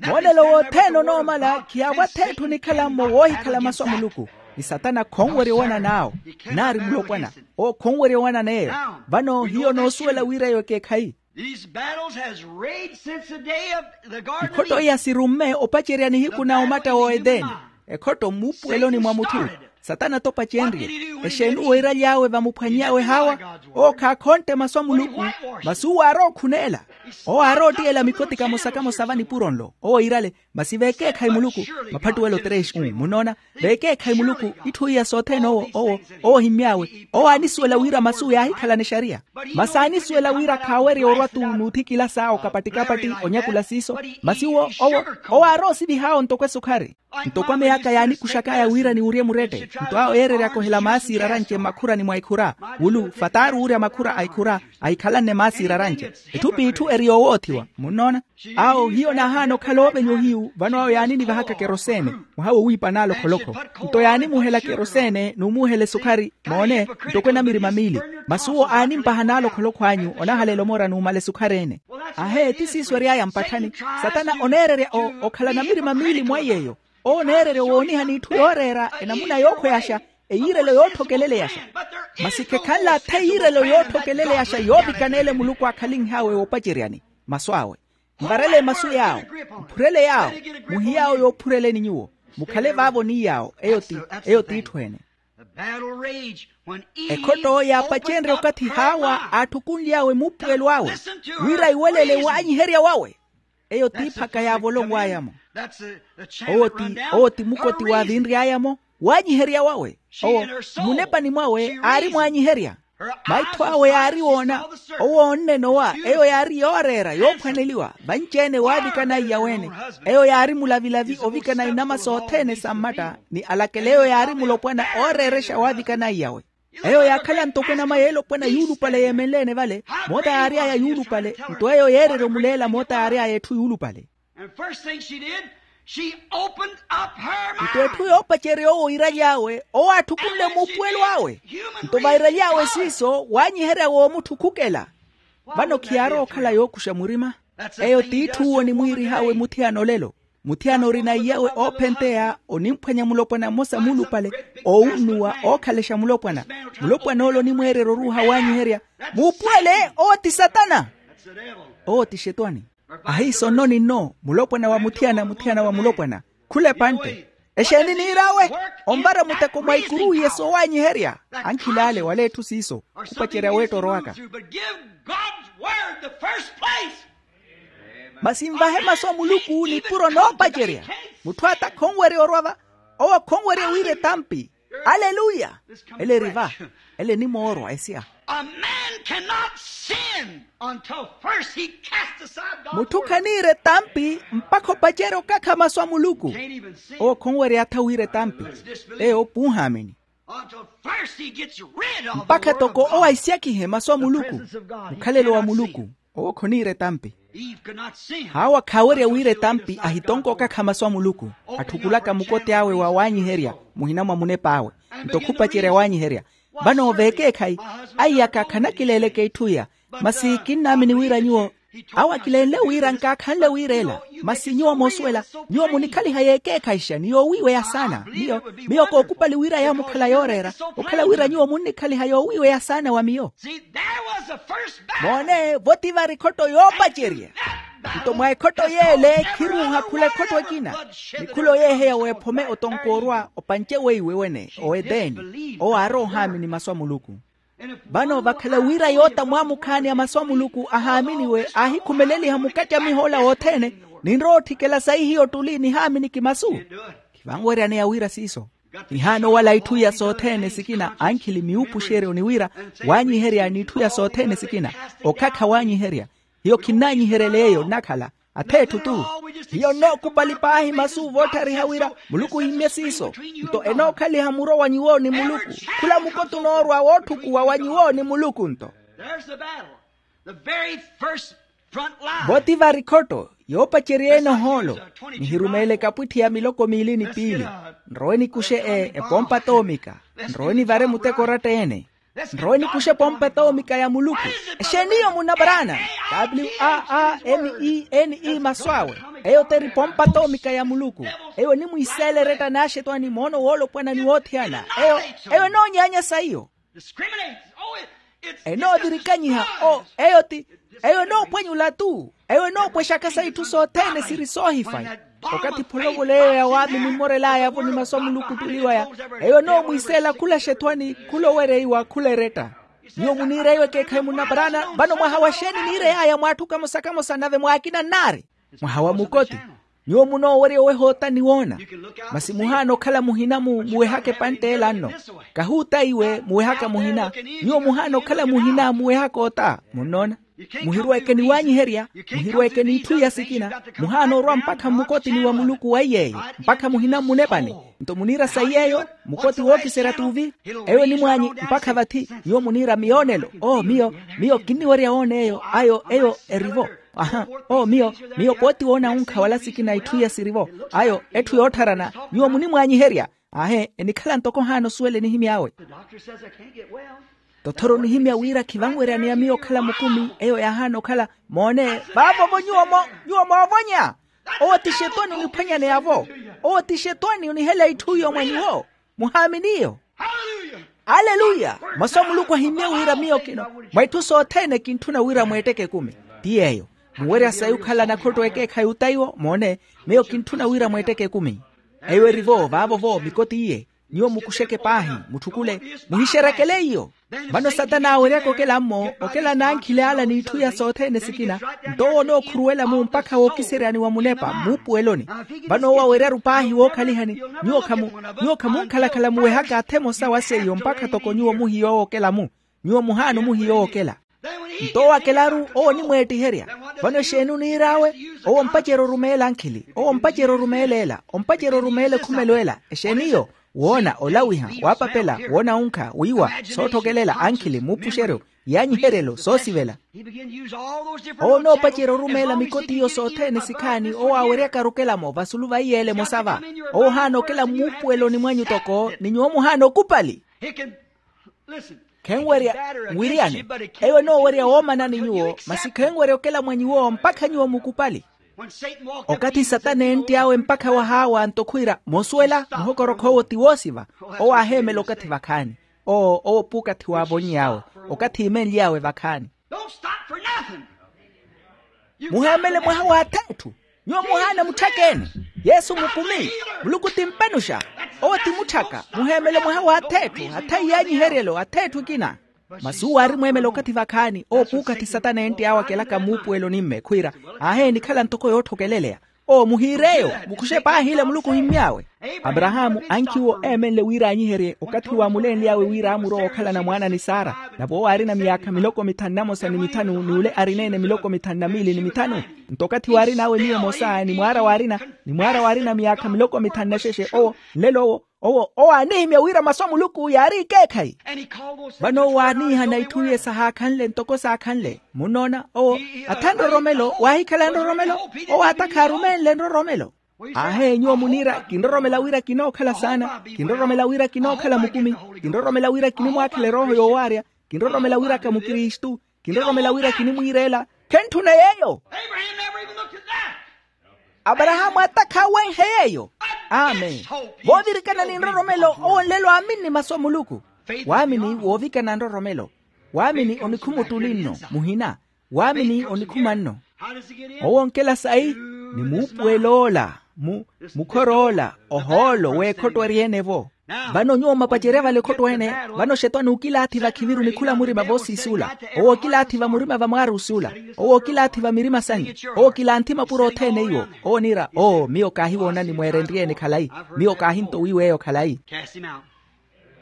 Moolelo wothene onoomala, khiyaawath'etthu onikhala-mo woohikhala masu a muluku. Ni satana khonwerya owanan'awo. Naari mulopwana. Owo khonwerya owanan'eyo. Vano hiyo noosuwela wira eyo ekeekhayi. These battles has raged since the day of the garden of eden. Ikhotto iya sirumme opacerya nihiku na omatta wa edeni. Ekhotto mmuupuweloni mwa mutthu. Satana t'opacenrye. Exeeni owo eeraly'awe vamuphwany'awe hawa? Owo khaakhontte masu a muluku. Masi owo aarookhuneela. Owo aaroottiyela mikoti kamosa-kamosa va nipuro nlo owo iirale. Masi veekeekhayi muluku. Maphattuwelo tres un munnoona. Veekeekhayi muluku. Itthu iya sothene owo owo owo ohimmy'awe. Owo aanisuwela wira masu'we yaahikhalana exariya. Masi aanisuwela wira khaawerya orwa-tu n'uthikila saawo kapatti-kapatti onyakula siiso. Masi owo owo owo aaroosivih'awo ntoko esukhari. Ntoko ameyaka yaanikuxak'aya wira niwurye murette nto awo eereryaka ohela maasi iraranche mmakhurani mwa ikhura. Wulu fataari wuurya makhura a ikhura. Ahikhalanne maasi iraranche. Etthu p'itthu eri yoowoothiwa munnoona. Awo hiyo naahaana okhala oovenya ohiyu vano awo yaaninivahaka kerosene. Mwaha wowiipa n'alokholokho. Nto yaanimuhela kerosene n'umuhela esukhari moone. Ntoko enamirima miili. Masi owo aanimpaha n'alokholokho anyu onahalela omora n'umala esukhari-ene. Ahe ti siiso ery'aya mpatthani. Satana oneererya okhala namirima miili mwa iy'eyo. Owo oneererya owooniha n'itthu yooreera enamuna yookhweyaxa. Eyiirelo yootthokeleleyaxa. Masi khekhanle atha eyiirelo yootthokeleleyaxa yoovikana ele muluku aakhalinh'awe woopaceryani masu awe. Nvarele masu yaawo. Mphurele yaawo. Muhiy'awo yoophureleni nyuwo. Mukhale vaavo ni yaawo eyo ti eyo t'itthu ene. Ekhotto yaapacenrye okathi haawa aatthukunly'awe muupuwelo awe wira iwelele waanyiherya wawe. Eyo t'iphaka yaavolonw'aya-mo. Owo ti owo ti mukoti waavinry'aya-mo. Waanyiherya wawe. Owo mmunepani mwawe aari mwaanyiherya. Maitho awe yaari woona. Owo oonnena owa eyo yaari yooreera yoophwaneliwa vanci-ene waavikana aiya weene. Eyo yaari mulavilavi ovikana inama sothene sa mmatta ni alakela eyo yaari mulopwana ooreerexa waavikana aiyawe. Eyo yaakhala ntoko enama y'elopwana yuulupale yeemenle-ene vale. Moota yaary'aya yuulupale. Nto eyo yeererya omuleela moota yaary'aya etthu yuulupale. Nto etthu yoopacerya owo iiraly'awe owo aatthukunle muupuwelo awe. Nto vairaly'awe siiso waanyiherya woomutthukhukela. Vano khiyaarowa okhala yookuxa murima. Eyo t'itthu onimwiirih'awe muthiyana olelo. Muthiyana orina iyawe oophenteya onimphwanya mulopwana mmosa muulupale. Oowunnuwa ookhalexa mulopwana. Mulopwan'ole onimweererya oruuha waanyiherya. Muupuwele owo ti satana. Owo ti xetwani. Ahiiso nno ni nno mulopwana wa muthiyana muthiyana wa mulopwana. Khula epantte. Exeeni niir'awe? Onvara muteko mwa ikuru iye soowaanyiherya. Ankhil'ale wala etthu siiso khupacerya weetta orowaka. Masi nvahe masu a muluku nipuro noopacerya. Mutthu atakha onwerya orwa va owo khonwerya wira etampi. Aleluya. Ele eri va. Ele enimoorwa esiya. A man cannot sin until first he cast aside God's word. Mutthu khaniira etampi mpakha opacerya okakha masu a muluku. Owo khonwerya atha wira etampi. Eyo opunhaamini. Mpakha toko owo ahisyakihe masu a muluku. Mukhalelo wa muluku. Owo khoniira etampi. Haawa khaawerya wira etampi ahitonka okakha masu a muluku. Atthukulaka mukoti awe wa waanyiherya muhina mwa munep'awe. Nto khupacerya waanyiherya. Vano veekeekhayi. Aiyaka khanakileeleke itthu iya. Masi kinnaamini wira nyuwo awo akilenle wira nkaakhanle wira ela. Masi nyuwo moosuwela. Nyuwo munikhaliha yeekeekhayixa ni yoowiiweya saana miyo. Miyo kookupali wira yaamukhala yooreera. Okhala wira nyuwo munnikhaliha yoowiiweya saana wa miyo. Moone voti vari ekhotto yoopacerya. Nto mwa ekhotto yeele khiruuha khula ekhotto ekina. Ni khula oyeeheya w'ephome otonkoorwa opanci weiwe wene oeteeni. Owo aarowa ohaamini masu a muluku. Vano vakhala wira yoota mwaamukhaani a masu a muluku ahaaminiwe aahikhumeleliha mukacamiho ola wothene. Ninrowa otthikela sayi hiyo ottuli nihaamini kimasu. Khivanweryaneya wira siiso. Nihaana owala itthu iya sothene sikina ankhili miupuxeryo ni wira waanyiherya n'itthu iya sothene sikina. Okhakha waanyiherya. Hiyo khinnaanyiheryele eyo nnakhala atheetthu-tu. Hiyo nnookupali paahi masu vootthariha wira muluku ohimmye siiso. Nto enookhaliha muro wa nyuwo ni muluku. Khula mukoti onoorwa wootthukuwa wa nyuwo ni muluku nto. There's the battle. The very first front line. Vo ti vari khotto yoopacerya-ene ohoolo. Nihirumeele ekapwitthi ya miloko miili ni piili. Nrowe nikuxe e epompa toomika. Nrowe nivare muteko oratta-ene. Nrowe nikuxe epompa toomika ya muluku. Exeeni iyo munna paraana? W a a m e n e masu awe. Eyo t'eri pompa toomika ya muluku. Eyo enimwiiseela eretta n'axetwani moono woolopwana ni woothiyana. Eyo eyo enoonyaanya sa iyo. Discriminates. Oh, it, it's enoothirikanyiha o eyo ti eyo enoopwanyula-tu. Eyo enoopwexaka sa itthu sothene siri soohifayi. Okathi pholovola eyo ya waamini mmorel'aya-vo ni masu a muluku otuliwaya. Eyo enoomwiiseela khula xethwani khula owereiwa khula eretta. Nyuwo muniira eyo ekeekhayi munna paraana? Vano mwaha wa xeeni niirey'aya mwaatthu kamosa kamosa nave mwaakina nnaari. Mwaha wa mukoti. Nyuwo munoowerya oweha ota ni woona. Masi muhaana okhala muhina mu muwehaka epantt'ela nno. Kahuutayi we muwehaka muhina. Nyuwo muhaana okhala muhina muwehaka ota munnoona. Muhirweeke ni waanyiherya. Muhirweeke n'itthu iya sikina. Muhaana orwa mpakha mmukotini wa muluku waiy'eyo mpakha muhina mmunepani. Nto muniira sayi eyo mukoti wookiserya t'uvi. Eyo enimwaanyi mpakha vathi. Nyuwo muniira miyoonelo o miyo miyo kinniwerya woona eyo ayo eyo eri-vo. Aha. O miyo miyo pooti woona wunkha wala sikina itthu iya siri-vo. Ayo etthu yoottharana. Nyuwo munimwaanyiherya. Ahe enikhala ntoko ohaana osuwela enihimy'awe. Tothoro onihimya wira khivanweryaneya miyo okhala mukumi eyo yaahaana okhala. Moone vaavo-vo nyuwo moovonya. Owo ti xetwani oniphwanyaneya-vo. Owo ti xetwani onihela itthu iyo mwa nyuwo. Muhaamini iyo. Aleluya. Masu a muluku ahimmye wira miyo kino mwa itthu sothene kintthuna wira mweetteke ekumi. Ti yeeyo muwerya sayi okhala nakhotto ekeekhayi ota iwo moone. Miyo kintthuna wira mweetteke ekumi. Eyo eri-vo vaavo-vo mikoti iye. Nyuwo mukuxeke paahi mutthukule. Muhixerakele iyo. Vano satana aaweryaka okela-mmo okela n'ankhili ala n'itthu iya sothene sikina. Nto owo onookhuruwela-mu mpakha wookiseryani wa munepa muupuweloni. Vano owo awerya-ru paahi wookhalihani. Nyuwo khamu nyuwo khamunkhalakhala muwehaka athe emosa wa seiyo mpakha toko nyuwo muhiya owookela-mu. Nyuwo muhaana omuhiya owookela. Nto owo akelaru owo onimweettiherya. Vano exeeni oniir'awe? Owo ompacerya orumeela ankhili owo ompacerya orumeela ela ompacerya orumeela ekhumelo ela. Exeeni iyo? Woona olawiha waapapela woona wunkha wiiwa sootthokelela ankhili muupuxeryo yaanyiheryelo soosivela. Owo onoopacerya orumeela mikoti iyo sothene sikhaani owo aaweryaka arukela-mo vasulu va iyeela emosa va. Owo ohaana okela mmuupuweloni mwanyu toko ni nyuwo muhaana okupali. Khenwerya nwiriyane. Eyo enoowerya woomanani nyuwo masi khenwerya okela mwa nyuwo mpakha nyuwo mukupali. Okathi satana eentt'awe mpakha wahaawa nto khwiira moosuwela muhokorokho owo ti woosiva. Owo aaheemela okathi vakhaani. Owo owo puukathi waavonny'awe okathi imenly'awe vakhaani. Muheemele mwaha w'atheetthu. Nyuwo muhaana mutthaka-ene. Yesu mukumi. Muluku ti mpanuxa. Owo ti mutthaka muheemele mwaha w'atheetthu athayi yaanyiheryelo atheetthu ekina. Masi uwo aari mweemela okathi vakhaani owo puukathi satana eentt'awe akelaka muupuweloni-mme khwiira. Aaheeni khala ntoko yootthokeleleya. Owo muhiir'eyo. Mukuxe paahi ile muluku ohimmy'awe. Aparahaamu ankhiwo eemenle wira aanyiherye okathi waamulenly'awe wira aamurowa okhalana mwaana ni sara. Nave owo aarina myaakha miloko mithanu na mosa ni mithanu n'ule arineene miloko mithanu na miili ni mithanu. Nto okathi waarin'awe miyo emosa ni mwaara waarina ni mwaara waarina myaakha miloko mithanu na xexe owo nlelo owo owo owo aanihimya wira masu a muluku yaari ikeekhayi. Vano owo aaniihana itthu iye sahaakhanle ntoko saakhanle munnoona owo atha nroromelo waahikhala nroromelo. Owo atakha arumenle nroromelo. Aahe nyuwo muniira kinroromela wira kinookhala saana. Kinroromela wira kinookhala mukumi. Kinroromela wira kinimwaakhela erooho yoowaarya. Kinroromela wira ka mukristu. Kinroromela wira kinimwiireela. Khentthuna yeeyo. Aparahaamu atakha awenhe yeeyo. Amen. Voovirikana ni nroromelo owo nlelo aamini masu a muluku. Waamini woovikana nroromelo. Waamini onikhuma ottuli nno muhina. Waamini onikhuma nno. Owo onkela sayi ni muupuwel'ola mu mukhor'ola ohoolo w'ekhotto eri-ene-vo. Vano nyuwo mwapacerya vale ekhotto ene. Vano xetwani okilaathi vakhiviru ni khula murima voosiis'ula. Owo okilaathi vamurima vamwaaruusi'ula. Owo okilaathi vamirima sanyu. Owo okilanthi mapuro othene iwo. Owo oniira oo miyo kaahiwoonani mweerenrye-ene khalayi. Miyo kaahintowiw'eyo khalayi.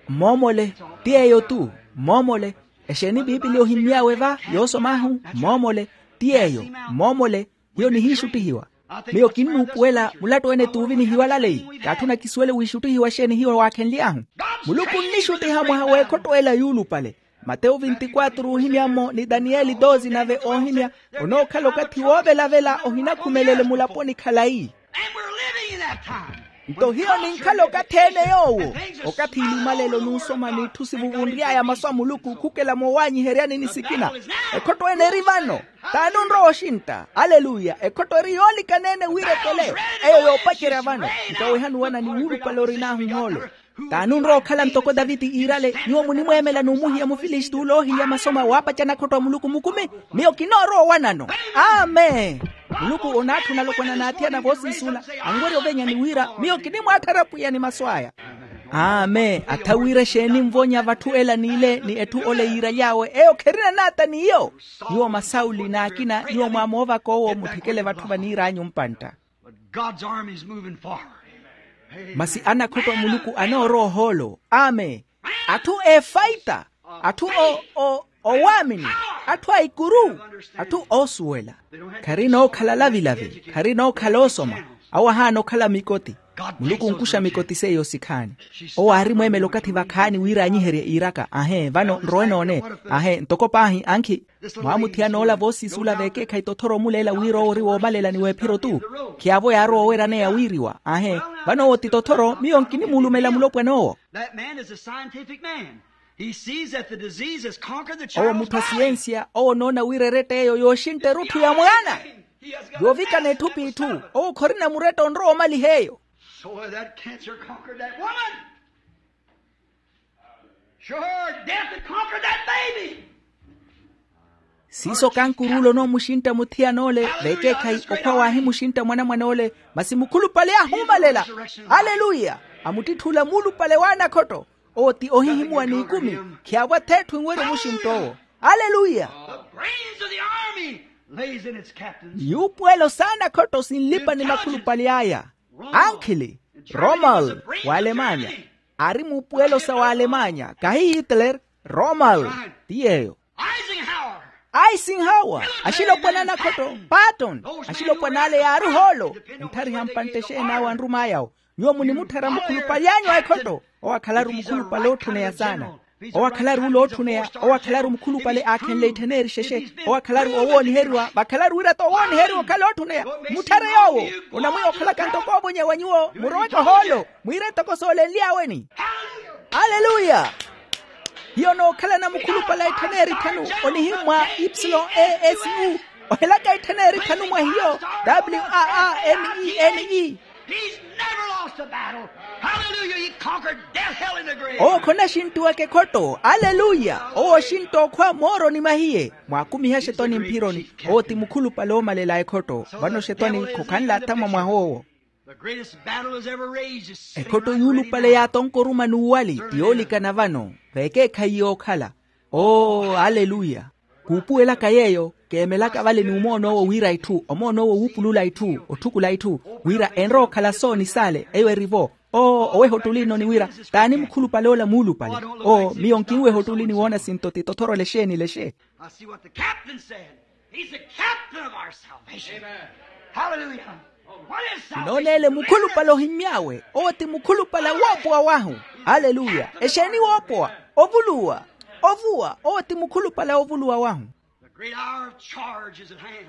Mmoomole. Ti yeeyo-tu. Mmoomole. Exeeni piipili ohimmy'awe va yoosom'ahu? Mmoomole. Ti yeeyo. Mmoomole hiyo nihiixuttihiwa. Miyo kinnuupuwela mulattu-ene t'uvinihiwa laleyi. T'atthu nakisuwele wiixuttihiwa exeeni hiyo waakhenly'ahu. Muluku nnixuttiha mwaha w'ekhotto ela yuulupale. Matewu vinti-quatro oohimya-mo ni daniyeli doze nave oohimya. Onookhala okathi woovelavela ohinakhumelele mulaponi khalayi. Nto hiyo ninkhala okathi-ene yoowo. Okathi ilumalelo nunsoma n'itthu sivuvunry'aya masu a muluku khukela moowaanyiheryani ni sikina. Ekhotto ene eri vano. T'ani onrowa oxintta? Aleluya. Ekhotto eri yoolikana-ene wira ekele. Eyo yoopacerya vano. Nto weha nuwana ni wuulupale orin'ahu ohoolo. T'ani onrowa okhala ntoko taviti iirale? Nyuwo munimweemela n'umuhiya mufilisti ole oohilya masoma waapacana akhotto a muluku mukumi. Miyo kinoorowa owanano. Amen. Muluku onaatthuna alopwana n'athiyana voosiisula. Anwerya ovenya ni wira miyo kinimwaatthara pwiya ni masu aya. Amen. Atha wira exeeni nvonya vatthu ela n'ile ni etthu ole yiiraly'awe eyo kherina naata n'iyo. Nyuwo masauli n'akina nyuwo mwaamoovaka owo mutthekele vatthu vaniir'anyu mpantta. But God's army is moving forward. Masi anakhotto a muluku anoorowa ohoolo. Amen. Atthu efaita, atthu o- o- owaamini, atthu a ikuru, atthu oosuwela. Kharina okhala lavilavi, kharina okhala osoma. Awo ahaana okhala mikoti. Muluku onkuxa mikoti seiyo sikhaani. Owo aarimweemela okathi vakhaani wira aanyiherye iiraka ahe vano nrowe noone. Ahe ntoko paahi ankhi. Mwaamuthiyana ola voosiisula veekeekhayi tothoro omuleela wira owo ori woomalela ni weephiro-tu. Khiyaavo yaarowa oweeraneya wiiriwa ahe. Vano owo ti tothoro miyo nkinimuulumela mulopwan'owo. That man is a scientific man. He sees that the disease has conquered the child's body. Owo mutthu a siyensiya owo onoona wira eretta eyo yooxintta erutthu ya mwaana. Yoovikana etthu p'itthu. Owo khorina muretta onrowa omaliha eyo. So that cancer conquered that woman. Sure, death had conquered that baby. Siiso kankuruula onoomuxintta muthiyana ole veekeekhayi okhwa waahimuxintta mwanamwane ole. Masi mukhulupale aahuumalela. Aleluya. Amuttitthula muulupale w'anakhotto. Owo ti ohihimuwa n'ikumi. Khiyaavo ath'etthu enwerya omuxintta owo. Aleluya. The brains of the army lays in its captains. Yuupuwelo s'anakhotto sinlipa ni makhulupale aya. Ankhili. Rommel. W'alemanya. Aari muupuwelo sa w'alemanya kahi hitler. Rommel. Ti yeeyo. Eisenhower. Eisenhower. Axilopwana anakhotto. Patton. Axilopwana ale yaari ohoolo. Entthariha mpantte exeen'awe anrum'ayawo. Nyuwo munimutthara mukhulupale anyu a ekhotto. Owo akhalaru mukhulupale ootthuneya saana. Owo akhalaru ole ootthuneya. Owo akhalaru mukhulupale aakhenle ittheneri xexe. Owo akhalaru owooniheriwa vakhalaru wira-tho owooniheriwa okhala ootthuneya. Mutthare yoowo. Onamwiya okhalaka ntoko oovonya wa nyuwo muroweke ohoolo mwiire ntoko soolenly'aweni. Aleluya. Hiyo nookhalana mukhulupale a ittheneri tthanu onihimmwa ipsilon a s u. Ohelaka ittheneri tthanu mwa hiyo. W a a n e n e. He's never lost a battle. Hallelujah. He conquered death, hell, and the grave. Owo khonashintiwaka ekhotto. Aleluya. Owo oxintta okhwa mooroni mwahiye. Mwaakumiha xetwani mphironi. Owo ti mukhulupale oomalela ekhotto. Vano xetwani khokhanle athamwa mwaha owo. The greatest battle has ever raged is sitting right now. Ekhotto yuulupale yaatonkoruma n'uwali ti yoolikana vano. Veekeekhayi yookhala. Oo aleluya. Kuupuwelaka yeeyo keemelaka vale n'umoon'owo wiira itthu omoon'owo wuupulula itthu otthukula itthu wira enrowa okhala soo ni saale eyo eri-vo. Oo oweha ottuli-ino ni wira t'ani mukhulupale ola muulupale. Oo miyo nkinweha ottuli ni woona sinto ti tothorole xeeni lexe. Now see what the captain said. He's the captain of our salvation. Hallelujah. Kinooneele mukhulupale ohimmy'awe owo ti mukhulupale a woopowa wahu. Aleluya. Exeeni woopowa? Ovuluwa. Ovuwa owo ti mukhulupale a ovuluwa wahu. The great hour of charge is at hand.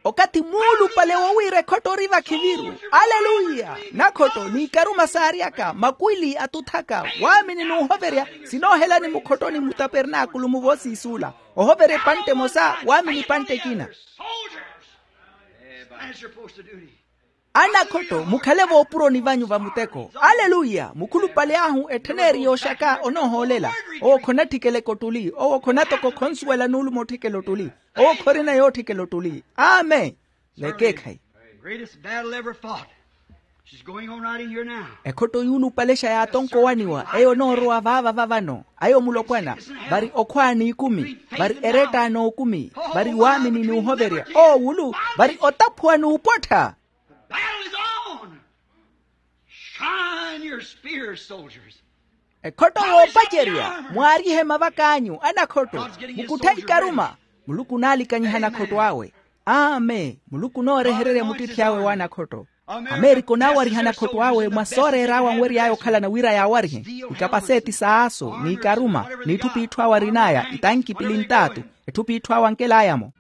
Okathi muulupale wowiira ekhotto ori vakhiviru. Aleluya. Nakhotto n'ikaruma saaryaka makwili atuthaka waamini n'uhoverya sinoohelani mukhottoni mutapernaakulu muvoosiisuula. Ohoverya epantte emosa waamini epantte ekina. Anakhotto mukhale voopuroni vanyu va muteko. Aleluya. Mukhulupale ahu ettheneri yooxaka onoohoolela. Owo khonatthikela ekottuli owo khonatoko khonsuwela nuulumo otthikela ottuli. Owo khorina yootthikela ottuli. Amen. Vekeekhayi. Greatest battle ever fought. She's going on right in here now. Ekhotto yuulupalexa yaatonko owaniwa eyo onoorowa vaava vavano. Ayo mulopwana vari okhwaa n'ikumi, vari eretta n'okumi, vari waamini n'uhoverya oowulu, vari otaphuwa n'upottha. The battle is on. Shine your spears, soldiers. Ekhotto yoopacerya mwaarihe mavak'anyu anakhotto. Mukutthe ikaruma. Muluku onaalikanyiha anakhotto awe. Amen. Muluku onoorehererya muttitthy'awe w'anakhotto. Amerika onaawariha anakhotto awe mwa sooreer'awe anwery'aya okhalana wira yaawarihe. Ikapaseti s'asu n'ikaruma, n'itthupi itthu awe arin'aya itanki pili ntaatu. Etthupi itthu awe ankel'aya-mo.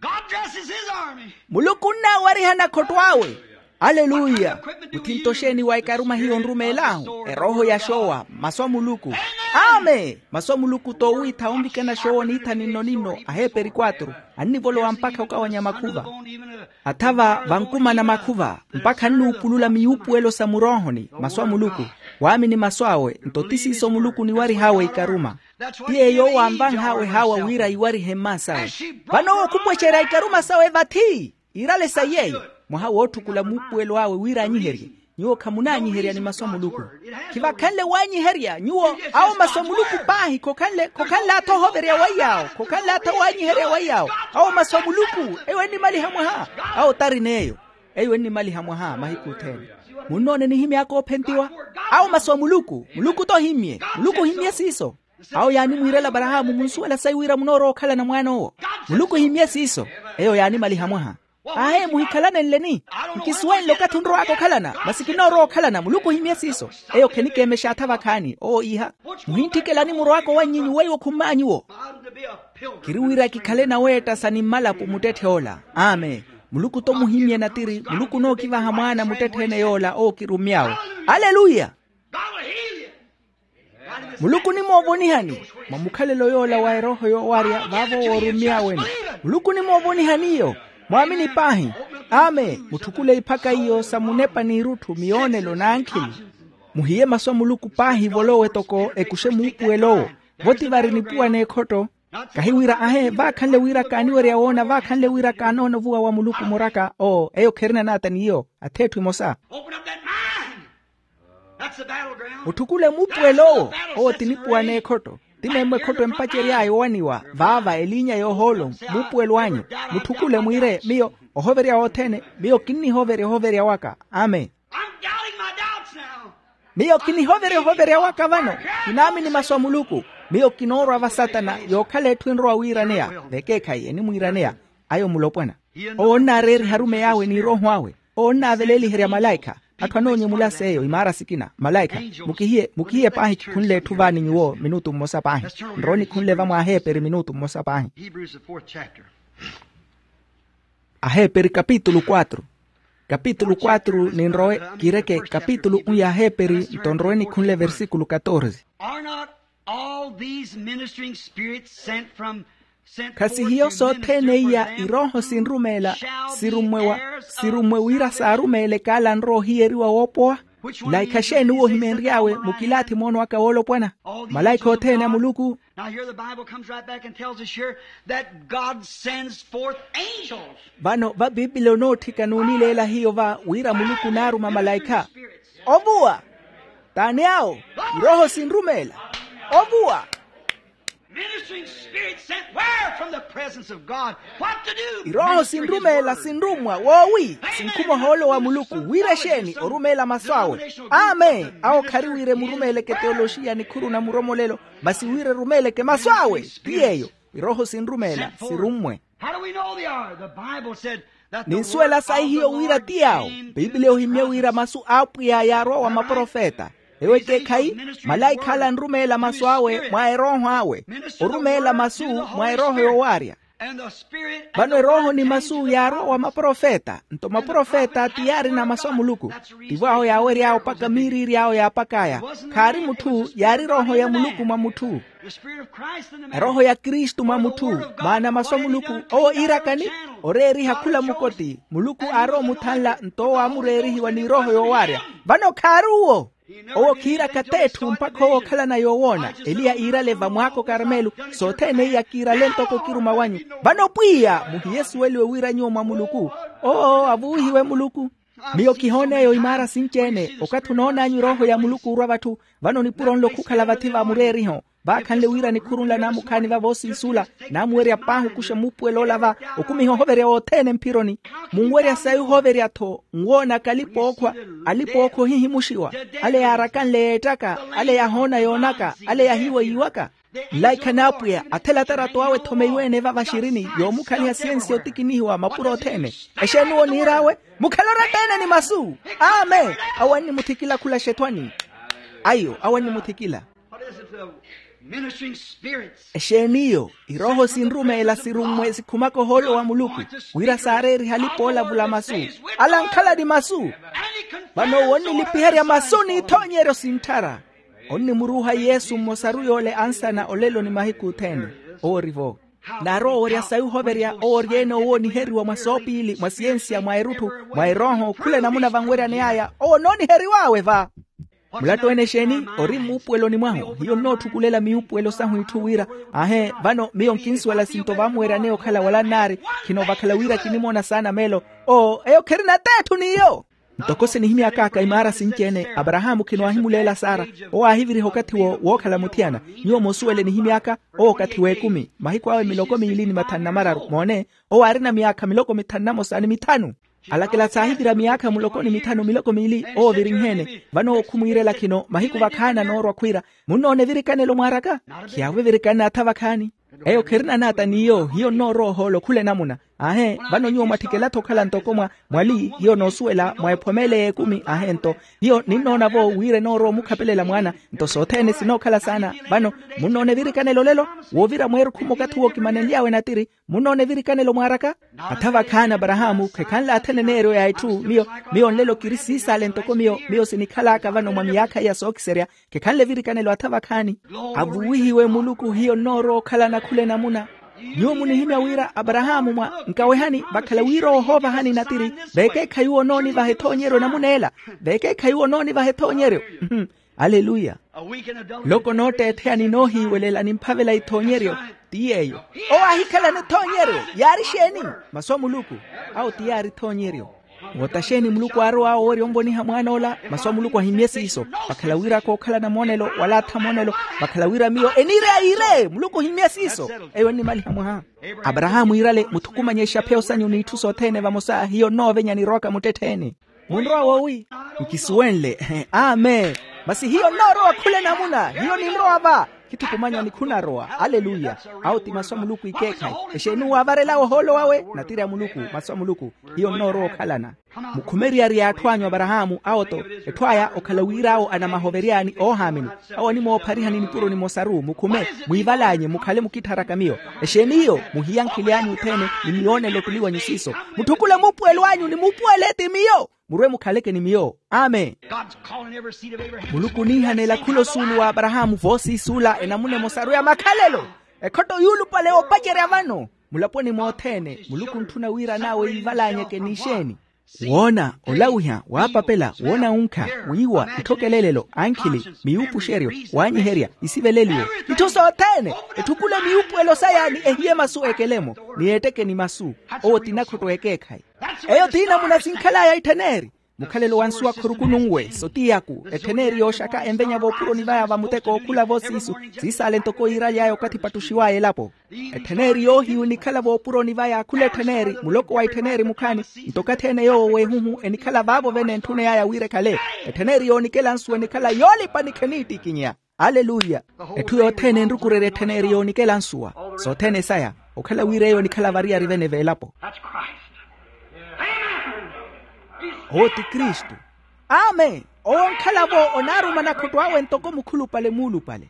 Muluku onnaawariha anakhotto awe. Aleluya. Muthinto xeeni wa ikaruma hiyo onrumeel'ahu erooho ya xoowa masu a muluku. Amen. Masu a muluku t'owiitha onvikana xoowa oniitha ninno-ninno aheeperi quatro. Annivolowa mpakha okawanya makhuva. Athava vankumana makhuva mpakha annuupulula miyuupuwelo sa muroohoni. Masu a muluku waamini masu awe nto ti siiso muluku oniwarih'awe ikaruma. Ti yeeyo owo anvanh'awe haawa wira iwarihe mmaas'awe. Vano owo khupwecerya ikaruma sawe vathi iirale sa yeeyo. Mwaha wootthukula muupuwelo awe wira aanyiherye. Nyuwo khamunaanyiherya ni masu a muluku. Khivakhanle waanyiherya nyuwo. Awo masu a muluku paahi khokhanle khokhanle atha ohoverya waiy'awo khokhanle atha waanyiherya waiy'awo. Awo masu a muluku eyo ennimaliha mwaha. Awo tarin'eyo eyo ennimaliha mwaha mahiku othene. Munnoone nihimy'aka oophentiwa. Awo masu a muluku muluku t'ohimmye. Muluku ohimmye siiso. Awo yaanimwiirela aparahaamu munsuwela sayi wira munoorowa okhalana mwaan'owo. Muluku ohimmye siiso. Eyo yaanimaliha mwaha. Aahe muhikhalanenleni. Nkisuwenle okathi onrow'aka okhalana masi kinoorowa okhalana muluku ohimmye siiso. Eyo khenikeemexa atha vakhaani owo iiha. Muhinttikelani murow'aka owannyinyu weiwo khumm'anyuwo. Kiri wira kikhale naweetta sa ni mmalapo muttetthe ola. Amen. Muluku t'omuhimmye natiri muluku onookivaha mwaana muttetthe-ene yoola owo kirummy'awe. Aleluya. Muluku onimoovonihani. Mwa mukhalelo yoola wa erooho yoowarya vaavo woorummy'awe-ni. Muluku onimoovonihani iyo. Mwaamini paahi. Amen. Mutthukule iphaka iyo sa munepa n'irutthu miyoonelo n'ankhili. Muhiye masu a muluku paahi volowe toko ekuxe muupuwel'owo. Vo ti vari nipuwa n'ekhotto. Kahi wira ahe vaakhanle wira kaaniwerya woona vaakhanle wira kaanoona ovuwa wa muluku muraka oo eyo kherina naata n'iyo. Ath'etthu emosa. Mutthukule muupuwel'owo. Owo ti nipuwa n'ekhotto. Ti meemmo ekhotto empacery'aya owaniwa vaava eliinya y'ohoolo. Muupuwelo anyu. Mutthukule mwiire miyo ohoverya wothene. Miyo kinnihoverya ohoverya waka. Amen. Miyo kinihoverya ohoverya waka vano. Kinaamini masu a muluku. Miyo kinoorwa va satana yookhala etthu enrowa wiiraneya. Vekeekhayi enimwiiraneya. Ayo mulopwana. Owo onnaareeriha arumeyi awe n'irooho awe. Owo onnaaveleeliherya malaikha. Atthu anoonyemula seiyo imaara sikina malaikha. Mukihiye mukihiye paahi kikhunle etthu vaani nyuwo minutu mmosa paahi. Nrowe nikhunle va mwaaheeperi minutu mmosa paahi. Aheeperi kapitulu quatro. Kapitulu quatro ninrowe kireke kapitulu un y'aheeperi nto nrowe nikhunle versikulu katorze. Are not all these ministering spirits sent from sent khasi forth hiyo to sothene minister for iya them irooho who sinrumeela shall be sirummwe wa heirs of sirummwe wira salvation? Saarumeele kaala anrowa ohiyeriwa woopowa. Which one of these is it that thou wilt rise up? Laikha xeeni uwo ohimenry'awe mukilaathi moono aka woolopwana. Malaikha othene a muluku. Now here the Bible comes right back and tells us here that God sends forth angels. Vano va pipili onootthika n'unileela hiyo va wira muluku onaaruma malaikha. Ovuwa. T'ani awo? Irooho sinrumeela. Ovuwa. Ministering spirits sent where from the presence of God? What to do? Irooho sinrumeela sinrummwa woowi sinkhuma ohoolo wa muluku wira exeeni orumeela masu awe. Amen. Awo khari wira emurumeeleke teoloxiya nikhuru na muromolelo masi wira erumeeleke masu awe. Ti yeeyo. Irooho sinrumeela sirummwe. How do we know they are? The Bible said that the ninsuwela sayi hiyo wira ti yaawo. Pipiliya ohimmye wira masu a apwiya yaarowa wa maprofeta. Ewo ekeekhayi malaikha ala anrumeela masu awe mwa erooho awe. Orumeela masu mwa erooho yoowaarya. Vano erooho ni masu yaarowa wa maprofeta nto maprofeta ti yaarina masu a muluku. Tivo awo yaawery'awe opaka miiriiri awo yaapak'aya. Khaari mutthu yaari erooho ya muluku mwa mutthu. Erooho ya kristu mwa mutthu. Maana masu a muluku owo iirakani oreeriha khula mukoti muluku aarowa omuthanla nto owo aamureerihiwa n'irooho yoowaarya. Vano khaari uwo. Owo khiiraka t'etthu mpakha owo okhalana yoowoona eliya iirale vamwaako karmelu. Sothene iya kiirale ntoko kiruma wanyu. Vano pwiya muhiyesuweliwe wira nyuwo mwa muluku. Oo avuwihiwe muluku. Miyo kihoon'eyo imaara sinci-ene okathi onoon'anyu erooho ya muluku orwa vatthu. Vano nipuro nlo khukhala vathi va mureeriho vaakhanle wira nikhuru nla naamukhaani vavo osinsuula. Naamuwerya paahi okuxa muupuwelo ola va okumiha ohoverya wothene mphironi. Munwerya sayi ohoverya-tho nwoonaka alipa-ookhwa. Alipa-ookhwa ohihimuxiwa ale yaarakanle yeettaka ale yahoona yoonaka ale yahiiwa yiiwaka. Nlaikha n'apwiya athela atarato awe ethomeiwe-ene vava xirini yoomukhaliha siyensi otikinihiwa mapuro othene. Exeeni owo niir'awe? Mukhale oratta-ene ni masu. Amen. Awo annimuthikila khula xethwani. Ayo awo annimuthikila. What is it, the ministering spirits? Exeeni iyo? Irooho sinrumeela sirummwe sikhumaka ohoolo wa muluku wira saareeriha alipa oolavula masu. Ala ankhala ni masu. Vano owo onnilipiherya masu n'ithoonyeryo sintthara. Onnimuruuha yesu mmosaru yoole ansana olelo ni mahiku othene. Owo ori-vo. Naarowa owerya sayi ohoverya owo ori-ene owooniheriwa mwa soopiili mwa siyensiya mwa erutthu mwa erooho khula enamuna vanweryaney'aya owo onooniheriw'awe va. Mulattu-ene exeeni? Ori mmuupuweloni mwahu hiyo nnoothukulela miyuupuwelo sahu itthu wira. Aahe vano miyo nkinsuwela sinto vaamuweryaneya okhala wala nnaari. Khino vakhala wira kinimoona saana meelo. Oo eyo khirina t'etthu n'iyo. Ntoko sinihimyak'aka imaara sinci-ene aparahaamu khino aahimuleela sara. Owo aahiviriha okathi-wo wookhala muthiyana. Nyuwo moosuwele nihimy'aka owo okathi w'ekumi mahiku awe miloko miili ni mathanu na mararu moone. Owo aarina myaakha miloko mithanu na mosa ni mithanu. Alakela saahivira myaakha muloko ni mithanu miloko miili owo ovirinheene vano owo khumwiirela khino mahiku vakhaani anoorwa khwiira. Munnoona evirikanelo mwaaraka? Khiyaavo evirikanelo atha vakhaani. Eyo khirina naata n'iyo hiyo nnoorowa ohoolo khula enamuna. Aahe vano nyuwo mwatthikela-tho okhala ntoko mwa mwali hiyo noosuwela mwa ephomele y'ekumi aahe nto hiyo ninnoona-vo wira enoorowa omukhapelela mwaana. Nto sothene sinookhala saana vano munnoona evirikanelo olelo woovira mweerukhu mmokathi wookimanenly'awe natiri. Munnoona evirikanelo mwaaraka? Atha vakhaani aparahaamu khekhanle athenen'eryo ya itthu miyo. Miyo nlelo kiri siisaale ntoko miyo miyo sinikhal'aka vano mwa miyaakha iya sookiserya. Khekhanle evirikanelo atha vakhaani. Avuwihiwe muluku hiyo nnoorowa okhalana khula enamuna. Nyuwo munihimya wira aparahaamu mwa nkawehani vakhala wira ohoovahani natiri. Veekeekhayi owo onoonivaha ethoonyeryo enamuna ela. Veekeekhayi owo onoonivaha ethoonyeryo. Aleluya. Loko nootteettheya ninoohiiwelela nimphavela ithoonyeryo. Ti yeeyo. Owo aahikhalana ethoonyeryo. Yaari exeeni? Masu a muluku. Awo ti yaari ethoonyeryo. Woota xeeni muluku aarow'awe owerya onvoniha mwaan'ola masu a muluku ahimmye siiso. Vakhala wira kookhalana moonelo wala atha moonelo. Vakhala wira miyo eniireya yiire muluku ohimmye siiso. Eyo ennimaliha mwaha. Aparahaamu iirale muthukumanye exapheyo sanyu n'itthu sothene vamosa hiyo nnoovenya nirowaka muttettheene. Munrowa woowi? Nkisuwenle. Amen. Masi hiyo nnoorowa khula enamuna hiyo ninrowa va. Khithukumanya ni khunarowa aleluya. Awo ti masu a muluku ikeekhayi. Exeeni uwo aavarel'awe ohoolo wawe? Natiri a muluku masu a muluku. Hiyo nnoorowa okhalana. Mukhume eriyari y'atthu anyu aparahaamu awo-tho. Etthu aya okhala wir'awo anamahovery'ani oohaamini. Awo animoophariha ni nipuro nimosaru mukhume mwiival'anyu mukhale mukittharaka miyo. Exeeni iyo? Muhiyankhile anyu othene ni miyoonelo ottuli wanyu siiso. Mutthukule muupuwelo anyu ni muupuwele ti miyo. Murwe mukhaleke ni miyo. Amen. Muluku oniihanela khula osuulu w'aparahaamu voosiisuula enamuna emosaru ya makhalelo. Ekhotto yuulupale yoopacerya vano mulaponi mothene muluku ontthuna wira n'awe yiivalanyeke ni exeeni? Woona, olawiha, waapapela, woonawunkha, wiiwa, itthokeleelelo, ankhili, miyuupuxeryo, waanyiherya, isiveleliwe, itthu sothene. Etthukule miyuupuwelo saya ni ehiye masu ekele-mo ni eetteke ni masu. Owo ti nakhotto ekeekhayi. Eyo ti namuna sinkhal'aya ittheneri. Mukhalelo wa nsuwa khuruku nunwe sotiy'aku ettheneri yooxaka envenya voopuroni vaya va muteko okhula voosiisu. Siisaale ntoko yiiraly'aya okathi epattuxiw'aya elapo. Ettheneri yoohiyu enikhala voopuroni vaya khula ettheneri muloko wa ittheneri mukhaani. Nto okathi ene yoowo w'ehuhu enikhala vaavo vene entthuney'aya wira ekhale. Ettheneri yoonikela nsuwa enikhala yoolipa ni kheniittikinya. Aleluya. Etthu yothene enrukurerya ettheneri yoonikela nsuwa sothene saya. Okhala wira eyo enikhala variyari vene v'elapo. Owo ti kristu. Amen. Owo onkhala-vo onaaruma nakhotto awe ntoko mukhulupale muulupale.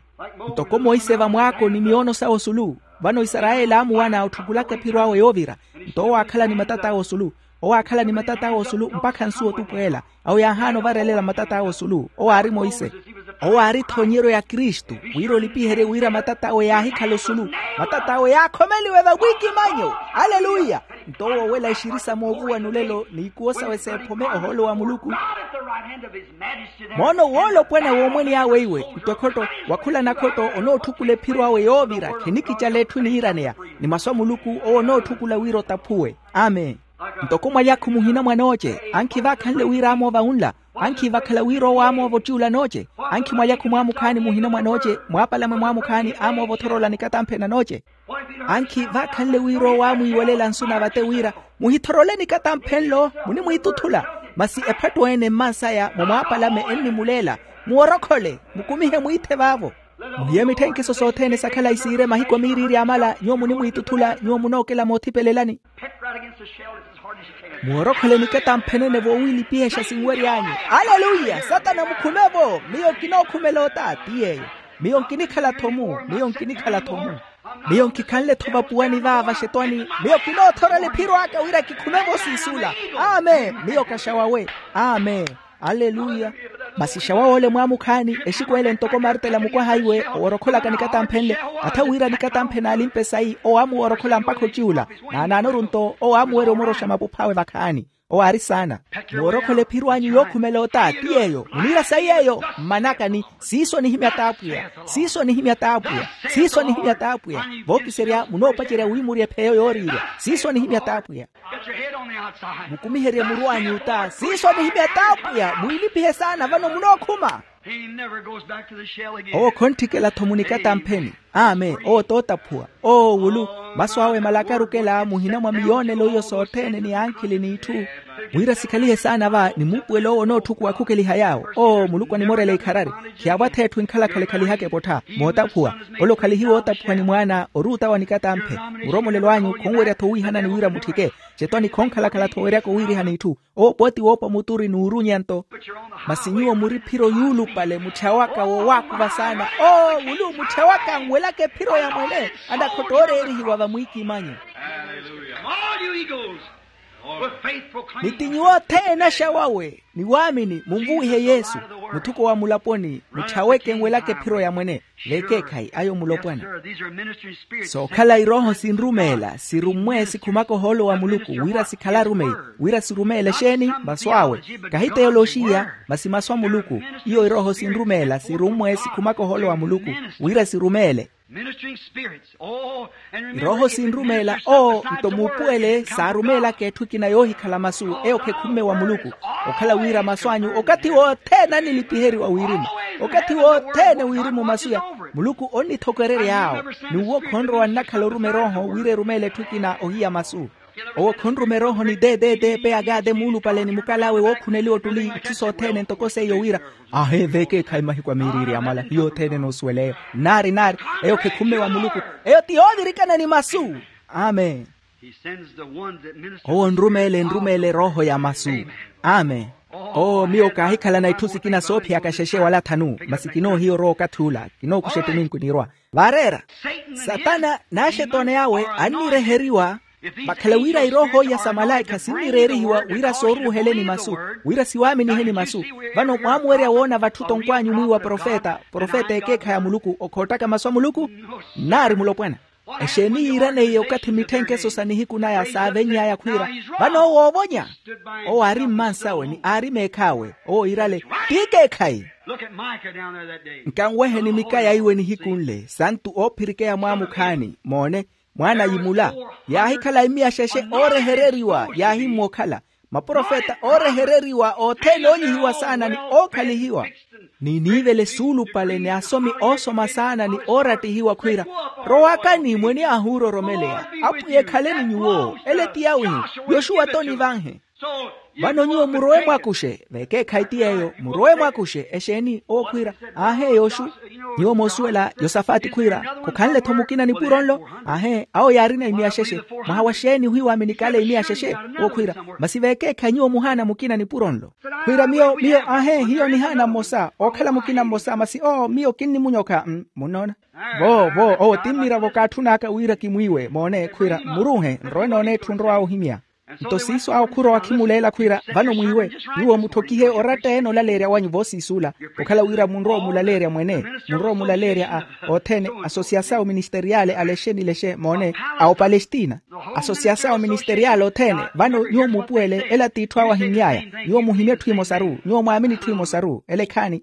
Ntoko monse vamwaako ni miyoono sawe osulu. Vano isarayeli aamuwana otthukulaka ephiro awe yoovira. Nto owo aakhala ni matata awe osulu. Owo aakhala ni matata awe osulu mpakha nsuwa otupweela. Awo yaahaana ovarelela matata awe osulu owo aari monse. Owo aari ethoonyeryo ya kristu wira olipiherye wira matata awe yaahikhala osulu. Matata awe yaakhomeliwe vamwiikimanyo. Aleluya. Nto owo owela exirisa moovuwa nulelo n'ikuwo sawe seephome ohoolo wa muluku. Moona owoolopwana w'omwene awe iwe nto ekhotto wakhula nakhotto onootthukulela ephiro awe yoovira khenikicala etthu eniiraneya. Ni masu a muluku owo onootthukulela wira otaphuwe. Amen. Ntoko mwalyakhu muhina mwanooce ankhi vaakhanle wira aamoova wunla. Ankhi vakhala wira owo aamoova ottiyula anooce. Ankhi mwalyakhu mwaamukhaani muhina mwanooce mwaapala mwe mwaamukhaani aamoova othorola nikatampheni anooce. Ankhi vaakhanle wira owo aamwiiwelela nsu na vate wira muhithorole nikatampheni nlo munimwiituthula. Masi ephattu ene mmansaya mwa mwaapalame ennimuleela muworokhole mukumihe mwiithe vaavo. Muhiye mitthenkeso sothene sa khalayi siire mahiku a miiriiri amala nyuwo munimwiituthula nyuwo munookela moothipelelani. Muworokholeni katamphenene voowiilipihexa sinwery'anyu. Aleluya satana mukhume-vo. Miyo kinookhumela ota ti yeeyo. Miyo nkinikhala-tho mu miyo nkinikhala-tho mu. Miyo nkikhanle-tho vapuwani vaava xetwani. Miyo kinoothorela ephiro aka wira kikhume-vo siisula. Amen miyo kaxawawe. Amen. Aleluya. Masi xawawole mwaamukhaani exiku ele ntoko martela mukwaha iwe oworokholaka nikatamphenle. Atha wira nikatamphe naalimpe sayi owo aamuworokhola mpakha ociyula. Naanaanoru nto owo aamuwerya omoroxa mapuph'awe vakhaani. Owo aari saana. Muworokhola ephiro anyu yookhumela ota ti yeeyo muniira sayi yeeyo mmanakani. Siiso nihimya t'apwiya. Siiso nihimya t'apwiya. Siiso nihimya t'apwiya. Vookiserya munoopacerya wi murye epheyo yooriirya siiso nihimya t'apwiya. Mukumiherye muru anyu ota siiso nihimya t'apwiya mwiilipihe saana vano munookhuma. Owo khontthikela-tho munikatampheni. Amen owo t'otaphuwa. Oo wulu masu awe malaka arukela muhina mwa miyoonelo iyo sothene ni ankhili n'itthu. Wira sikhalihe saana va ni muupuwelo owo onootthukuwa khukeliha yaawo oo muluku animorela ikharari. Khiyaavwa-tho etthu enkhalakhala ekhalihaka epottha. Mootaphuwa ole okhalihiwa ootaphuwa ni mwaana ori ota wa nikatamphe. Muromolelo anyu khonwerya-tho owiihanani wira mutthike. Cetwani khonkhalakhala-tho oweryaka owiirihana itthu. Owo pooti woopa muturi n'urunya nto. Masi nyuwo muri phiro yuulupale mutthya waka wowaakuva saana. Oo wulu mutthya waka anwelaka ephiro ya mwene. Anakhotta ooreerihiwa vamwiikimanyo. Ni ti nyuwo othene axawawe ni waamini munvuwihe yesu. Muthuko wa mulaponi mutthya weke enwelaka ephiro ya mwene. Vekeekhayi ayo mulopwana. Sookhala irooho sinrumeela sirummwe sikhumaka ohoolo wa muluku wira sikhala arumeyi. Wira sirumeela exeeni masu awe. Kahi teyoloxiya masi masu a muluku. Iyo irooho sinrumeela sirummwe sikhumaka ohoolo wa muluku wira sirumeele. Irooho sinrumeela oo nto muupuwele saarumeelaka etthu ekina yoohikhala masu eyo khekhumme wa muluku. Okhala wira masu anyu okathi wothene anilipiheriwa wirimu. Okathi wothene wirimu masu ya muluku onnithokererya awo. N'uwo khonrowa nnakhala oruma erooho wira erumeele etthu ekina ohiya masu. Owo khonruma erooho ni teeteete peyakaate muulupale ni mukalawe wookhuneliwa ottuli itthu sothene ntoko seiyo wira aheeveeke ekhayi mahiku a miiriiri amala hiyo othene enoosuwela eyo nnaari nnaari. Eyo khekhumme wa muluku. Eyo ti yoovirikana ni masu. Amen. Owo nrumeele nrumeele erooho ya masu. Amen. Oo miyo kaahikhalana itthu sikina soophiyaka xexe wala thanu masi kinoohiya orowa okathi ula. Kinookuxa ettuminku niirwa vaareera. Satana n'axetoone awe annireheriwa. Vakhala wira irooho iya sa malaikha sinnireerihiwa wira sooruuheleni masu wira siwaaminiheni masu. Vano mwaamuwerya woona vatthu tonkwaanyu mwiiwa profeta profeta ekeekhayi a muluku okhoottaka masu a muluku. Nnaari mulopwana. Exeeni yiiraneiye okathi mitthenkeso sa nihiku naya saavenny'aya khwiira vano owo oovonya. Owo aari mmansawe ni aari meekhaawe owo iirale. Tikeekhayi. Nkanweheni mikaya iwe nihiku nle santu oophirikeya mwaamukhaani moone. Mwaana yimula yaahikhala immiya xexe oorehereriwa yaahimmwa okhala maprofeta oorehereriwa othene oonyihiwa saana ni ookhalihiwa. Ni niivele suulupale ni asomi oosoma saana ni oorattihiwa khwiira rowakani mweniy'ahu oororomeleya. Apwiya ekhaleni nyuwo ele ti yawihi. Yoxuwa t'onivanhe. Vano nyuwo murowe mwakuxe vekeekhayi ti yeeyo murowe mwakuxe exeeni owo khwiira. Aahe yooxu nyuwo moosuwela yosafati khwiira khukhanle-tho mukina nipuro nlo. Aahe awo yaarina imiya xexe mwaha wa xeeni ohiwaaminikale imiya xexe. Owo khwiira masi vekeekhayi nyuwo muhaana mukina nipuro nlo. Khwiira miyo miyo aahe hiyo nihaana mmosa ookhala mukina mmosa masi oo miyo kinnimunyokha mm munnoona. Vo vo owo ti mmiravo kaatthun'aka wira kimwiiwe moone khwiira mmuruuhe nrowe noona etthu nrow'awe ohimya. Nto siiso awo khurowa akhimuleela khwiira vano mwiiwe nyuwo mutthokihe oratta-ene olaleerya wanyu voosiisuula. Okhala wira munrowa omulaleerya mwene munrowa omulaleerya a othene asosiyasao ministeriale alexe ni lexe moone a opalestina. Asosiyasao ministeriale othene vano nyuwo muupuwele ela t'itthu awo ahimmy'aya. Nyuwo muhimye etthu emosaru nyuwo mwaamini etthu emosaru ele khaani.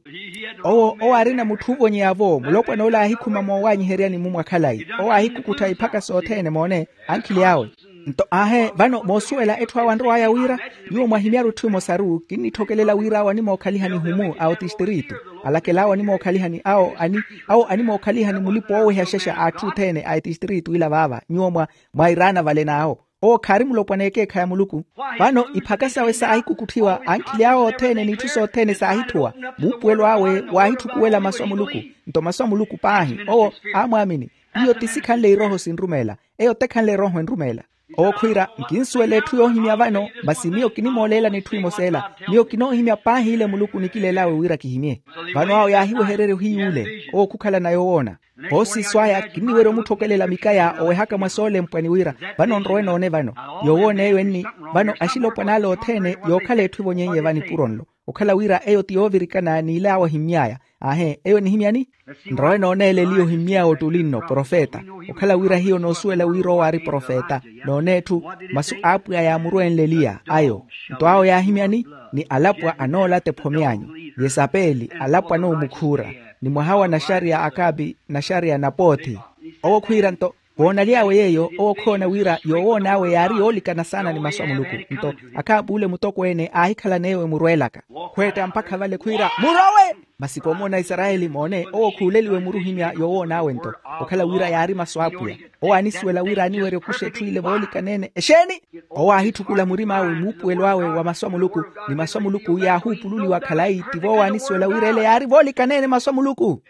Owo owo aarina mutthu oovonyeya-vo mulopwana ole aahikhuma moowanyiheryani-mu mwa khalayi owo aahikukuttha iphaka sothene moone ankhili awe. Nto aahe vano moosuwela etthu awo anrow'aya wira nyuwo mwahimyaru etthu emosaru kinnitthokelela wira awo animookhaliha nihumu a otistiritu alakel'awo animookhaliha ni awo ani awo animookhaliha ni mulipa ooweha xexa a atthu othene a etistiritu ila vaava nyuwo mwa mwairaana vale n'awo. Owo khaari mulopwana ekeekhayi a muluku. Vano iphaka sawe saahikukutthiwa ankhili awe othene n'itthu sothene saahithuwa. Muupuwelo awe waahithukuwela masu a muluku. Nto masu a muluku paahi owo aamwaamini. Iyo ti sikhanle iroho sinrumeela. Eyo tekhanle erooho enrumeela. Owo khwiira nkinsuwela etthu yoohimya vano. Masi miyo kinimooleelani etthu imosa ela. Miyo kinoohimya paahi ile muluku onikileel'awe wira kihimye. Vano awo yaahiwehererya ohiy'ule owo khukhalana yowoona. Voosiso aya kinniwerya omutthokelela mikaya owehaka mwa soolempwani wira vano nrowe noone vano. Yowoona eyo enni vano axilopwan'ale othene yookhala etthu evonyeiye vanipuro nlo. Okhala wira eyo ti yoovirikana n'ile awo ahimy'aya. Aahe eyo enihimyani? Nrowe noone eleliya ohimy'awe ottuli nno profeta. Okhala wira hiyo noosuwela wira owo aari profeta. Noone etthu masu a apwiya yaamurwenle eliya ayo. Nto awo yaahimyani? Ni alapwa anoolata ephome anyu. Yesapeli alapwa anoomukhuura. Ni mwaha wa naxariya akapi naxariya napoothi. Owo khwiira nto voonaly'awe yeeyo owo khoona wira yowoon'awe yaari yoolikana saana ni masu a muluku. Nto akhaap'ule mutokweene aahikhalan'eyo emurweelaka khweetta mpakha vale khwiira murowe. Masi koomoona isarayeli moone owo khuuleliwe muruhimya yowoon'awe nto okhala wira yaari masu a apwiya. Owo aanisuwela wira aniwerya okuxa etthu ile voolikaneene exeeni? Owo aahitthukula murim'awe muupuwelo awe wa masu a muluku ni masu a muluku yaahuupululiwa khalayi tivo owo aanisuwela wira ele yaari voolikaneene masu a muluku.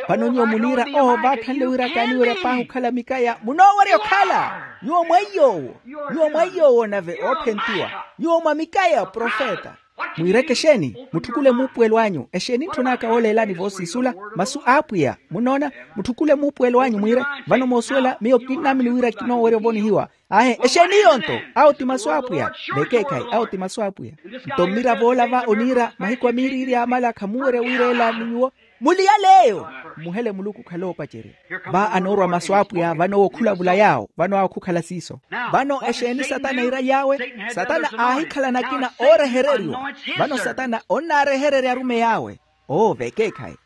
Vano nyuwo muniira owo vaakhanle wira kaaniwerya paahi okhala mikaya munoowerya okhala. Nyuwo mwaiy'owo. Nyuwo mwaiy'owo nave oophentiwa. Nyuwo mwa mikaya profeta. Mwiireke exeeni? Mutthukule muupuwelo anyu exeeni ntthun'aka wooleelani voosiisula? Masu a apwiya munnoona. Mutthukule muupuwelo anyu mwiire vano moosuwela miyo kinnaamini wira kinoowerya ovonihiwa. Aahe exeeni iyo nto? Awo ti masu a apwiya. Vekeekhayi awo ti masu a apwiya. Nto mmiravo ola va oniira mahiku a miiriiri amala khamuwerya wiireela ni nyuwo. Muliyale eyo. Mmuhele muluku okhale oopacerya. Va anoorwa masu a apwiya vano owo khulavula yaawo vano awo khukhala siiso. Vano exeeni satana iiraly'awe? Satana aahikhalana akina oorehereriwa. Vano satana onnaarehererya arumeyi awe. Oo vekeekhayi.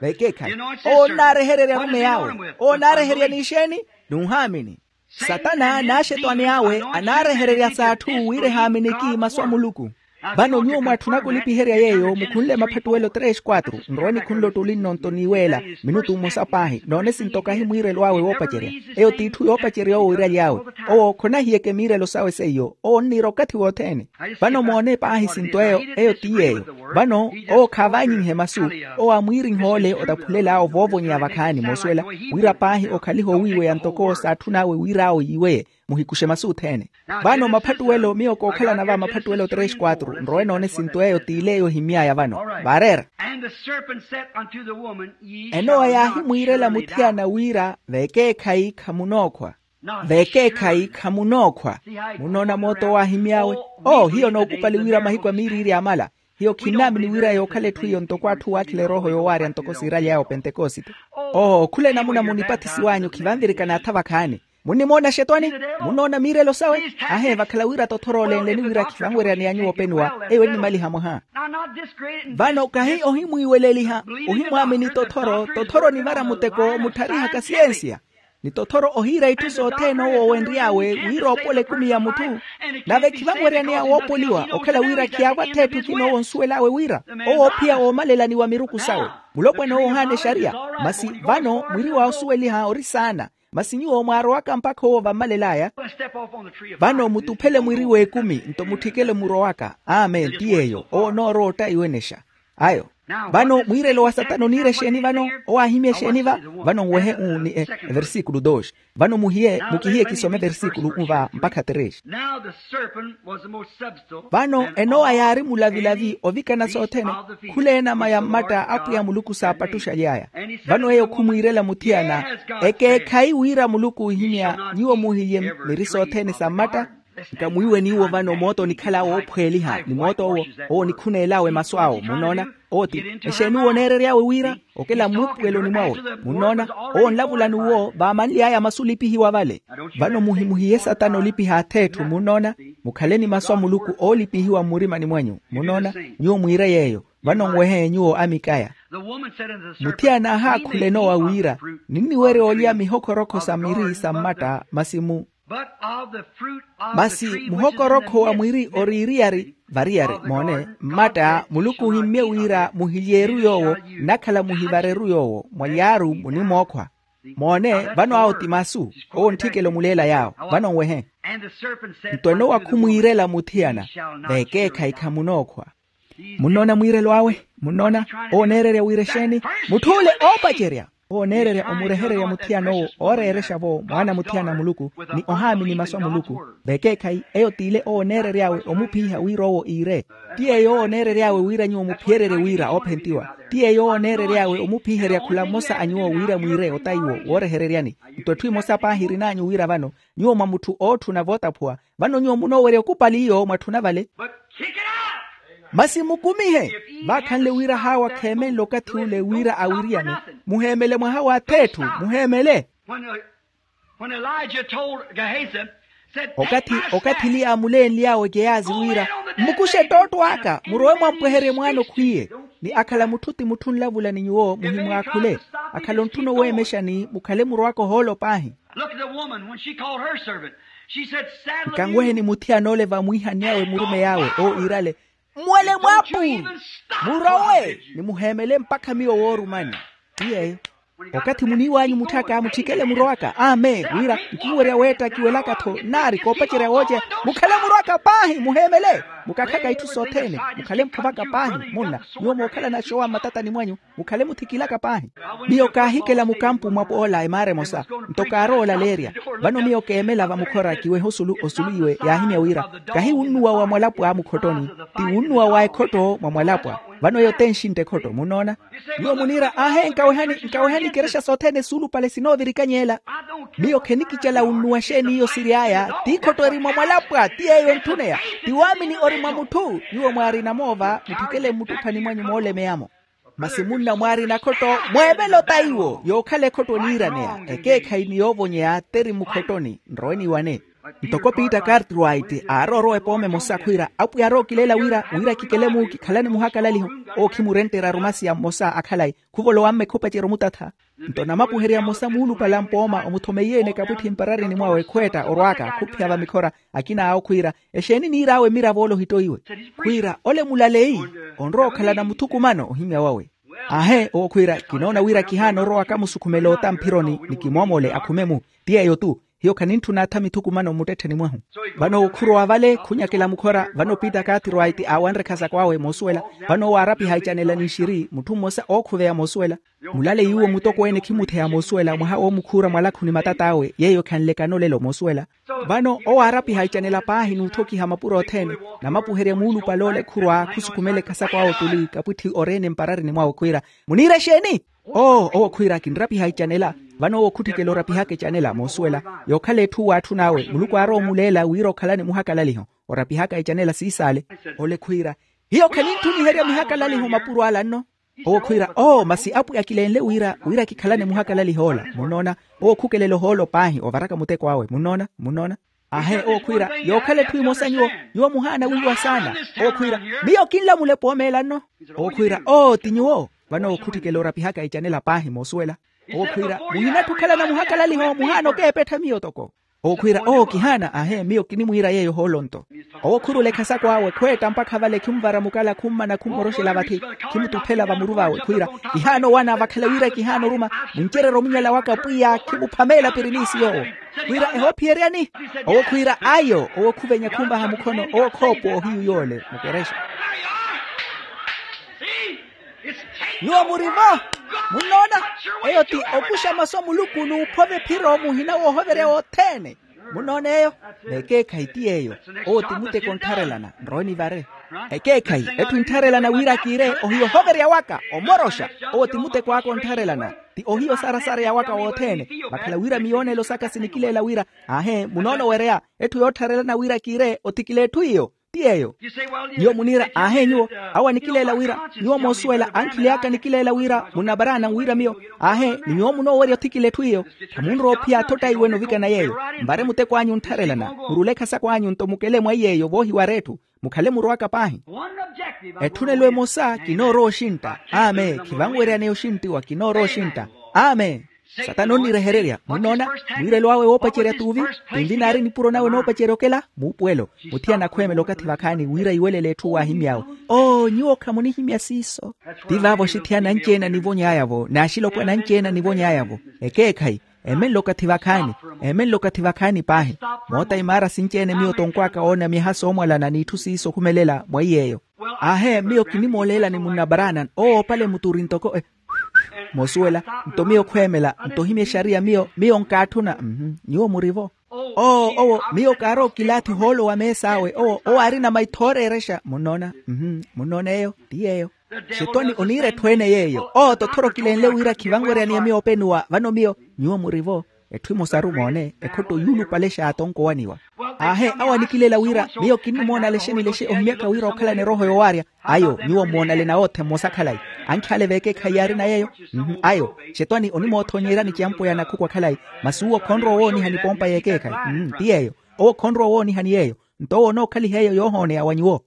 Vekeekhayi. Owo onnaarehererya arumeyi awe. Owo onnaareherya n'ixeeni? N'uhaamini. Satana n'axetwani awe anaarehererya s'atthu wira ehaaminiki masu a muluku. Vano nyuwo mwaatthunaka olipiherya yeeyo mukhunle maphattuwelo tres quatro nrowe nikhunle ottuli nno nto niiweela minutu mmosa paahi noone sinto kahi mwiirelo awe woopacerya. Eyo t'itthu yoopacerya owo iiraly'awe. Owo khonahiyeke miirelo sawe seiyo owo onniira okathi wothene. Vano moone paahi sinto eyo. Eyo ti yeeyo. Vano owo khaavaanyinhe masu. Owo aamwiirinha ole otaphulel'awe ovoovonyeya vakhaani moosuwela wira paahi okhalihe owiiweya ntoko saatthun'awe wira awo yiiweye. Muhikuxe masu othene. Vano maphattuwelo miyo kookhalana va maphattuwelo tres quatro nrowe noone sinto eyo t'ile eyo ohimy'aya vano. Vaareera. Enowa yaahimwiirela muthiyana wira vekeekhayi khamunookhwa. Vekeekhayi khamunookhwa. Munnoona mooto owo aahimy'awe. Oo hiyo nookupali wira mahiku a miiriiri amala. Hiyo khinnaamini wira yookhala etthu iyo ntoko atthu waakhila erooho yoowaarya ntoko siiraly'aya opentekosite. Oo khula enamuna munipathisiw'anyu khivanvirikana atha vakhaani. Munnimoona axetwani? Munnoona miirelo sawe? Ahe vakhala wira tothoro olenleni wira khivanweryaneya nyuwo openiwa. Eyo ennimaliha mwaha. Vano kahi ohimwiiweleliha. Ohimwaamini tothoro tothoro onivara muteko mutthariha kasiyensiya. Ni tothoro ohiira itthu sothene owo owenry'awe wira oopola ekumi ya mutthu. Nave khivanweryaneya woopoliwa okhala wira khiyaavwa th'etthu khino owo onsuwel'awe wira owo ophiya woomalelani wa miruku sawe. Mulopwana owo ohaana exariya. Masi vano mwiri wa osuweliha ori saana. Masi nyuwo mwaarowaka mpakha owo vammalel'aya. Vano mutuphele mwiri w'ekumi nto mutthikele murowaka. Amen ti yeeyo owo onoorowa ottaiwenexa. Ayo. Vano mwiirelo wa satana oniira exeeni vano? Owo aahimya exeeni va? Vano nwehe uu ni e versículo dos. Vano muhiye mukihiye kisome versículo unva mpakha tres. Vano enowa yaari mulavilavi ovikana sothene. Khula enama ya mmatta a apwiya muluku saapattuxaly'aya. Vano eyo khumwiirela muthiyana. Ekeekhayi wira muluku oohimya nyuwo muhiye miri sothene sa mmatta. Nkamwiiwe niiwo vano mooto onikhala woophweeliha ni mooto owo owo onikhuneel'awe masu awo munnoona. Owo ti exeeni owo oneerery'awe wira okela muupuweloni mwawe. Munnoona owo onlavula n'uwo vaamanly'aya masu olipihiwa vale. Vano muhimuhiye satana olipiha ath'etthu munnoona. Mukhaleni masu a muluku oolipihiwa mmurimani mwanyu munnoona. Nyuwo mwiire yeeyo. Vano nwehe nyuwo amikaya. Muthiyana aahaakhula enowa wira ninniwerya olya mihokhorokho sa miri sa mmatta masi mu masi muhokorokho wa mwiri oriiriyari variyari moone mmatta muluku ohimmye wira muhilyeeru yoowo nnakhala muhivareru yoowo mwalyaaru munimookhwa. Moone, vano awo ti masu. Owo ntthikelo muleela yaawo. Vano nwehe. Nto enowa khumwiirela muthiyana, veekeekhayi khamunookhwa. Munnoona mwiirelo awe? Munnoona? Owo oneererya wira exeeni? Mutth'ule oopacerya, owo oneererya omurehererya muthiyana owo ooreerexa-vo mwaana muthiyana a muluku, ni ohaamini masu a muluku. Veekeekhayi eyo t'ile owo oneerery'awe omuphiha wira owo iire. Ti yeeyo owo oneerery'awe wira nyuwo muphiyererye wira oophentiwa. Ti yeeyo owo oneerery'awe omuphiherya khula mmosa a nyuwo wira mwiire otayi wo woorehereryani. Nto etthu emosa paahi erin'anyu wira vano, nyuwo mwa mutthu ootthuna vootaphuwa, vano nyuwo munoowerya okupali iyo mwatthuna vale. Masi mukumihe. Vaakhanle wira haawa kheemenle okathi ule wira awiriyane. Muheemele mwaha w'ath'etthu. Muheemele. When Elijah told Gehazi, said, okathi eliya aamuleenly'awe geyazi wira, mmukuxe ettootto aka murowe mwampweherye mwaana okhwiye. Ni akhala mutthu ti mutthu onlavula ni nyuwo muhimwaakhule. Akhala ontthuna oweemexa ni mukhale murowaka ohoolo paahi. Look at the woman when she called her servant. She said, saddle a mule. Nkanweheni muthiyana ole vamwiihani awe murumeyi awe owo iirale, mmwele mwapu. Murowe ni muheemele mpakha miyo woorumani. Ti yeeyo. Okathi muniiw'anyu mutthu aka mutthikele murowaka amen wira nkiwerya weetta kiwelaka-tho nnaari koopacerya wooceya. Mukhale murowaka paahi muheemele. Mukakhala itthu sothene. Mukhale mphuvaka paahi munna. Nyuwo mookhalana axowa mmatatani mwanyu. Mukhale muthikilaka paahi. Miyo kaahikela mukampu mwa poola emaara emosa. Nto kaarowa olaleerya. Vano miyo keemela vamukhora kiwehe osulu osulu iwe yaahimya wira, kahi wunnuwa wa mwalapwa mukhottoni. Ti wunnuwa wa ekhotto mwa mwalapwa. Vano eyo t'enxintta ekhotto munnoona. Nyuwo muniira aahe nkawehani nkawehani ikerexa sothene suulupale sinoovirikany'ela. Miyo khenikicela wunnuwa xeeni iyo siry'aya. T'ikhotto eri mwa mwalapwa ti yeeyo entthuneya. Ti waamini ori mwa mutthu. Nyuwo mwaarina moova mutthikele mmuttuphani mwanyu moolemeya-mo. Masi munna mwaarina khotto mweevele otaiwo yookhala ekhotto oniiraneya. Ekeekhayi ni yoovonyeya t'eri mukhottoni nrowe niiwane. Ntoko piita cartwright aaroorowa epooma emosa khwiira apwiya arookileela wira wira kikele-mu kikhalane muhakalaliho. Owo khimurentterya arumasiya mmosa a khalayi khuvolowa-mme khupacerya omutatha. Nto namapuherya mmosa muulupale a mpooma omuthomeiye-ene kapwitthi mpararini mwawe khweetta orwaaka khuphiya vamikhora. Akina awo khwiira exeeni niir'awe mmiravo ole ohittoiwe? Khwiira ole mulaleyi onrowa okhalana muthukumano ohimya wawe. Aahe owo khwiira kinoona wira kihaana orowa kamusukhumela ota mphironi ni kimoomole akhume-mu. Ti yeeyo-tu. Hiyo khanintthuna atha mithukumano mmuttettheni mwahu. Vano owo khurowa vale khunyakela mukhora vano piita cartwright aawanre khasako awe moosuwela. Vano owo aarapiha icanela n'ixiri mutthu mmosa ookhuveya moosuwela. Mulaleyi uwo mutokweene khimutheya moosuwela mwaha woomukhuura mwalakhu ni matat'awe yeeyo khanlekana olelo moosuwela. Vano owo aarapiha icanela paahi n'utthokiha mapuro othene. Namapuherya muulupale ole khurwa khusukhumela ekhasako awe otuli kapwitthi oreene mpararini mwawe khwiira, muniira exeeni? Oo owo khwiira kinrapiha icanela. Vano owo khutthikela orapihaka icanela moosuwela. Yookhala etthu waatthun'awe muluku aarowa omuleela wira okhalane muhakalaliho. Orapihaka icanela siisaale. Ole khwiira, hiyo khanintthumiherya mihakalaliho mapuro ala nno. Owo khwiira oo masi apwiya kilenle wira wira kikhalane muhakalaliho ola munnoona. Owo khukelela ohoolo paahi ovaraka muteko awe munnoona munnoona. Aahe owo khwiira yookhala etthu emosa nyuwo nyuwo muhaana wiiwa saana. Owo khwiira miyo kinlamula epoomeela nno. Owo khwiira oo ti nyuwo. Vano owo khutthikela orapihaka icanela paahi moosuwela. Owo khwiira muhinatthi okhalana muhakalaliho muhaana okeepettha miyo toko. Owo khwiira oo kihaana aahe miyo kinimwiira yeeyo hoolonto. Owo khurula ekhasako awe khweetta mpakha vale khimuvara mukala khummana khummoroxela vathi. Khimutuphela vamuru vawe khwiira kihaana owana vakhala wira kihaana oruma. Muncererye omunyala waka pwiya khimuphameela pirinisi yoowo. Khwiira ehoophiyeryani? Owo khwiira ayo owo khuvenya khumvaha mukhono owo khoopuwa ohiyu yoole mukerexa. Nyuwo murivo. Munnoona? Eyo ti okuxa masu a muluku n'uphova ephiro muhina woohoverya wothene. Munnoona eyo? N'ekeekhayi ti yeeyo. Owo ti muteko onttharelana nrowe nivare. Ekeekhayi etthu enttharelana wira kiire ohiya ohoverya waka omoroxa. Owo ti muteko aka onttharelana. Ti ohiya osarasareya waka wothene. Vakhala wira miyoonelo saka sinikileela wira aahe munoolowereya. Etthu yoottharelana wira kiire othikile etthu iyo. Ti yeeyo. Nyuwo muniira aahe nyuwo awo anikileela wira nyuwo moosuwela ankhileyaka nikileela wira munaparaana wira miyo. Aahe ni nyuwo munoowerya othikile etthu iyo. Khamunrowa ophiya athotta iwene ovikana yeeyo. Mvare muteko anyu onttharelana murule ekhasako anyu nto mukele mwa iyeeyo voohiwara etthu. Mukhale murowaka paahi. Etthunelo emosa kinoorowa oxintta. Amen khivanweryaneya oxinttiwa kinoorowa oxintta. Amen. Satana onnirehererya munnoona, mwiirelo awe woopacerya tuuvi. Tunvi naari nipuro nawe noopacerya okela muupuwelo. Muthiyana akhweemela okathi vakhaani wira iwelele etthu waahimy'awe. Oo nyuwo khamunihimya siiso. Ti vaavo axithiyana anci-ene anivony'aya-vo n'axilopwana anci-ene anivony'aya-vo. Ekeekhayi, emenle okathi vakhaani, emenle okathi vakhaani paahi. Moota imaara sinci-ene miyo tonkw'aka oona myaha soomwalana n'itthu siiso okhumelela mwa iy'eyo. Aahe miyo kinimooleelani munna branan owo opale muturi ntoko e. Moosuwela, nto miyo khweemela nto ohimya exariya miyo miyo nkaatthuna. Nyuwo murivo. Oo owo miyo kaarowa okilaathi ohoolo wa mees'awe owo owo aarina maitho ooreerexa munnoona. Munnoona eyo ti yeeyo. Xetwani oniira etthu ene yeeyo owo tothorokilenle wira khivanweryaniye miyo openuwa vano miyo. Nyuwo murivo. Etthu emosaru moone ekhotto yuulupale xaatonko owaniwa. Aahe awo anikilela wira miyo kinnimoona lexe ni lexe ohimyaka wira okhalana erooho yoowaarya. Ayo nyuwo mmoonale nawoothe mmosa khalayi. Ankhi ale veekeekhayi yaarina yeeyo. Ayo xetwani onimoothoonyeryani ciyampweya na khuku akhalayi. Masi uwo khonrowa owooniha ni pompa yeekeekhayi. Ti yeeyo. Owo khonrowa owoonihani yeeyo. Nto owo onookhaliha eyo yoohooneya wa nyuwo.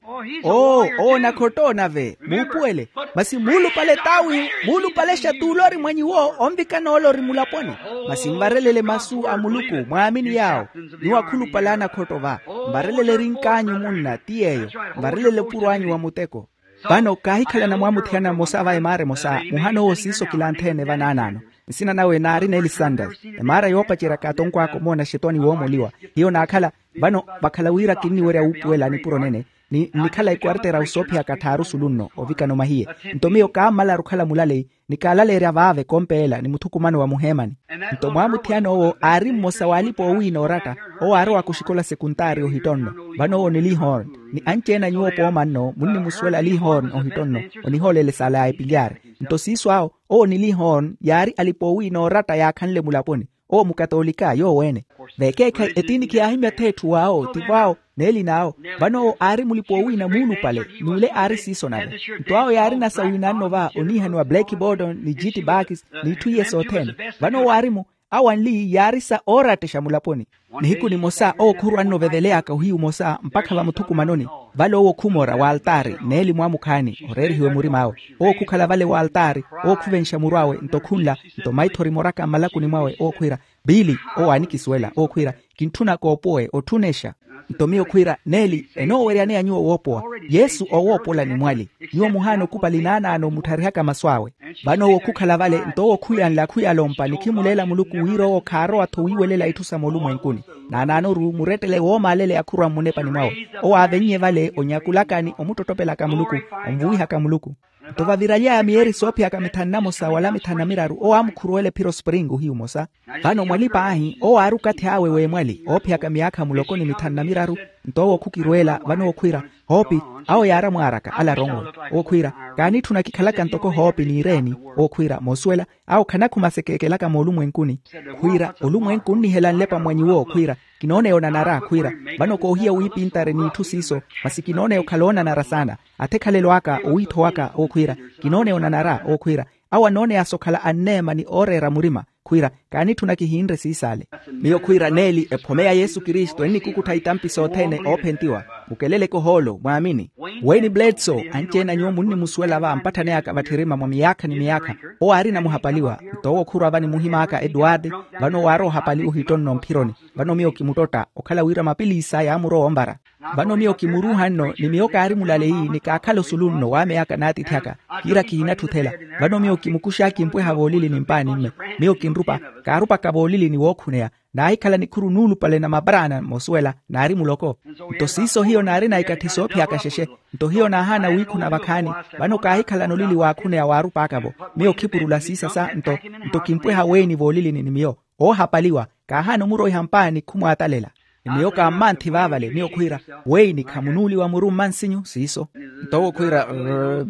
Oo owo onakhotta onave muupuwele. Masi muulupale taawihu muulupalexa t'ulori mwa nyuwo onvikana olori mulaponi. Masi nvarelele masu a muluku mwaamini yaawo. Nyuwo akhulupale anakhotto va. Nvarelele erink'anyu munna ti yeeyo. Nvarelele opuro anyu wa muteko. Vano kaahikhalana mwamuthiyana mmosa va emaara emosa muhana owo siiso kilanthe-ene vanaanaano. Nsina nawe naari n'elisandari. Emaara yoopaceryaka atonkw'aka omoona xetwani woomoliwa. Hiyo naakhala. Vano vakhala wira kinniwerya wuupuwela nipuro nene. Ni nnikhala ekwartera osoophiyaka tthaaru sulunno ovikana omahiye. Nto miyo kaammalaru okhala mulaleyi. Ni kaalaleerya vaave kompeela ni muthukumano wa muheemani. Nto mwaamuthiyana owo aari mmosa w'alipa oowiina ooratta. Owo aarowaka oxikola sekuntaari ohittonno. Vano owo ni lihorn. Ni anci-ene a nyuwo pooma nno munnimusuwela lihorn ohittonno. Onihoolela esaala ya epilyaari. Nto siiso awo owo ni lihorn yaari alipa oowiina ooratta yaakhanle mulaponi. Owo mukatoolika yoowo-ene. Veekeekhayi etiinikhi yaahimya-tho etthu w'awo tivo awo. N'elin'awo. Vano owo aari mulipa owiina muulupale. N'ule aari siiso nave. Nto awo yaarina sa wiinanno va oniihaniwa black bordon ni jiti bakis. N'itthu iye sothene. Vano owo aari-mu. Awo anli yaari sa oorattexa mulaponi. Nihiku nimosa owo khurwa nno oveveleyaka ohiyu omosa mpakha vamuthukumanoni. Vale owo khumora w'altaari n'elimu amukhaani oreerihiwe murim'awe. Owo khukhala vale w'altaari. Owo khuvenxa muru awe nto khunla. Nto maithori moraka mmalakuni mwawe owo khwiira, biili. Owo aanikisuwela owo khwiira, kintthuna koopowe otthunexa. Nto miyo khwiira neeli enooweryaneya nyuwo woopowa. Yesu owoopolani mwali. Nyuwo muhaana okupali naanaano mutharihaka masu awe. Vano owo khukhala vale nto owo khuyanla khuyalompa ni khimuleela muluku wira owo khaarowa-tho wiiwelela itthu sa moolumwenkuni. Naanaanoru murettele woomaaleleya khurwa mmunepani mwawe. Owo aavennye vale onyakulakani omuttottopelaka muluku, onvuwihaka muluku. Nto vaviraly'aya miyeeri soophiyaka mithanu na mosa wala mithanu na miraru owo aamukhuruwela ephiro spring ohiyu omosa. Vano mwali paahi owo aari okathi awe w'emwali oophiyaka myaakha muloko ni mithanu na miraru. Nto owo khukirweela vano owo khwiira, hoopi. Awo yaari amwaaraka ale aronwe. Owo khwiira, kaanitthuna kikhalaka ntoko hoopi n'ireeni. Owo khwiira moosuwela, awo khanakhumasekeekelaka moolumwenkuni. Khwiira olumwenku onnihela nlepa mwa nyuwo khwiira, kinooneya onanara khwiira. Vano koohiya wiipintari n'itthu siiso, masi kinooneya okhala oonanara saana. Athe ekhalelo aka owiitho waka owo khwiira, kinooneya onanara owo khwiira. Awo anooneyasa okhala anneema ni ooreera murima. Khwiira, kaanitthuna kihinre siisale. Miyo khwiira neeli ephome ya yesu kristu ennikukuttha itampi sothene oophentiwa. Mukeleleke ohoolo mwaamini. Wayne bledso, anci-ene a nyuwo munnimusuwela va mpatthaneyaka vatthirima mwa miyaakha ni miyaakha. Owo aarina muhapaliwa. Nto owo khurwa va ni muhim'aka eduwarde. Vano owo aari ohapaliwa ohittonno mphironi. Vano miyo kimuttotta okhala wira mapiliisa yaamurowa onvara. Vano miyo kimuruuha nno ni miyo kaari mulaleyi ni kaakhala osulu nno w'ameyaka n'atiithi aka. Kiira kihinatthuthela. Vano miyo kimukuxa kimpweha voolilini mpaani mme. Miyo kinrupa, kaarupaka voolilini wookhuneya. Naahikhala nikhuru nuulupale na mabraana moosuwela naari muloko. Nto siiso hiyo naarina ikatthi soophiyaka xexe. Nto hiyo naahaana wiikhuna vakhaani. Vano kaahikhalana olili waakhuneya waarup'aka-vo. Miyo khipurula siisasa nto, nto kimpweha weeni voolilini ni miyo. Oohapaliwa. Kaahaana omuroiha mpaani khumwaatalela. Ni miyo kaammanthi vaavale miyo khwiira, weini khamunuuliwa muru mmansinyu siiso. Nto owo khwiira,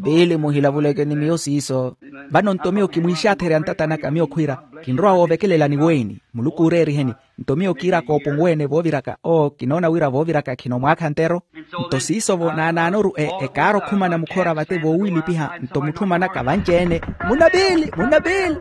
piili muhilavuleke ni miyo siiso. Vano nto miyo kimwiixaatherya ntata naka miyo khwiira, kinrowa woovekelelani weini. Muluku ooreeriheni. Nto miyo kiira kooponweene vooviraka oo kinoona wira vooviraka khino mwaakha ntero. Nto siiso-vo naanaanoru ekaara okhumana mukhora vate voowiilipiha nto mutthu manaka vanci-ene, munna piili munna piili.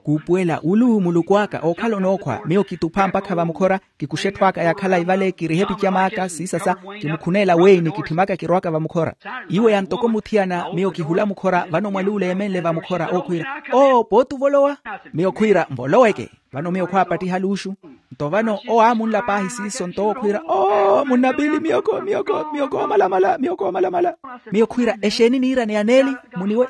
Kuupuwela wulu muluku aka ookhala onookhwa miyo kitupha mpakha vamukhora. Kikuxa etthu aka ya khalayi vale kiriha epicama aka siisasa. Kimukhuneela weini kitthimaka kirowaka vamukhora. Iwo ya ntoko muthiyana miyo kihula mukhora vano mwaluula emenle vamukhora ookhwiira, oo pooti ovolowa. Miyo khwiira mvoloweke. Vano miyo khwaapattiha luuxu. Nto vano owo aamunla paahi siiso nto owo khwiira, oo munnapili miyo koomalamala miyo koomalamala. Miyo khwiira exeeni niiraneya neeli?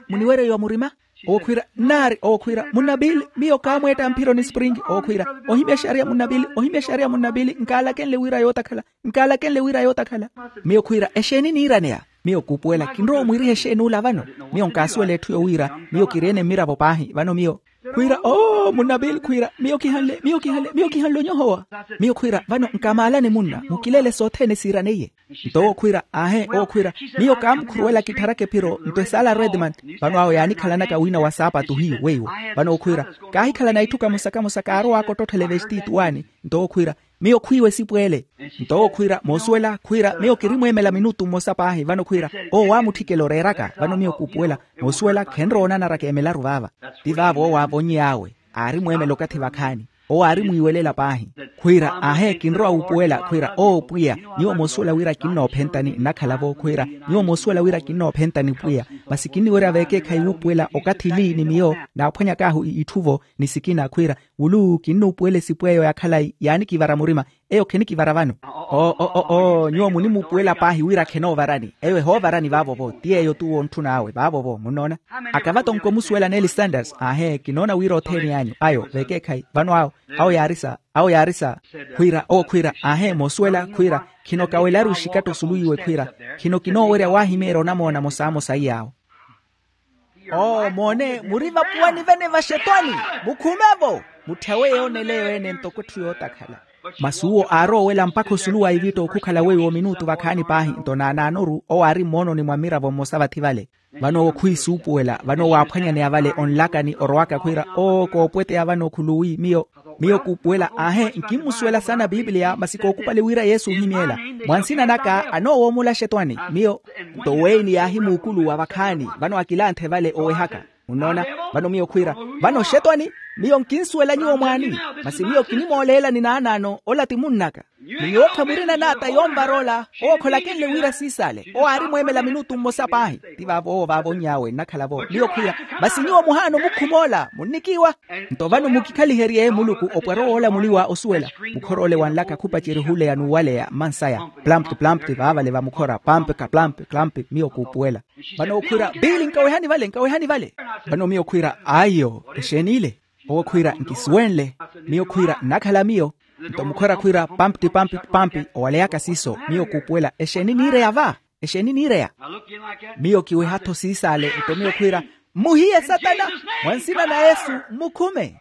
Muniwereyiwa murima. Owo khwiira nnaari owo khwiira munnapili miyo kaamweetta mphironi springi owo khwiira, ohimya exariya munnapili ohimya exariya munnapili nkaalakenle wira yootakhala. Nkaalakenle wira yootakhala. Miyo khwiira exeeni niiraneya? Miyo kuupuwela kinrowa omwiiriha exeeni ula vano. Miyo nkaasuwela etthu yowiira miyo kiri-ene mmiravo paahi vano miyo khwiira oo munnapili khwiira miyo kihanle miyo kihanle miyo kihanle onyohowa. Miyo khwiira vano nkamaalane munna mukilele sothene siiraneiye. Nto owo khwiira aahe owo khwiira, miyo kaamukhuruwela kitharaka ephiro nto esaala redman. Vano awo yaanikhalanaka wiina wa saapatu hiyu weiwo. Vano owo khwiira kaahikhalana itthu kamosa kamosa kaarowaka ottotthela evestitu waani. Nto owo khwiira miyo khwiiwa esipweele. Nto owo khwiira moosuwela khwiira miyo kirimweemela minutu mmosa paahi vano khwiira owo waamutthikela oreeraka vano miyo kuupuwela. Moosuwela khenrowa onanara keemelaru vaava. Ti vaavo owo aavonny'awe. Aarimweemela okathi vakhaani. Owo aarimwiiwelela paahi khwiira aahe kinrowa wuupuwela khwiira oo pwiya. Nyuwo moosuwela wira kinnoophentani nnakhala-vo khwiira. Nyuwo moosuwela wira kinnoophentani pwiya. Masi kinniwerya veekeekhayi wuupuwela okathi li ni miyo naaphwanyak'ahu itthu-vo ni sikina khwiira wulu kinnuupuwela esipweeyo ya khalayi yaanikivara murima. Eyo khenikivara vano. Oo nyuwo munimuupuwela paahi wira khenoovarani eyo ehoovarani vaavo-vo ti eyo t'uwo ontthun'awe vaavo-vo munnoona. Akava tonko omusuwela neeli sanders aahe kinoona wira othene anyu ayo veekeekhayi vano awo awo yaarisa awo yaarisa. Khwiira owo khwiira aahe moosuwela khwiira khino kawelaru ixikatto suluwiwe khwiira khino kinoowerya waahimeerya onamoona mosaamosa iy'awo. Oo moone muri vapuwani vene vaxetwani. Mukhume-vo. Mutthyawe yooneleyo ene ntoko etthu yootakhala. Masi uwo aaroowela mpakha osulu wa ivitto okhukhala weiwo minutu vakhaani paahi nto naanaanoru owo aari mmoononi mwa mmiravo mmosa vathi vale. Vano owo khwiisuupuwela vano owo aaphwanyaneya vale onlakani orowaka khwiira oo koopweteya vano khuluwi miyo miyo kuupuwela aahe nkimmusuwela saana pipiliya masi kookupali wira yesu ohimyeela. Mwa nsina naka anoowoomola xetwani miyo nto weini yaahimuukuluwa vakhaani vano akilanthe vale owehaka. Munnoona? Vano miyo khwiira vano xetwani miyo nkinsuwela nyuwo mwaani masi miyo kinimooleelani naanaano ola ti munnaka. Ni nyuwo khamurina naata yoonvar'ola owo kholakenle wira siisaale owo aarimweemela minutu mmosa paahi. Ti vaavo owo vaavonny'awe nnakhala-vo miyo khwiira masi nyuwo muhaana omukhumola munnikiiwa. Nto vano mukikhaliherye muluku opwara owoola muliwa osuwela. Mukhor'ole wanlaka khupacerya ohuleya n'uwaleya mmansaya. Plampi plampi vaavale vamukhora pampi kaplampi klampi miyo kuupuwela. Vano owo khwiira piili nkawehani vale nkawehani vale. Vano miyo khwiira aiyo exeeni ile? Owo khwiira nkisuwenle. Miyo khwiira nnakhala miyo. Nto mukhora khwiira pampti pampti pampti owaleyaka siiso miyo kuupuwela exeeni niireya va? Exeeni niireya? Miyo kiweha-tho siisaale nto miyo khwiira mmuhiye satana. Mwa nsina na yesu mmukhume.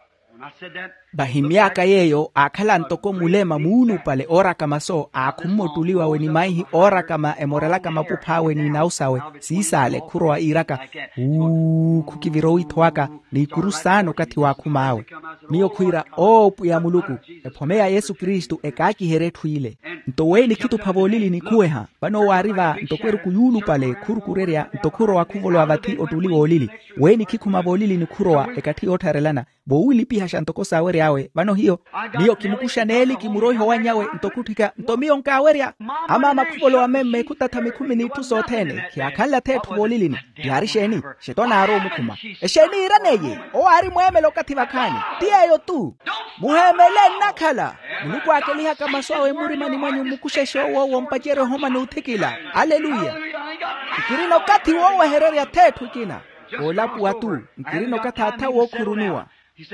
Vahimy'aka yeeyo aakhala ntoko mulema muulupale oorakama so aakhumme ottuliwawe ni maihi oorakama emorelaka mapupha awe n'inawu sawe siisaale khurowa iiraka. Wuu khukivira owiitho waka n'ikuru saana okathi waakhum'awe. Miyo khwiira oo pwiya muluku ephome ya yesu kristu ekaakiherye etthu ile. Nto weeni khitupha voolilini khuweha vano owo aari va ntoko eruku yuulupale khurukurerya nto khurowa khuvolowa vathi ottuli woolili. Weeni khikhuma voolilini khurowa ekatthi yoottharelana voowilipihaxa ntoko saawery'awe vano hiyo. Miyo kimukuxa neeli kimuroiha owanny'awe nto khutthika nto miyo nkaawerya. Amaama khuvolowa memme khutatha mikhumi n'itthu sothene khiyaakhanle atheetthu voolilini. Yaari exeeni? Xetwani aari omukhuma. Exeeni iiraneiye? Owo aari mweemela okathi vakhaani ti yeeyo-tu. Muheemele nnakhala. Muluku aakelihaka masu awe mmurimani mwanyu mmukuxexe owo wompacerya ohoma n'uthikila. Aleluya. Nkirina okathi woowehererya atheetthu ekina. Woolapuwa-tu. Nkirina okathi atha wookhurunuwa.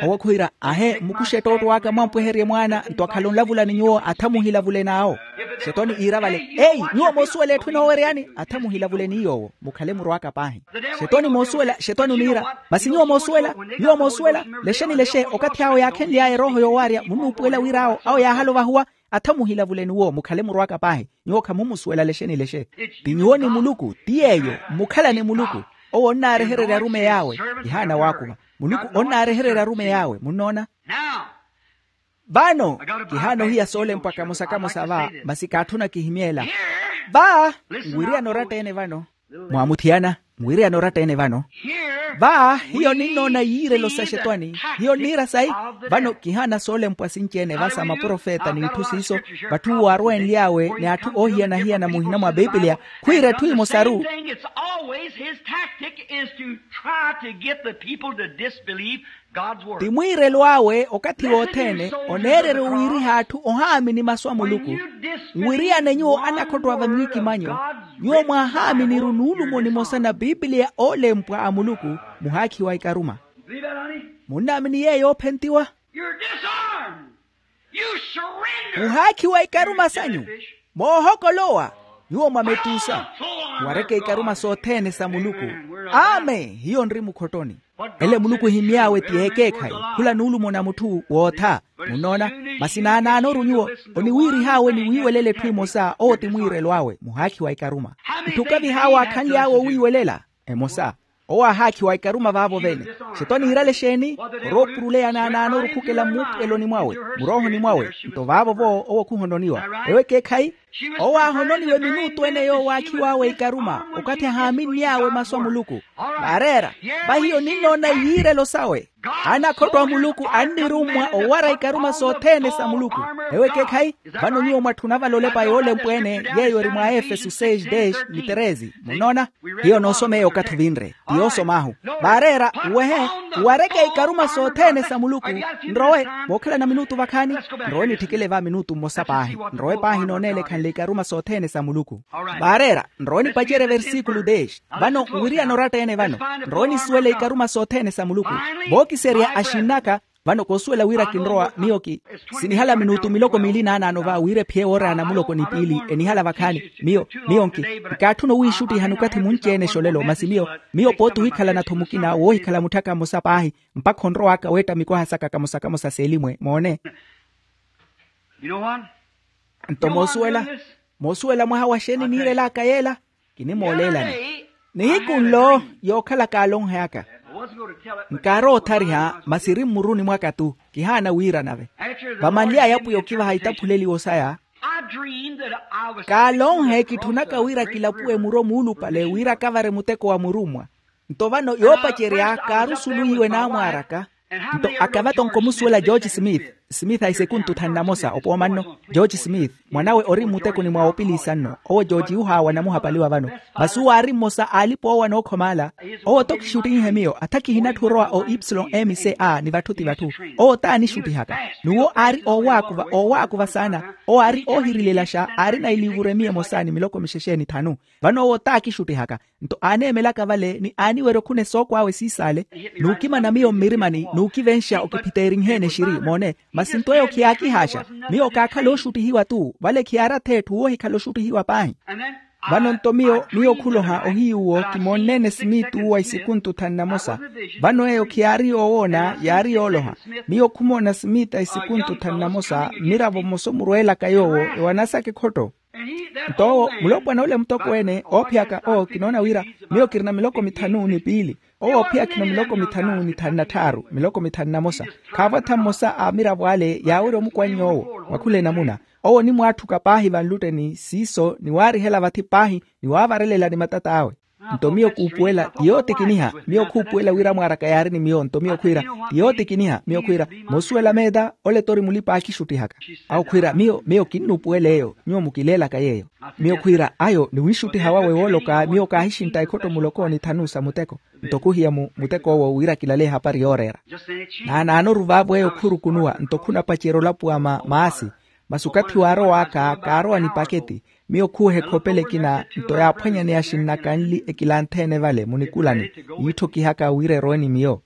Owo khwiira ahe mmukuxe ettootto aka mwampweherye mwaana nto akhala onlavula ni nyuwo atha muhilavule n'awo. Xetwani iira vale ei nyuwo moosuwela etthu enooweryani atha muhilavule ni yoowo mukhale murw'aka paahi. Xetwani moosuwela xetwani oniira. Masi nyuwo moosuwela nyuwo moosuwela lexeni lexe okathi awo yaakhenly'aya erooho yoowaarya munnuupuwela wira awo awo yaahala ovahuwa. Atha muhilavule n'uwo mukhale murw'aka paahi. Nyuwo khamumusuwela lexeni lexe. Ti nyuwo ni muluku ti yeeyo mmukhalane muluku. Owo onnaarehererya arumeyi awe. Kihaana waakuva muluku onnaarehererya arumeyi awe munnoona. Vano kihaana ohiya soolempwa kamosa kamosa va masi kaatthuna kihimyeela. Va nwiriyana oratta-ene vano. Mwamuthiyana, mwiiriyana oratta-ene vano. Va hiyo ninnoona yiirelo sa xetwani. Hiyo nniira sayi. Vano kihaana soolempwa sinci-ene va sa maprofeta n'itthu siiso, vatthu waarwenly'awe ni atthu oohiyana-hiyana muhina mwa pipiliya, khwiira etthu emosaru. Ti mwiirelo awe okathi wothene oneererya owiiriha atthu ohaamini masu a muluku. Nwiriyane nyuwo anakhotto a vamikimanyo, nyuwo mwahaaminiru nuulumo nimosa na pipiliya oolempwa a muluku. Muhaakhiwa ikaruma. Munnaamini yeeyo oophentiwa? Muhaakhiwa ikaruma sanyu. Moohokolowa, nyuwo mwametuusa. Muwareke ikaruma sothene sa muluku. Amen. Hiyo nri mukhottoni. Ele muluku ohimy'awe ti ekeekhayi, khula nuulumo na mutthu wootha. Munnoona? Masi naanaanoru nyuwo oniwiirih'awe ni wiiwelela etthu emosa owo ti mwiirelo awe muhaakhiwa ikaruma. Itthu okavih'awe aakhanly'awe owiiwelela emosa. Owo aahaakhiwa ikaruma vaavo vene. Xeto aniirale exeeni? Oroopuruleya naanaanoru khukela mmuupuweloni mwawe, muroohoni mwawe. Nto vaavo-vo owo khuhononiwa. Ewo ekeekhayi. Owo aahononiwe minuutu ene yoowo aakhiw'awe ikaruma okathi ahaaminny'awe masu a muluku. Vaareera. Vahiyo ninnoona yiirelo sawe. Anakhotto a muluku annirummwa owara ikaruma sothene sa muluku. Ewo ekeekhayi. Vano nyuwo mwatthuna vale olepa yoolempwa-ene, yeeyo eri mwa efeso seis dez ni treze. Munnoona? Hiyo noosomeya okathi ovinre ti yoosom'ahu. Vaareera, uwehe, uwareke ikaruma sothene sa muluku. Nrowe. Vookhalana minutu vakhaani. Nrowe nitthikele va minutu mmosa paahi. Nrowe paahi nooneela ekhanle ikaruma sothene sa muluku. Vaareera, nrowe nipacerye versikulu dez. Vano nwiriyana oratta-ene vano. Nrowe nisuwele ikaruma sothene sa muluku. Vookiserya axinn'aka. Vano koosuwela wira kinrowa miyo ki sinihala minutu miloko miili naanaano va wira ephiye woorana muloko ni piili enihala vakhaani. Miyo miyo nki nkaatthuna owiixuttihani okathi munci-ene exolelo masi miyo miyo pooti ohikhalana-tho mukina woohikhala mutthu aka mmosa paahi. Mpakha onrow'aka weetta mikwaha saka kamosa kamosa s'elimwe moone. Nto moosuwela moosuwela mwaha wa xeeni niirel'aka yeela. Kinimooleelani nihiku nlo yookhalaka alonhe aka. Nkaarowa othariha masi eri mmuruni mwaka-tu. Kihaana wiira nave vamanly'aya apwiya okivaha itaphuleliwo saya. Kaalonhe kitthunaka wira kilapuwe muro muulupale wira akavare muteko wa murummwa. Nto vano yoopacerya kaarusuluhiwe naamwaar'aka. Nto akava tonko omusuwela george smith. Smith a isekuntu thanu na mosa opooma nno. George smith mwan'awe ori mmutekoni mwa opiliisa nno owo george yuhaawa namuhapaliwa vano. Masi uwo aari mmosa a alipa oowana ookhomaala. Owo tokixuttinhe miyo atha kihinatthu orowa o ipsilon m c a ni vatthu ti vatthu. Owo t'anixuttihaka n'uwo aari oowaakuva oowaakuva saana. Owo aari oohirilelaxa aarina iliivuru emiya emosa ni miloko mixexe ni thanu. Vano owo t'akixuttihaka nto aaneemelaka vale ni aaniwerya okhuna esookw'awe siisaale. N'ukimana miyo mmirimani n'ukivenxa okiphiteerinheene exiri moone. Masi nto eyo khiyaakihaaxa. Miyo kaakhala oxuttihiwa-tu vale khiyaari ath'etthu woohikhala oxuttihiwa paahi. Vano nto miyo miyo khuloha ohiyuwo kimoonneene simiiti uwo a isikuntu thanu na mosa. Vano eyo khiyaari yoowoona yaari yooloha. Miyo khumoona simiiti a isikuntu thanu na mosa mmiravo mmosa omurweelaka yoowo ewanasaka ekhotto. Nto owo mulopwana ole mutokweene oophiyaka owo kinoona wira miyo kirina miloko mithanu ni piili. Owo oophiya khino miloko mithanu ni thanu na tthaaru miloko mithanu na mosa. Khaavo atha mmosa a amiravo ale yaawerya omukwannya owo mwakhula enamuna. Owo onimwaatthuka paahi vanlutteni siiso ni waarihela vathi paahi ni waavarelela ni matat'awe. Nto miyo kuupuwela ti yootikiniha miyo khuupuwela wira mwaaraka yaari ni miyo nto miyo khwiira ti yootikiniha miyo khwiira. Moosuwela meeta ole tori mulipa aakixuttihaka. Awo khwiira miyo miyo kinnuupuwela eyo nyuwo mukileelaka yeeyo. Miyo khwiira ayo ni wiixuttiha wawe wooloka miyo kaahixintta ekhotto muloko ni thanu sa muteko. Nto khuhiya mu muteko owo wira kilale ehapari yooreera. Naanaanoru vaavo eyo khurukunuwa nto khunapacerya olapuwa ma maasi. Masi okathi waarow'aka kaarowa ni paketi. Miyo khuuha ekhopela ekina nto yaaphwanyaneya axinna kanli ekilanthe-ene vale munikulani yiitthokihaka wira erowe ni miyo.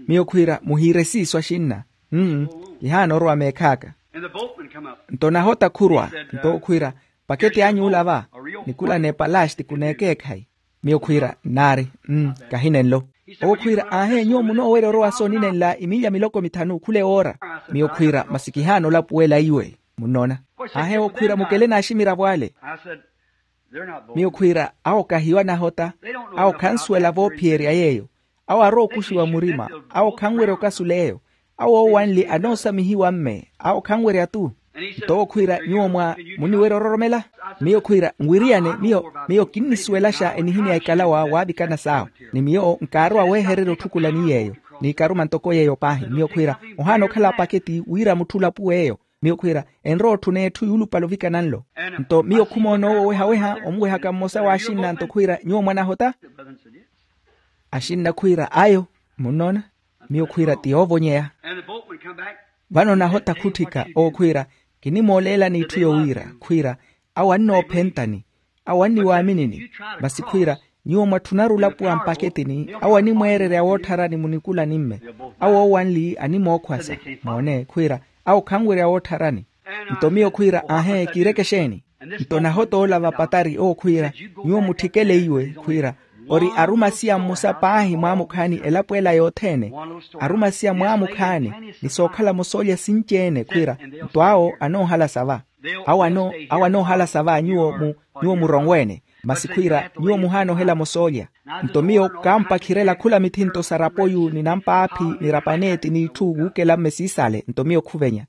Miyo khwiira muhiire siiso axinna. Mmm. Kihaana orowa meekh'aka. Nto nahota khurwa nto khwiira paketi anyuula va. Nikulani epalaxti kuneekeekhayi. Miyo khwiira nnaari. Mmm. Kahinenlo. Owo khwiira aahe nyuwo munoowerya orowa sooninenla imilya miloko mithanu khula ewoora. Miyo khwiira masi kihaana olapuwela iwe. Munnoona? Aahe owo khwiira mukele n'aximiravo ale. Miyo khwiira awo kahiyo anahota. Awo khansuwela voophiyerya yeeyo. Awo arowa okuxiwa murima. Awo khanwerya okasula eyo. Awo oowanli anoosamihiwa mme awo khanwerya-tu. Nto owo khwiira, nyuwo mwa muniwerya ororomela? Miyo khwiira, nwiriyane miyo miyo kinnisuwelaxa enihimya ekalawa waavikana saawo. Ni miyo nkaarowa weehererya otthukula ni yeeyo, ni ikaruma ntoko yeeyo paahi miyo khwiira, ohaana okhala paketi wira mutthu olapuwe eyo. Miyo khwiira, enrowa otthuna etthu yuulupale ovikana nlo. Nto miyo khumoona owo owehaweha omuwehaka mmosa w'axinna nto khwiira, nyuwo mwanahota? Axinna khwiira, ayo. Munnoona? Miyo khwiira ti yoovonyeya. Vano nahota khutthika owo khwiira, kinimooleelani itthu yowiira khwiira, awo annoophentani, awo anniwaaminini. Masi khwiira, nyuwo mwatthunaru olapuwa mpaketini, awo animweererya woottharani munikulani-mme. Awo owanli animookhwasa. Moone khwiira, awo khanwerya woottharani. Nto miyo khwiira, ahe kiireke exeeni? Nto nahota ola vapatari owo khwiira, nyuwo mutthikeleiwe khwiira, ori arumasiya mmosa paahi mwaamukhaani elapo ela yothene. Arumasiya mwaamukhaani, ni sookhalamo soolya sinci-ene khwiira, nto awo anoohalasa va. Awo anoohalasa va nyuwo mu nyuwo muronweene. Masi khwiira nyuwo muhaana ohelamo soolya. Nto miyo kaampakhirela khula mithinto sa rapoyu ni nampaaphi ni rapaneeti n'itthu wuukela-mme siisale nto miyo khuvenya.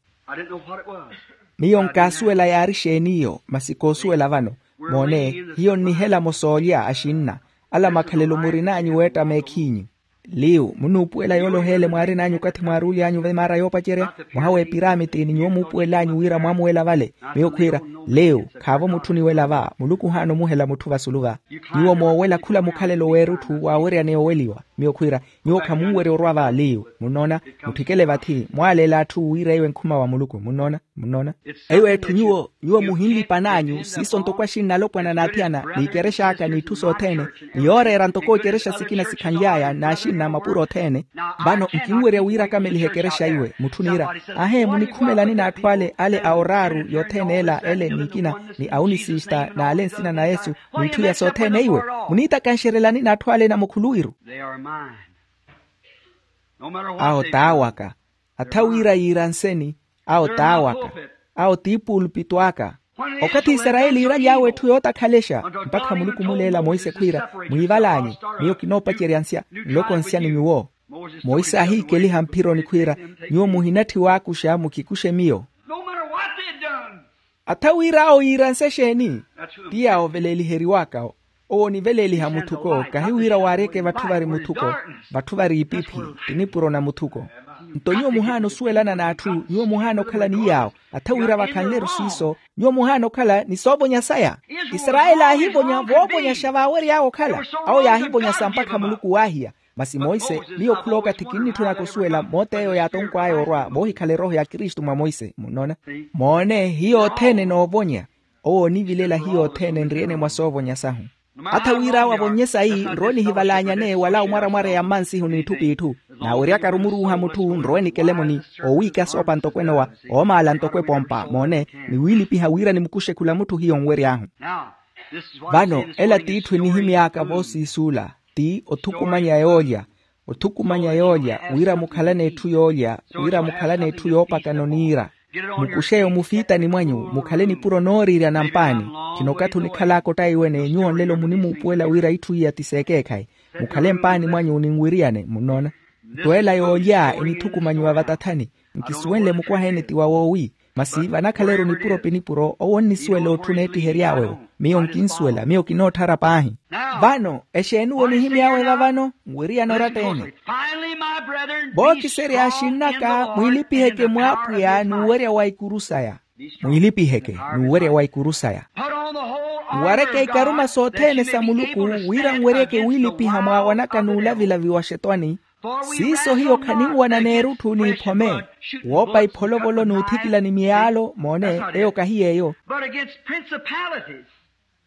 Miyo nkaasuwela yaari exeeni iyo masi koosuwela vano. Moone, hiyo nnihelamo soolya axinna. Ala makhalelo murin'anyu weetta meekhiinyu. Liwu munuupuwela yoole oheele mwaarin'anyu okathi mwaaruly'anyu vemaara yoopacerya. Mwaha w'epiramiti ni nyuwo muupuwel'anyu wira mwamuwela vale. Miyo khwiira, liwu khaavo mutthu oniwela va muluku ohaana omuhela mutthu vasulu va. Nyuwo moowela khula mukhalelo w'erutthu waaweryaneya oweliwa. Miyo khwiira, nyuwo khamunwerya orwa va liwu munnoona. Mutthikele vathi mwaaleela atthu wira eyo enkhuma wa muluku munnoona. Munnoona? Eyo etthu nyuwo nyuwo muhinlipan'anyu siiso ntoko axinna alopwana n'athiyana n'ikerexa aka n'itthu sothene, ni yooreera ntoko ikerexa sikina sikhanly'aya n'axinna mapuro othene. Vano nkinwerya wira akamelihe ekerexa iwe mutthu oniira, ahe munikhumelani n'atthu ale ale a oraaru yothene ela ele n'ikina ni aunisista n'ale nsina na yesu, n'itthu iya sothene iwe muniitakanxerelani n'atthu ale namukhuluwiru. Awo t'awaka. Atha wira yiiranseni. Awo t'awaka. Awo t'ipuulupito aka. Okathi isarayeli yiiraly'awe etthu yootakhalexa mpakha muluku omuleela monse khwiira, mwiival'anyu. Miyo kinoopacerya nsya nloko nsya ni nyuwo. Monse aahiikeliha mphironi khwiira, nyuwo muhinatthiw'akuxa mukikuxe miyo. Atha wira awo yiiranse exeeni? Ti yaawo oveleeliheriwaka. Owo oniveleeliha muthuko kahi wira waaryeke vatthu vari muthuko. Vatthu vari ipiphi. Ti nipuro na muthuko. Nto nyuwo muhaana osuwelana n'atthu nyuwo muhaana okhala ni yaawo. Atha wira vakhanle-ru siiso nyuwo muhaana okhala ni soovonya saya. Isarayeli aahivonya voovonyaxa vaawery'awe okhala. Awo yaahivonya sampakha muluku waahiya. Masi monse miyo khula okathi kinnitthunaka osuwela moot'eyo yaatonkw'aya orwa voohikhala erooho ya kristu mwa monse munnoona. Moone hiyo othene enoovonya. Owo onivilela hiyo othene enriyene mwa soovonya sahu. Atha wir'awe avonnye sayi nrowe nihivalaanyane wala omwaramwareya mmansihu n'itthu p'itthu. Naaweryaka-ru muruuha mutthu nrowe nikelemuni. Owiika soopa ntokwene owa oomaala ntoko epompa moone. Niwiilipiha wira nimukuxe khula mutthu hiyo nwery'ahu. Vano ela t'itthu enihimy'aka voosiisuula ti othukumanya yoolya. Othukumanya yoolya wira mukhalane etthu yoolya wira mukhalane etthu yoopakana oniira. Mukuxeyo mufiitani mwanyu mukhale nipuro nooriirya na mpaani. Khino okathi onikhal'aka ottaiwene nyuwo nlelo munimuupuwela wira itthu iya ti s'ekeekhayi. Mukhale mpaani mwanyu ni nwiriyane munnoona. Nto ela yoolya enithukumanyiwa vatathani. Nkisuwenle mukwaha-ene ti wa woowi. Masi vanakhale-ru nipuro pi nipuro owo onnisuwela otthu oneettihery'awe-wo. Miyo nkinsuwela miyo kinootthara paahi. Vano exeeni onihimy'awe vavano nwiriyane oratta-ene. Vookiserya axinn'aka mwiilipiheke mw'apwiya n'uwerya wa ikuru saya. Mwiilipiheke n'uwerya wa ikuru saya. Nwareke ikaruma sothene sa muluku wira nweryeke wiilipiha mwaawanaka n'ulavilavi wa xetwani. Siiso hiyo khaninwana n'erutthu n'iphome. Woopa ipholovolo n'uthikilani miyaalo moone eyo kahi yeeyo.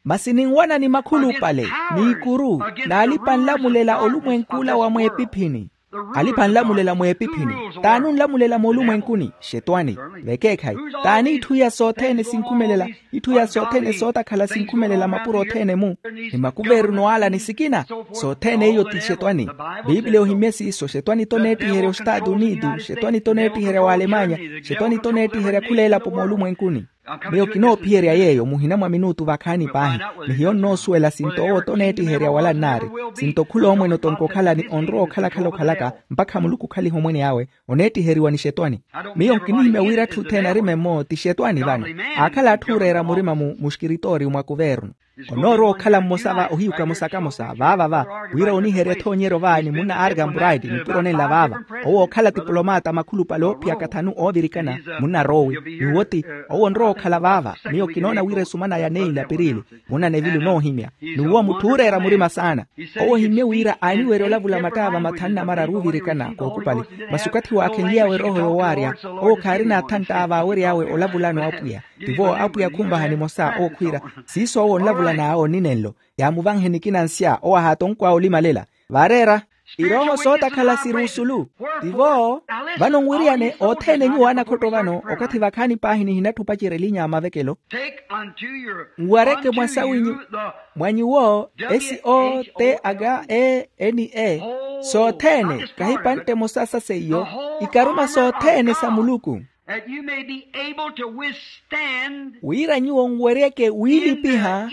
Masi ninwana ni makhulupale n'ikuru n'alipa-nlamulela olumwenk'ula wa mweepiphini. Alipa-nlamulela mweepiphini t'ani onlamulela moolumwenkuni? Xetwani. Vekeekhayi. T'ani itthu iya sothene sinkhumelela itthu iya sothene sootakhala sinkhumelela mapuro othene-mu? Ni makuveerino ala ni sikina. Sothene iyo ti xetwani. Piipiliya ohimye siiso xetwani t'oneettiherya ostaatu unitu xetwani t'oneettiherya w'alemanya. Xetwani t'oneettiherya khula elapo moolumwenkuni. Miyo kinoophiyerya yeeyo muhina mwa minutu vakhaani paahi. Ni hiyo nnoosuwela sinto owo toneettiherya wala nnaari. Sinto khula omwene otonka okhala ni onrowa okhalakhala okhalaka mpakha muluku okhaliha omwene awe. Oneettiheriwa ni xetwani. Miyo nkinihimya wira atthu othene arime mmo ti xetwani vano. Aakhala atthu ooreera murima mu muxkiritooriyu mwa kuvernu. Onoorowa okhala mmosa va ohiyuka mosa kamosa vaava va wira oniherya ethoonyeryo va ni munna argan bright nipuro nenla vaava. Owo okhala tipulomata makhulupale oophiyaka thanu oovirikana munna rowi. N'uwo ti owo onrowa okhala vaava. Miyo kinoona wira esumana ya neilapirile munna nevilu noohimya. N'uwo mutthu ooreera murima saana. Owo ohimmye wira aaniwerya olavula mattaava mathanu na mararu oovirikana kookupali. Masi okathi waakhenly'awe erooho yoowaarya owo khaarina athantta vaawery'awe olavulano apwiya. Tivo apwiya khunvaha nimosa owo khwiira siiso owo onlavulan'awe oninenlo. Yaamuvanhe nikina nsya owo ahaatonkw'awe olimalela. Vaareera irooho sootakhala siri osulu. Tivo vano nwiriyane othene nyuwo anakhotto vano okathi vakhaani paahi nihinatthi opacerya elinya a mavekelo. Nwareke mwa sawinyu mwa nyuwo s o t h e n e soothene kahipantte emosa sa seiyo ikaruma soothene sa muluku. That you may be able to withstand wira nyuwo nweryeke wiilipiha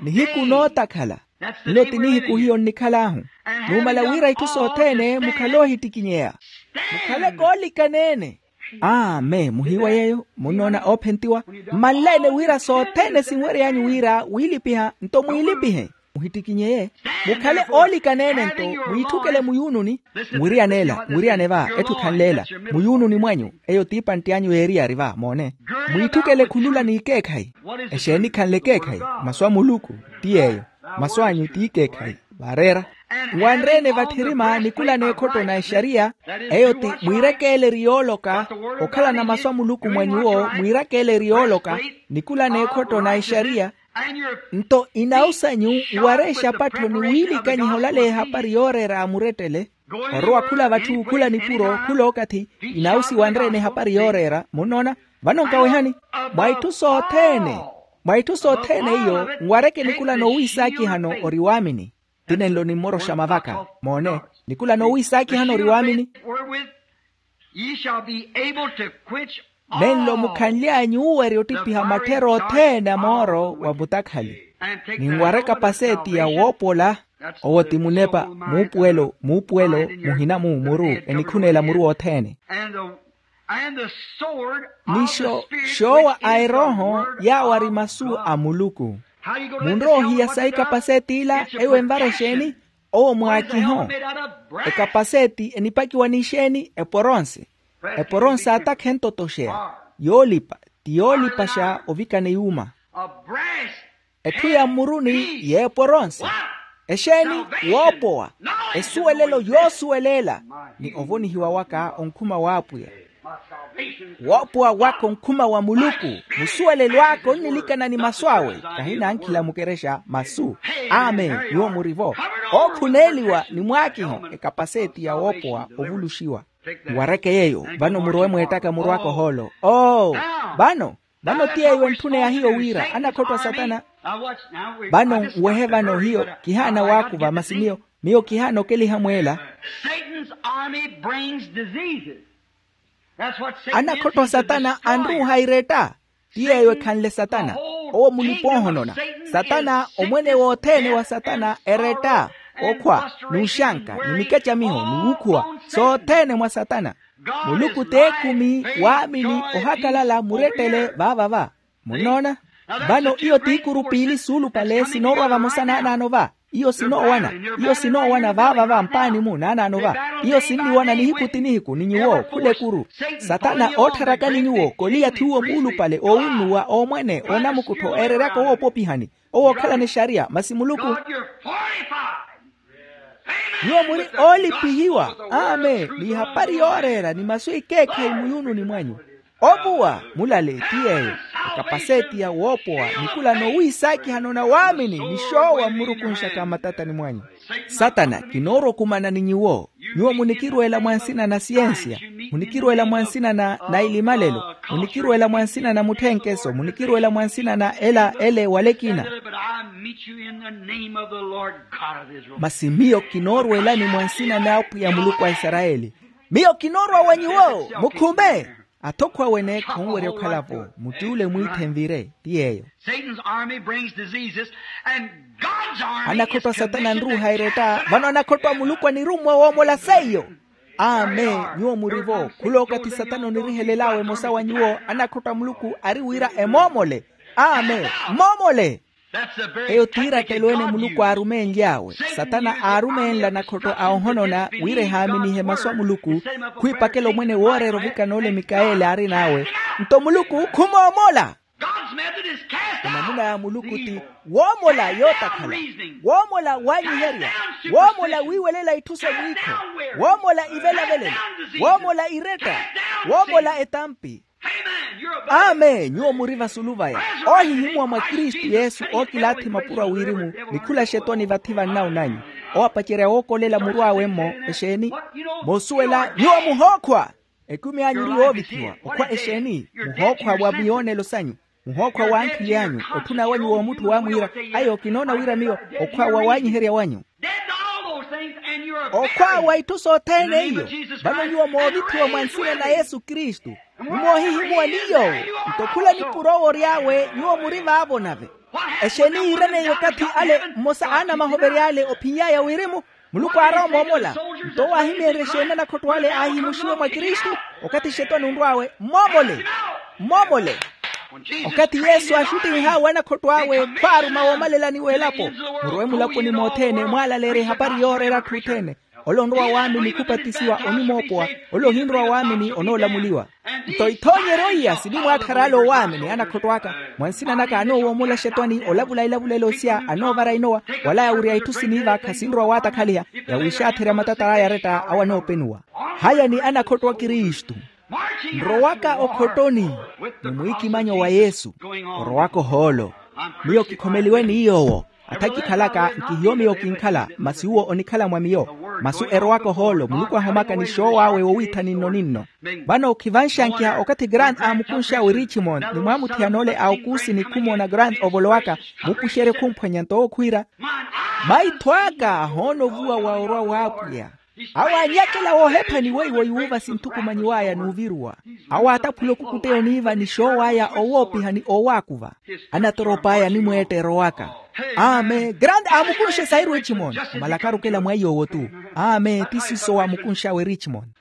nihiku nootakhala. Nlo ti nihiku hiyo nnikhal'ahu. Numala wira itthu sothene mukhale oohittikinyeya mukhale koolikaneene. Amen muhiiwa yeeyo munnoona oophentiwa mmanleene wira sothene sinwery'anyu wira wiilipiha nto mwiilipihe. Muhittikinyeye mukhale oolikaneene nto mwiitthukele muyuununi. Mwiriyaneela mwiriyane va etthu khanleela muyuununi mwanyu. Eyo t'iipantti anyu yeeriyari va moone mwiitthukele khulula n'ikeekhayi. Exeeni khanle ekeekhayi? Masu a muluku ti yeeyo. Masu anyu t'ikeekhayi. Vaareera nwanreene vatthirima nikula n'ekhotto na exariya. Eyo ti mwiirakeele eri yooloka okhalana masu a muluku mwa nyuwo mwiirakeele eri yooloka nikula n'ekhotto na exariya. Nto inawu sanyu nware exapattho ni wiilikanyiha olaleya ehapari yooreera a murettele. Orowa khula vatthu khula nipuro khula okathi inawu siwanreene ehapari yooreera munnoona. Vano nkawehani mwa itthu sothene mwa itthu sothene iyo nwareke nikula noowiisaakihano ori waamini. Ti nenlo nimmoroxa mavaka moone nikula noowiisaakihano ori waamini. Ye shall be able to quench all. Nenlo mukhanly'anyu uuwerya ottiphiha matthera othene a mooro wa mutakhali. Ninwareka paseeti ya woopola. Owo ti munepa muupuwelo muupuwelo muhina mu muru enikhuneela muru wothene. Ni xoowa a erooho yaawo ari masu a muluku. Munrowa ohiya sayi kapaseeti ila eyo envara exeeni? Owo mwaakiho. Ekapaseeti enipakiwa n'ixeeni eporonse. Eporonse atakha entotoxeya yoolipa ti yoolipaxa ovikana eyuuma. Etthu ya mmuruni y'eporonse. Exeeni? Woopowa esuwelelo yoosuweleela ni ovonihiwa waka onkhuma w'apwiya. Woopowa waka onkhuma wa muluku. Musuwelelo aka onnilikana ni masu awe. Kahinankhila mukerexa masu. Amen nyuwo murivo ookhuneeliwa ni mwaakiho ekapaseeti ya woopowa ovuluxiwa. Nwareke yeeyo vano murowe mweettaka muru aka ohoolo. Oo vano vano ti eyo entthuna ya hiyo wira anakhotto a satana. Vano nwehe vano hiyo kihaana waakuva masi miyo miyo kihaana okeliha mweela. Satan's army brings diseases. Anakhotto a satana anruuha iretta. Ti yeeyo ekhanle satana. Owo mulipa ohonona satana omwene wothene wa satana eretta okhwa n'uxanka ni mikacamiho ni wukhuwa sothene mwa satana. Muluku t'ekumi waamini ohakalala murettele vaavava. Munnoona? Vano iyo t'ikuru piili suulupale sinoorwa vamosa naanaano va. Iyo sinoowana iyo sinoowana vaavava mpaani-mu naanaano va. Iyo sinniwana nihiku ti nihiku ni nyuwo khula ekuru. Satana oottharakani nyuwo koliyathi uwo muulupale oowunnuwa oomwene oonamukuttho eereryaka owoopopihani owookhalana exariya masi muluku. Nyuwo muri oolipihiwa amen n'ihapari yooreera ni masu ekeekhayi muyuununi mwanyu. Ovuwa mulale ti yeeyo ekapaseeti ya woopowa nikula noowiisaakihano na waamini ni xoowa mmurukunxaka mmatatani mwanyu. Satana kinoorokumana ni nyuwo. Nyuwo munikirweela mwa nsina na siyensiya munikirweela mwa nsina na na ilimalelo munikirweela mwa nsina na mutthenkeso munikirweela mwa nsina na ela ele wala ekina. Masi miyo kinoorweelani mwa nsina n'apwiya muluku a isarayeli. Miyo kinoorwa wa nyuwo mukhume. Athokho awe neekha onwerya okhala-vo. Mutt'ule mwiithe nvire ti yeeyo. Satan's army brings diseases, and God's army is commissioned to cast out diseases. Anakhotto a satana anruuha eretta vano anakhotto a muluku anirummwa woomola seiyo. Amen. Nyuwo murivo khula okathi satana onirihelel'awe emosa wa nyuwo. Anakhotto a muluku ari wira emoomole. Amen. Moomole. Eyo t'irattelo ene muluku aarumenly'awe. Satana aarumeenla anakhotto a ohonona wira ehaaminihe masu a muluku. Khwiipakela omwene wooreera ovikana ole mikaeli aarin'awe. Nto muluku khumoomola. Enamuna ya muluku ti woomola yootakhala, woomola waanyiherya, woomola wiiwelela itthu sa mwiikho, woomola ivelavelela, woomola iretta, woomola etampi. Amen. Nyuwo muri vasulu vaya. Oohihimuwa mwa kristu yesu ookilaathi mapuro a wirimu. Nikhula xetwani vathi vannaunanyu, owapacerya wookolela muru awe-mmo. Exeeni? Moosuwela nyuwo muhookhwa. Ekumi anyu eri yoovithiwa okhwa exeeni? Muhookhwa wa miyoonelo sanyu, muhookhwa w'ankhili anyu, otthuna wanyu w'omutthu waamwiira, ayo kinoona wira miyo okhwa wa waanyiherya wanyu. Okhwa wa itthu sothene iyo. Vano nyuwo moovithiwa mwa nsina na yesu kristu, mumoohihimuwa ni yoowo. Nto khula nipuro owo ory'awe nyuwo muri vaavo nave. Exeeni yiiraneiye okathi ale mmosa a anamahovery'ale ophiny'aya wirimu? Muluku aarowa moomola. Nto owo aahimeenrye exeeni anakhotto ale aahihimuxiwe mwa kristu? Okathi xetwani onrw'awe mmoomole. Mmoomole. Okathi yesu aaxuttinh'awe anakhotto awe khwaaruma woomalelani w'elapo, murowe mulaponi mothene mwaalaleerye ehapari yooreera atthu othene. Ole onrowa waamini khupatisiwa onimoopowa. Ole ohinrowa waamini onoolamuliwa. Nto ithoonyeryo iya sinimwaatthara ale owaamini anakhotto aka. Mwa nsina naka anoowomola xetwani olavula ilavula elosya anoovara inowa, wala yawirya itthu siniiva khasinrowa waatakhaliha. Yawiixaatherya matatala aya aretta awo anoopenuwa. Haya ni anakhotto a kristu. Nrowaka okhottoni ni mwiikimanyo wa yesu. Orowaka ohoolo. Miyo kikhomeliwe ni yoowo. Atha kikhalaka nkihiyo miyo kinkhala masi uwo onikhala mwa miyo. Masu erowaka ohoolo muluku ahomaka ni xoow'awe wowiithani nno ni nno. Vano khivanxankiha okathi grant aamukunxa wi richmond ni mwaamuthiyana ole a okuusi ni khumoona grant ovolowaka, muupuxerye khumphwanya nto owo khwiira maitho aka ahoona ovuwa wa orwa w'apwiya. Awo aanyakela woohephani weiwo yuuva sinthukumanyiw'aya n'uviruwa. Awo aataphula okukuteya oniiva ni xoow'aya owoopiha ni owaakuva. Anatorop'aya animweetta erowaka. Amen grande aamukunxe sairu echimoni. Omalakaru okela mwa iyoowo-tu. Amen ti siiso waamukunx'awe richmoni.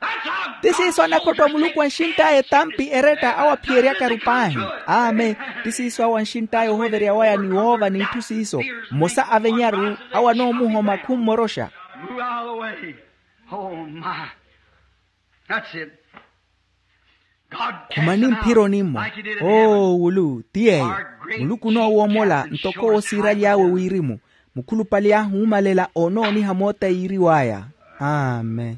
Ti siiso anakhotto a muluku anxintt'aya etampi eretta awo aphiyeryakaru paahi. Amen. Ti siiso awo anxintt'aya ohoverya waya ni woova n'itthu siiso. Mmosa avenyaru awo anoomuhoma khummoroxa. Move out of the way. Oh, my. That's it. Khumani mphironi-mo. Oo wulu ti yeeyo. Muluku onoowomola ntoko owo siiraly'awe wirimu. Mukhulupale ahuumalela onooniha moota yiiriw'aya. Amen.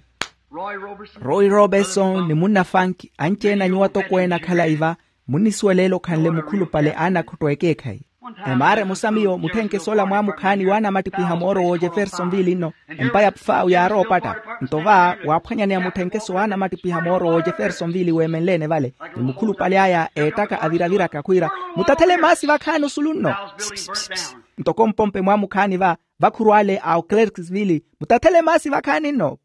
Roy roberson ni munna fanki anci-ene a nyuwo atokweene akhala iva. Munnisuwela ele okhanle mukhulupale a anakhotto ekeekhayi. Emaara emosa miyo mutthenkeso ola mwaamukhaani waanamattipiha mooro w'ojefersonville nno. Empa ya pfaawu yaarowa opatta. Nto va waaphwanyaneya mutthenkeso waanamattipiha mooro w'ojefersonville weemenleene vale, ni mukhulupale aya eettaka aviraviraka khwiira, mutathele maasi vakhaani osulu nno. Ntoko mpompe mwaamukhaani va vakhuru ale a oclerksville, mutathele maasi vakhaani nno.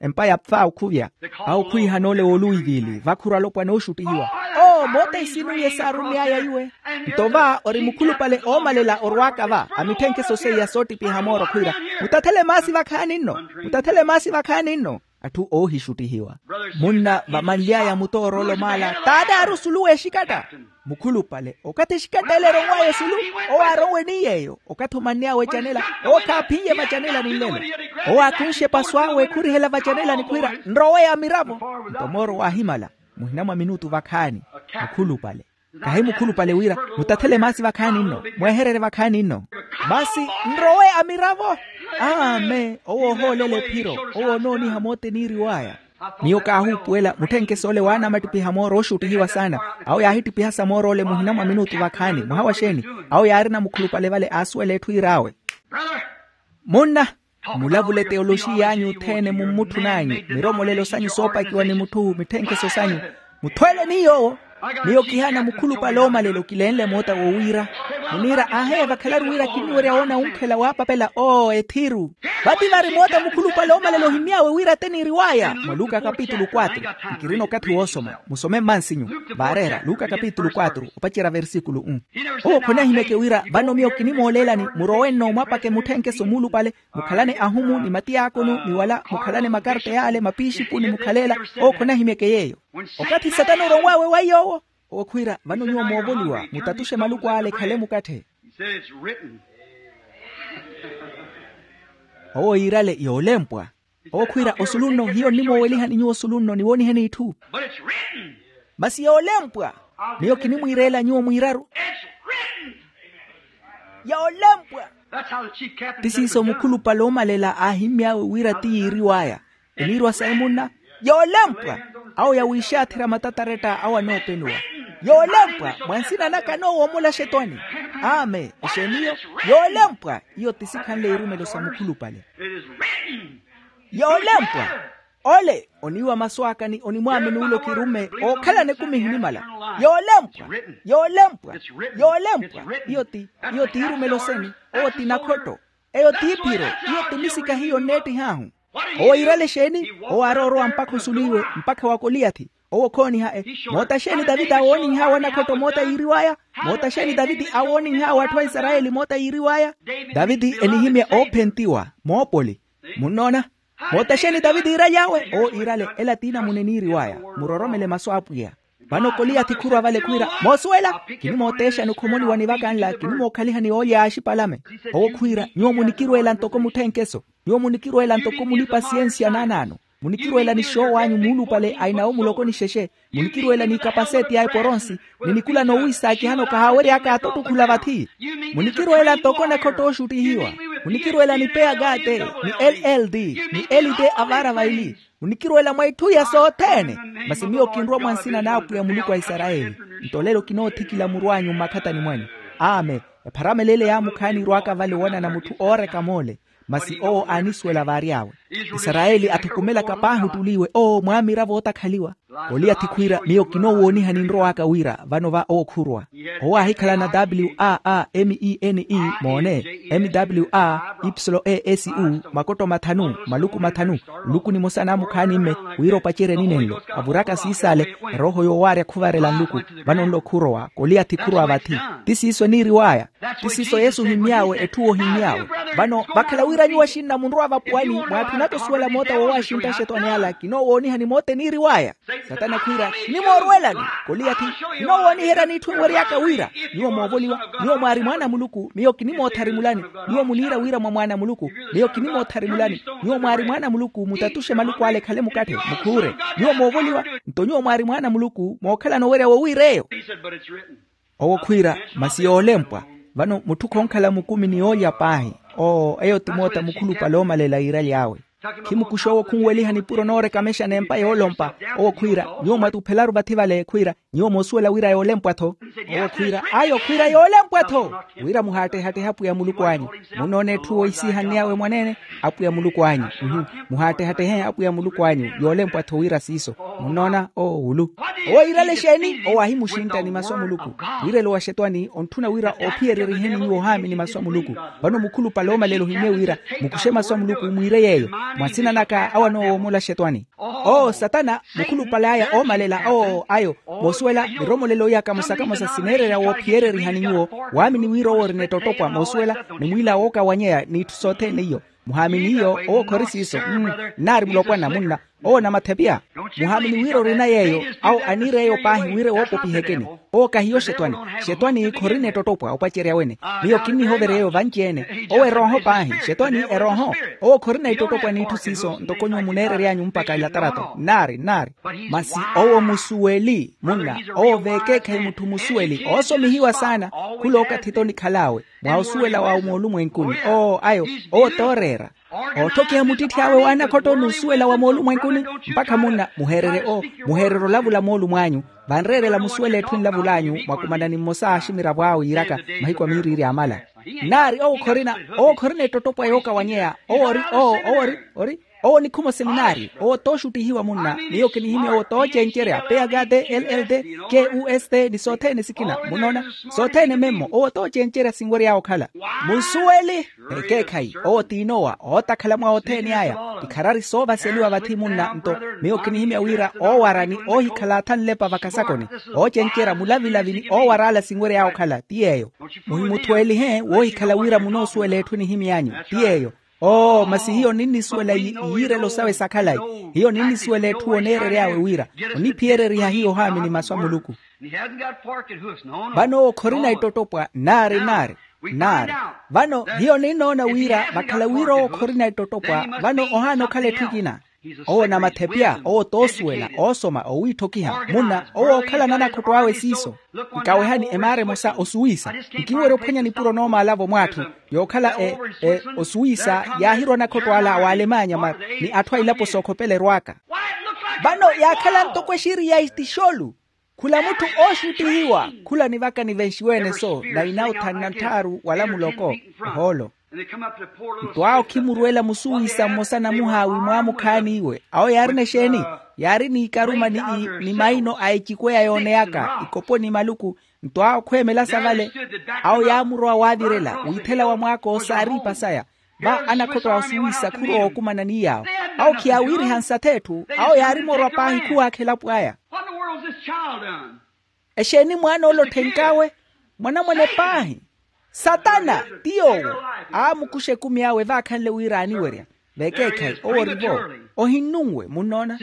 Empa ya pfaawu khuvya. Awo khwiihana ole w'oluwivili vakhuru alopwana ooxuttihiwa. Oo moota isinuwi esaarume'aya iwe. Nto va ori mukhulupale oomalela orwaaka va amitthenkeso seiya soottipiha mooro khwiira, mutathele maasi vakhaani nno. Mutathele maasi vakhaani nno. Atthu oohixuttihiwa. Munna vamanly'aya mutooroolo maala taataari osulu w'exikatta. Mukhulupale okathi exikatta ele eronw'aya osulu, owo aaronwe ni yeeyo okathi omanny'awe ecanela. Owo khaaphin'ye vacanelani nlelo. Owo aakunxe epasu awe khurihela vacanelani khwiira nrowe amiravo. Nto mooro waahimala muhina mwa minutu vakhaani. Mukhulupale kahi mukhulupale wira mutathele maasi vakhaani nno. Mwehererye vakhaani nno. Masi nrowe amiravo. Amen owo ohoolela ephiro. Owo onooniha moota eniiriw'aya. Miyo kaahuupuwela mutthenkeso ole waanamattipiha mooro ooxuttihiwa saana. Awo yaahittipihasa mooro ole muhina mwa minutu vakhaani mwaha wa xeeni? Awo yaarina mukhulupale vale aasuwela etthu iir'awe. Munna mulavule teyoloxiy'anyu othene mummutthu n'anyu miromolelo sanyu soopakiwa ni mutthu mitthenkeso sanyu. Muthweele ni yoowo. Miyo kihaana mukhulupale oomalela okileenle moota wowiira. Muniira aaheya vakhalaru wira kinniwerya woona wunkhela waapapela oo ethiru. Vati vari moota mukhulupale oomalela ohimy'awe wira te niiriw'aya mwa luka kapitulu quatro. Nkirina okathi woosoma, musome mmansinyu. Vaareera luka kapitulu quatro opacerya versikulu um. Owo khonahimyeke wira vano miyo kinimooleelani murowe nno mwapake mutthenkeso muulupale, mukhalane ahumu ni matiyaakonu ni wala mukhalane makarta yaale mapiixipuni mukhaleela. Owo khonahimyeke yeeyo. Okathi satana oronw'awe wa yoowo, owo khwiira vano nyuwo moovoliwa mutatuxe maluku ale ekhale mukatthe. Owo yiirale yoolempwa. Owo khwiira osulunno hiyo nnimoowelihani nyuwo osulunno niwooniheni itthu. Masi yoolempwa. Miyo kinimwiireela nyuwo mwiiraru. Yoolempwa. Ti siiso mukhulupale oomalela aahimmy'awe wira ti yiiriw'aya. Eniirwa sayi munna. Yoolempwa. Awo yawiixaatherya matataretta awo anoopenuwa. Yoolempwa mwa nsina naka anoowomola axetwani. Amen exeeni iyo. Yoolempwa. Iyo ti sikhanle irumelo sa mukhulupale. Yoolempwa. Ole oniiwa masu aka ni onimwaamini ulo kirumme. Ookhalana ekumi ehinimala. Yoolempwa. Yoolempwa. Yoolempwa. Iyo ti iyo ti irumelo seni. Owo ti nakhotto. Eyo ti iphiro. Iyo ti misika hiyo onneettih'ahu. Owo yiirale exeeni? Owo aarowa orowa mpakha osuliwe mpakha wa koliyathi. Owo khooniha e. Moota xeeni taviti aawooninh'awe anakhotto moota yiiriw'aya? Moota xeeni taviti aawooninh'awe atthu a isarayeli moota yiiriw'aya? Taviti enihimya oophentiwa moopoli. Munnoona? Moota xeeni taviti iiraly'awe? Owo iirale ela ti inamuna eniiriw'aya. Muroromele masu a apwiya. Vano koliyathi khurwa vale khwiira moosuwela. Kinimooteexani okhomoliwa ni vaka nla kinimookhalihani oolya axipalame. Owo khwiira nyuwo munikirweela ntoko mutthenkeso. Nyuwo munikirweela ntoko mulipa siyensiya naanaano. Munikirweela ni xoowanyu muulupale ainawo muloko ni xexe. Munikirweela ni ikapaseeti ya eporonsi ni nikulano wiisaakihano kahaawery'aka atottukhula vathi. Munikirweela ntoko nakhotto ooxuttihiwa. Munikirweela ni peyagate ni ll ni elite avaara vaili. Munikirweela mwa itthu iya sothene. Masi miyo kinrwa mwa nsina n'apwiya muluku a isarayeli. Nto lelo kinoothikila muru anyu mmakhatani mwanyu. Amen. Epharamelo ele yaamukhaani irw'aka vale woonana mutthu ooreka moole. Masi owo aanisuwela vaary'awe. Isarayeli athukumelaka paahi ottuli iwe owo mwaamiravo ootakhaliwa. Koliyathi khwiira miyo kinoowoonihani nrow'aka wira vano va owo khurwa. Owo aahikhalana w a a m e n e moone, m w a ipsilo e s u makotto mathanu maluku mathanu. Nluku nimosa naamukhaani mme wira opacerye ninenlo avuraka siisale. Erooho yoowaarya khuvarela nluku. Vano nlo khurowa koliyathi khurowa vathi. Ti siiso eniiriw'aya. Ti siiso yesu ohimmy'awe etthu ohimmy'awe. Vano vakhala wira nyuwo axinna munrowa vapuwani mwaatthunaka osuwela moota woowaxintta axetwani ala kinoowoonihani moota eniiriw'aya. Satana khwiira kinimoorwelani. Koliyathi kinoowooniheryani itthu enwery'aka wira nyuwo moovoliwa. Nyuwo mwaari mwaana a muluku miyo kinimootharimulani. Nyuwo muniira wira mwa mwaana a muluku miyo kinimootharimulani. Nyuwo mwaari mwaana a muluku mutatuxe maluku ale ekhale mukatthe mukhuure. Nyuwo moovoliwa. Nto nyuwo mwaari mwaana a muluku mookhalana owerya wowiir'eyo. Owo khwiira masi yoolempwa. Vano mutthu khonkhala mukumi ni yoolya paahi. Oo eyo ti moota mukhulupale oomalela yiiraly'awe. Khimukuxa owo khunweliha nipuro noorekamexana empa yoolompa. Owo khwiira nyuwo mwatuphelaru vathi vale khwiira nyuwo moosuwela wira yoolempwa-tho. Owo khwiira ayo khwiira yoolempwa-tho. Wira muhaattehattehe apwiya muluku anyu. Munnoona etthu oisihanny'awe mwaneene apwiya muluku anyu. Muhaattehattehe apwiya muluku anyu yoolempwa-tho wira siiso. Munnoona owo wulu. Owo yiirale exeeni? Owo ahimuxintta ni masu a muluku. Wiirelo wa xetwani ontthuna wira oophiyereriheni nyuwo ohaamini masu a muluku. Vano mukhulupale oomalela ohimmye wira mukuxe masu a muluku mwiire yeeyo. Mwa nsina naka awo anoowomola xetwani. Oo satana mukhulupale aya oomalela oo ayo. Moosuwela miromolelo iya kamosa-kamosa sineererya woophiyererihani nyuwo. Waamini wira owo orina ettottopwa moosuwela ni mwiila wookawanyeya n'itthu sothene iyo. Muhaamini iyo owo khori siiso. Nnaari mulopwana munna owo namathepiya. Muhaamini wira orina yeeyo awo aniir'eyo paahi wira ewoopopihekeni. Owo kahiyo xetwani. Xetwani khorina ettottopwa opacerya wene. Miyo kinnihovereya eyo vanci-ene. Owo erooho paahi xetwani erooho. Owo khorina ettottopwa n'itthu siiso ntoko nyuwo muneerery'anyu mpakha elatarato nnaari nnaari. Masi owo musuweli munna owo veekeekhayi mutthu musuweli oosomihiwa saana. Khula okathi-tho nikhal'awe mwa osuwela wa moolumwenkuni oo ayo. Owo tooreera. Ootthokiha muttitthi awe w'anakhotto n'usuwela wa moolumwenkuni. Mpakha munna muheererye oo muheererye olavula moolumo anyu. Vanreerela musuwela etthu enlavul'anyu mwakumanani mmosa aaximiravo awe yiiraka mahiku a miiriiri amala. Nnaari owo khorina owo khorina ettottopwa yookawanyeya owo ori oo owo ori ori. Owo nikhuma oseminaari, owo tooxuttihiwa munna. Miyo kinihimya owo toocencerya peyagate ll, kust ni sothene sikina munona. Sothene memmo owo toocencerya sinwerya okhala. Munsuweli. Ekeekhayi owo t'inowa ootakhala mwa othene aya. Ikharari soovaseliwa vathi munna nto. Miyo kinihimya wira oowara ni oohikhala atha nlepa vakasakoni, oocencerya mulavilavi ni oowar'ala sinwerya okhala ti yeeyo. Muhimuthweelihe woohikhala wira munoosuwela etthu enihimy'anyu ti yeeyo. Oo masi hiyo ninnisuwela iyiirelo sawe sakhalayi. Hiyo ninnisuwela etthu oneerery'awe wira oniphiyereriha hiyo ohaamini masu a muluku. Vano owo khorina ettottopwa nnaari nnaari nnaari. Vano hiyo ninnoona wira vakhala wira owo khorina ettottopwa. Vano ohaana okhala etthu ekina. Owo namathepya owo toosuwela oosoma owiitthokiha munna owo ookhalana anakhotto awe siiso. Nkawehani emaara emosa osuwisa. Nkinwerya ophwanya nipuro noomaala-vo mw'atthu yookhala osuwisa yaahirwa anakhotto ala w'alemanya ni atthu a ilapo sookhopela erwaaka. Vano yaakhala ntoko exiri ya itixolu. Khula mutthu ooxuttihiwa khula nivaka nivenxiwe-ene so na inauthanna ntthaaru wala muloko ohoolo. Nto awo khimurwela musuwisa mmosa namuhaawi mwaamukhaani iwe awo yaarina exeeni? Yaari n'ikaruma ni maino a ecikweya yooneyaka ikopo ni maluku. Nto awo khweemela sa vale awo yaamurowa waavirela wiithela wa mwaako saariipa saya. Va anakhotto a osuwisa khurowa okumana ni yaawo. Awo khiyaawiiriha nsatha etthu awo yaari moorwa paahi khuwaakha elapo aya. Exeeni mwaana ole otthenkawe? Mwanamwane paahi. Satana ti yoowo aamukuxa ekumi awe vaakhanle wira aaniwerya. Vekeekhayi owo ori-vo. Ohinnunwe munnoona.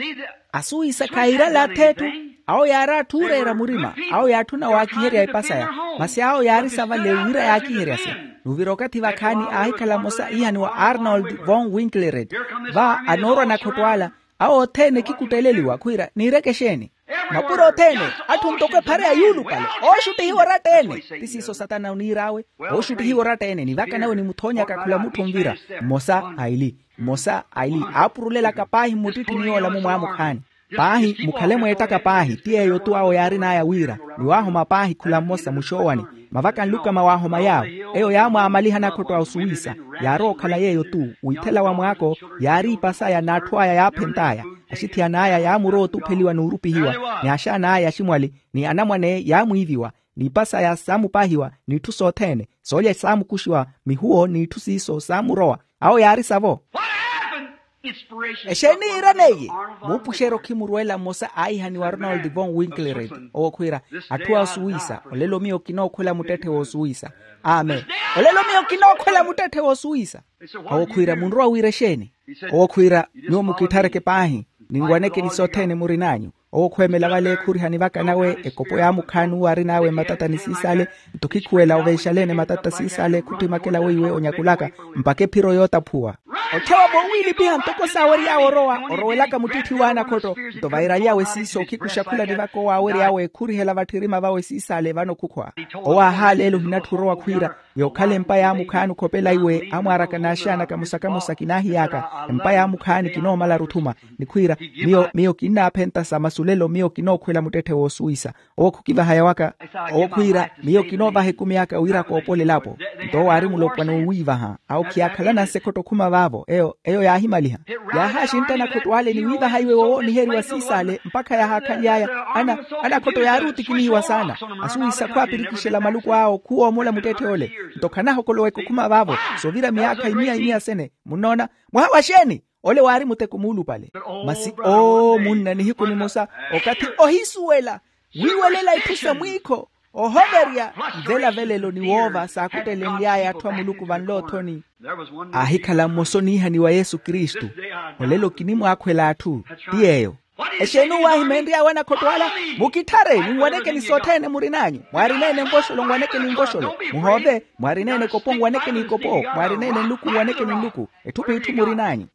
Asuwisa khaayirala atha etthu. Awo yaari atthu ooreera murima awo yaatthuna waakiherya epa saya. Masi awo yaari sa vale wira yaakiheryase. Nuvira okathi vakhaani aahikhala mmosa iihaniwa arnold von winklered. Va anoorwa anakhotto ala awo othene khikutteleliwa khwiira niireke exeeni? Mapuro othene atthu ntoko ephara ya yuulupale ooxuttihiwa oratta-ene. Ti siiso satana oniir'awe. Ooxuttihiwa oratta-ene nivaka nawe nimuthonyaka khula mutthu onvira. Mmosa aili mmosa aili aapurulelaka paahi mmuttitthini yoola mumwaamukhaani. Paahi mukhale mweettaka paahi ti yeeyo-tu awo yaarin'aya wira niwaahoma paahi khula mmosa muxoowani. Mavaka nlukama waahoma yaawo eyo yaamwaamaliha anakhotto a osuwisa. Yaarowa okhala yeeyo-tu wiithela wa mwaako yaariipa saya n'atthu aya yaaphent'aya. Axithiyana aya yaamurowa otupheliwa n'urupihiwa ni axaana aya aximwali ni anamwane yaamwiiviwa. N'ipa saya saamupaahiwa n'itthu sothene soolya saamukuxiwa mihuwo n'itthu siiso saamurowa. Awo yaari savo. Exeeni yiiraneiye? Muupuxeryo khimurweela mmosa aihaniwa arnold von winklered. Owo khwiira atthu a osuwisa olelo miyo kinookhwela muttetthe w'osuwisa. Amen. Olelo miyo kinookhwela muttetthe w'osuwisa. Owo khwiira munrowa wiira exeeni? Owo khwiira nyuwo mukithareke paahi. Ninwanekeni sothene murin'anyu. Owo khweemela vale khurihani vaka nawe ekopo yaamukhaani uwo arin'awe matatta ni siisale. Nto khikhuwela ovenxaleene matatta siisale khuttimakela weiwe onyakulaka mpakha ephiro yootaphuwa. Othewa moowiilipiha ntoko saawery'awe orowa orowelaka muttitthi w'anakhotto. Nto vairaly'awe siiso okhikuxa khula nivaka owo aawery'awe khurihela vatthirima vawe siisale vano khukhwa. Owo aahaaleela ohinatthu orowa khwiira yookhala empa yaamukhaani okhopela iwe amwaaraka n'axaana kamosa-kamosa kinaahiy'aka. Empa yaamukhaani kinoomala aruthuma ni khwiira miyo miyo kinnaaphenta sa masulelo miyo kinookhwela muttetthe woosuwisa. Owo khukivahaya waka. Owo khwiira miyo kinoovaha ekumi aka wira koopole elapo. Nto owo aari mulopwana owiivaha awo khiyaakhalana nsekhotta okhuma vaavo eyo eyo yaahimaliha. Yaahaaxintta anakhotto ale ni wiivaha iwe wowooniheriwa siisale mpakha yaahaakhany'aya. Anakhotto yaari otikinihiwa saana. Asuwisa khwaapirikixela maluku awo khuwoomola muttetthe ole. Nto khanahokoloweke okhuma vaavo soovira myaakha imiya imiya sene. Munnoona? Mwaha wa xeeni? Ole waari muteko muulupale. Masi oo munna nihiku nimosa okathi ohisuwela wiiwelela itthu sa mwiikho ohoverya mvelavelelo ni woova saakuttelenly'aya atthu a muluku vanloothoni. Aahikhala mmosa oniihaniwa yesu kristu. Olelo kinimwaakhwela atthu ti yeeyo. Exeeni owo aahimeenry'awe anakhotto ala? Mukitthareni nwanekeni sothene murin'anyu. Mwaarineene nvoxolo nwanekeni nvoxolo. Muhoove. Mwaarineene ekopo nwanekeni ekopo. Mwaarineene nluku nwanekeni nluku. Etthu p'itthu murin'anyu.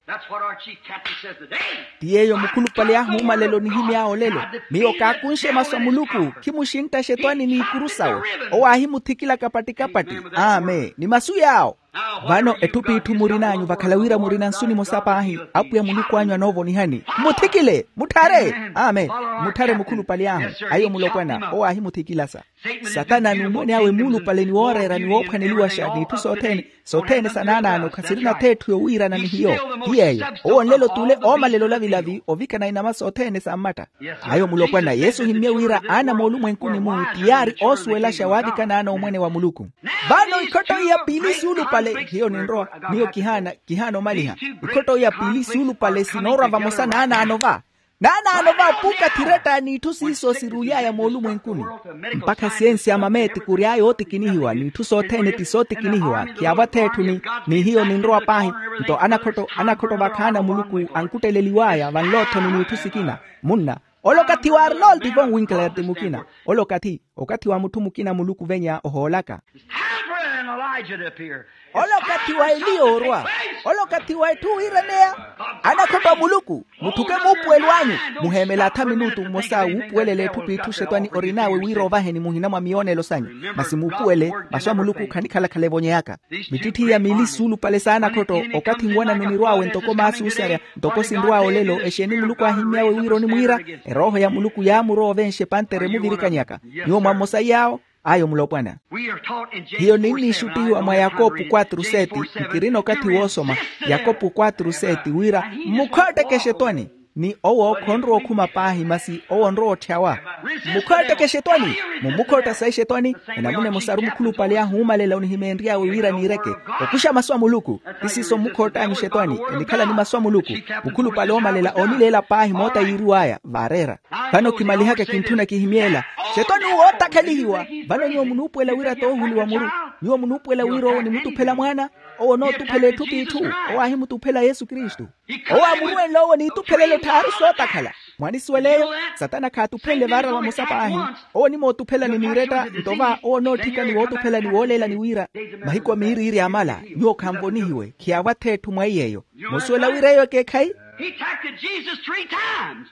Ti yeeyo mukhulupale ahuuma lelo onihimy'awe olelo. Miyo kaakunxe masu a muluku. Khimuxinttaxe etwani n'ikuru sawe. Owo aahimuthikilaka patti-kapatti. Amen ni masu yaawo. Vano etthu p'itthu murin'anyu vakhala wira murina nsu nimosa paahi. Apwiya muluku anyu anoovonihani. Mmuthikile mutthaari. Te amen. Mutthare mukhulupale ahu. Ayo mulopwana owo aahimuthikilasa. Satana n'umwene awe muulupale ni wooreera ni woophwaneliwaxa n'itthu sothene, sothene sa naanaano khasirina atheetthu yowiirana ni hiyo. Ti yeeyo owo nlelo t'ule oomalela olavilavi ovikana inama sothene sa mmatta. Ayo mulopwana yesu ohimmye wira aana moolumwenkuni-mu ti yaari oosuwelaxa waavikanaana omwene wa muluku. Vano ikhotto iya piili suulupale hiyo ninrowa. Miyo kihaana, kihaana omaliha. Ikhotto iya piili suulupale sinoorwa vamosa naanaano va. Naanaano va puukathi retta n'itthu siiso siruly'aya moolumwenkuni. Mpakha siyensi ya mameeti kury'aya ootikinihiwa n'itthu sothene ti sootikinihiwa khiyaavo atheetthu ni hiyo ninrowa paahi. Nto anakhotto anakhotto vakhaana muluku ankutteleliw'aya vanloothoni n'itthu sikina. Munna ole okathi wa arnold von winkler ti mukina. Ole okathi okathi wa mutthu mukina muluku venya ohoolaka. Ole okathi wa eliya orwa. Ole okathi wa etthu wiiraneya. Anakhotto a muluku, mutthuke muupuwelo anyu. Muheemele atha minutu mmosa wuupuwelela etthu p'itthu xetwani orin'awe wira ovaheni muhina mwa miyoonelo sanyu. Masi muupuwele masu a muluku khanikhala-khala evonyeyaka. Mittitthiya miili suulupale saana khotto okathi nwanano nirw'awe ntoko maasi oosarya. Ntoko sinrw'awe olelo exeeni muluku aahimmy'awe wira onimwiira. Erooho ya muluku yaamurowa ovenxa epantere emuvirikanyaka. Nyuwo mwa mmosa iy'awo. Ayo mulopwana. Hiyo ninniixuttihiwa mwa yakopu quatro sete. Nkirina okathi woosoma yakopu quatro sete wira mmukhooteke exetwani. Ni owo khonrowa okhuma paahi masi owo onrowa otthyawa. Mmukhooteke exetwani. Mummukhootta sayi exetwani. Enamuna emosaru mukhulupale ahuumalela onihimeenry'awe wira niireke okuxa masu a muluku. Ti siiso mmukhoottanyu exetwani enikhala ni masu a muluku. Mukhulupale oomalela oonileela paahi moota yiiriw'aya vaareera. Vano kimalihaka kintthuna kihimyeela. Xetwani uwo ootakhalihiwa. Vano nyuwo munuupuwela wira toohuliwa muru. Nyuwo munuupuwela wira owo onimutuphela mwaana. Owo onootuphela etthu p'itthu. Owo aahimutuphela yesu kristu. Owo aamurwenle owo n'ituphelelo tthaaru sootakhala. Mwaanisuwel'eyo. Satana khaatuphenle vaara vamosa paahi. Owo onimootuphelani miiretta nto va owo onootthikani wootuphelani wooleelani wira mahiku a miiriiri amala. Nyuwo khanvonihiwe khiyaavo atheetthu mwa iy'eyo. Musuwela wira eyo ekeekhayi. He attacked Jesus three times.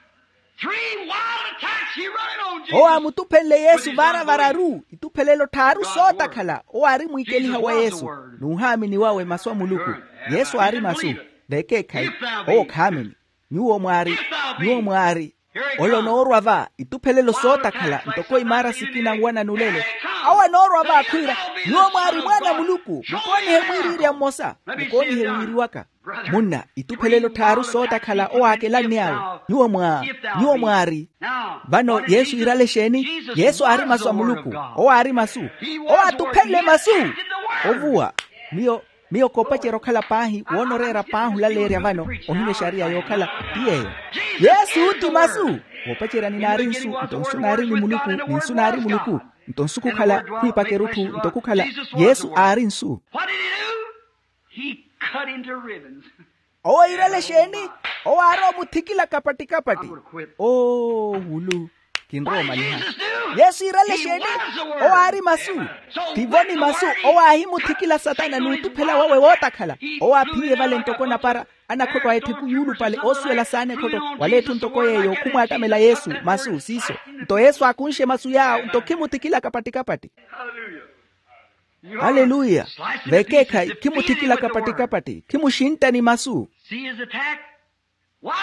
Three wild attacks he run it on Jesus. Owo aamutuphenle yesu vaara vararu ituphelelo tthaaru sootakhala. Owo aari mwiikeliha wa yesu. N'uhaamini wawe masu a muluku. Yesu aari masu. Vekeekhayi. Owo khaamini. Nyuwo mwaari. Nyuwo mwaari. Ole onoorwa va ituphelelo sootakhala ntoko imaara sikina nwanani olelo. Awo anoorwa va akhwiira. Nyuwo mwaari mwaana a muluku mukoonihe mwiiriirya mmosa. Mukoonihe wiiriwaka. Munna ituphelelo tthaaru sootakhala owo aakelanny'awe. Nyuwo mwa nyuwo mwaari. Vano yesu iirale exeeni? Yesu aari masu a muluku. Owo aari masu. Owo aatuphenle masu. Ovuwa. Miyo miyo koopacerya okhala paahi woona oreera paahi olaleerya vano. Ohimya exariya yookhala ti yeeyo. Yesu ti masu. Woopacerya ni naari nsu nto nsu naari ni muluku ni nsu naari muluku. Nto nsu khukhala khwiipaka erutthu nto khukhala yesu aari nsu. What did he do? He cut him to ribbons. Owo iirale exeeni? Owo aari omuthikila kapatti-kapatti. Oo wulu. Kinrowa omaliha. Yesu iirale exeeni? Owo aari masu. Tivo ni masu. Owo aahimuthikila satana n'utuphela wawe wootakhala. Owo aaphiye vale ntoko napara. Anakhotto a ettheku yuulupale oosuwela saana ekhotto wala etthu ntoko yeeyo khumwaattamela yesu masu siiso. Nto yesu aakunxe masu yaawo nto khimuthikila kapatti-kapatti. Aleluya. Vekeekhayi khimuthikila kapatti-kapatti khimuxintta ni masu.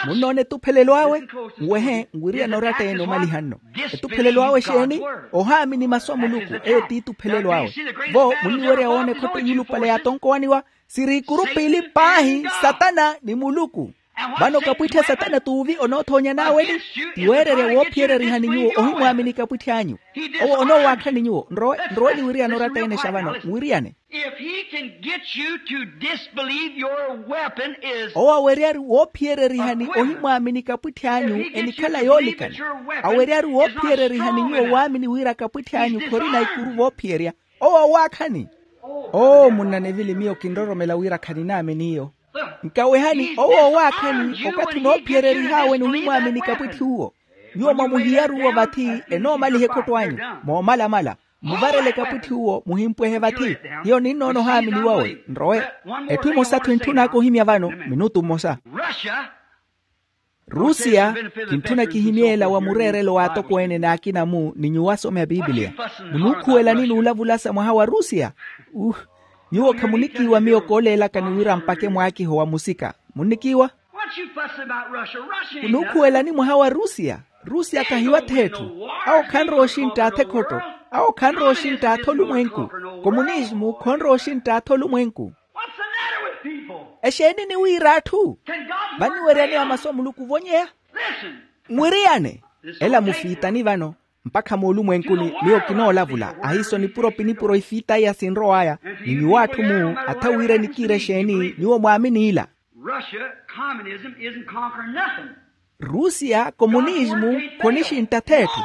Munnoona etuphelelo awe? Nwehe nwiriyana oratta-ene omaliha nno. Etuphelelo awe exeeni? Ohaamini masu a muluku. Eyo t'ituphelelo awe. Vo munniwerya woona ekhotto yuulupale yaatonkowanniwa. Siri ikuru piili paahi satana ni muluku. Vano kapwittha satana t'uvi onoothoonyan'awe-ni. Ti weererya woophiyererihani nyuwo ohimwaamini kapwitth'anyu. Owo onoowaakhani nyuwo nrowe nrowe niwiriyana oratta-ene xa vano nwiriyane. If he can get you to disbelieve your weapon is owo aweryaru woophiyererihani ohimwaamini kapwitth'anyu enikhala yoolikana. Aweryaru woophiyererihani nyuwo waamini wira kapwitth'anyu khorina ikuru voophiyerya. Owo owaakhani. Oo munna nevili miyo kinroromela wira khaninaamini iyo. Nkawehani owo owaakhani okathi onoophiyererih'awe n'uhimwaamini kapwitthi uwo. Nyuwo mwamuhiyaru uwo vathi enoomaliha ekhotto anyu. Moomalamala muvarele kapwitthi uwo muhimpwehe vathi. Hiyo ninnoona ohaamini wawe nrowe. Etthu emosa-tho entthun'aka ohimya vano minutu mmosa. Rusiya. Kintthuna kihimyeela wa mureerelo w'atokweene n'akina-mu ni nyuwo asomi a pipiliya. Munuukhuwelani n'ulavulasa mwaha wa rusiya? Uh. Nyuwo khamunikiiwa miyo kooleelaka ni wira mpakhe mwaakiho wa musika. Munnikiiwa? Khunukhuwelani mwaha wa rusiya. Rusiya khahiwa th'etthu. Awo khanrowa oxinttaatha ekhotto. Awo khanrowa oxinttaatha olumwenku. Komunismu khonrowa oxinttaatha olumwenku. Exeeni niwiira atthu? Vaniweryaniwa masu a muluku ovonyeya. Mwiriyane. Ela mufiitani vano. Mpakha moolumwenkuni miyo kinoolavula ahiiso nipuro pinipuro ifiita iya sinrow'aya. Ni nyuwo atthu muu atha wira enikiira exeeni nyuwo mwaamini ila? Russia, communism isn't conquering nothing. Rusiya komunismu khonixintta th'etthu.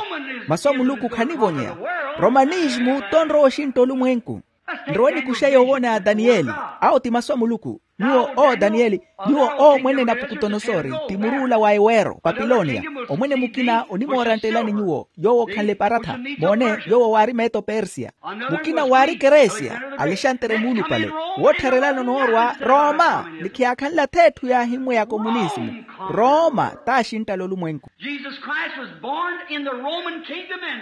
Masu a muluku khanivonyeya. Romanismu t'onrowa oxintta olumwenku. Nrowe nikuxe yoowoona ya daniyeli. Awo ti masu a muluku. Nyuwo oo daniyeli. Nyuwo oo mwene napukutonosori ti muruula wa eweero papiloniya. Omwene mukina onimooranttelani nyuwo yoowo okhanle paratha. Moone yoowo waari meto persiya. Mukina waari keresiya. Alexantere muulupale. Woottharelana onoorwa roma ni khiyaakhanla th'etthu yaahimmwe ya komunismu. Roma t'axinttala olumwenku.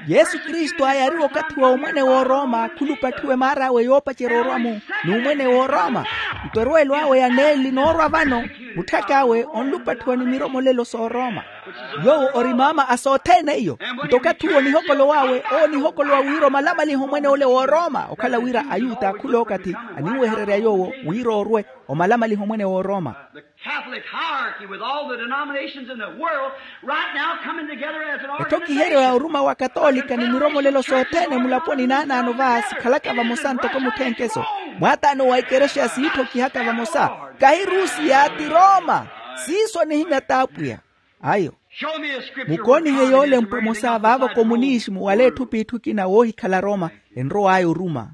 Yesu kristu aayariwa okathi wa omwene w'oroma khulupatthiwe maar'awe yoopacerya orwa-mu. N'umwene w'oroma. Nto erweelo awe ya neeli noorwa vano. Mutthak'awe onlupatthiwa ni miromolelo s'oroma. Yoowo ori maama a sothene iyo. Nto okathi uwo nihokolow'awe owo nihokolow'awe wira omalamalihe omwene ole w'oroma okhala wira ayuta khul'okathi aninwehererya yoowo wira orwe omalamalihe omwene w'oroma. Catholic hierarchy with all the denominations in the world right now coming together as an ettho kiheryo ya oruma wa katoolika ni miromolelo sothene mulaponi naanaano va sikhalaka vamosa ntoko mutthenkheso. Mwaataano wa ikerexa siitthokhihaka vamosa. Kahi rusiya ti roma. Siiso nihimya t'apwiya. Ayo. Mukoonihe yoolempwa emosa vaavo komunisimu wala etthu p'itthu ekina woohikhala roma enrow'aya oruma.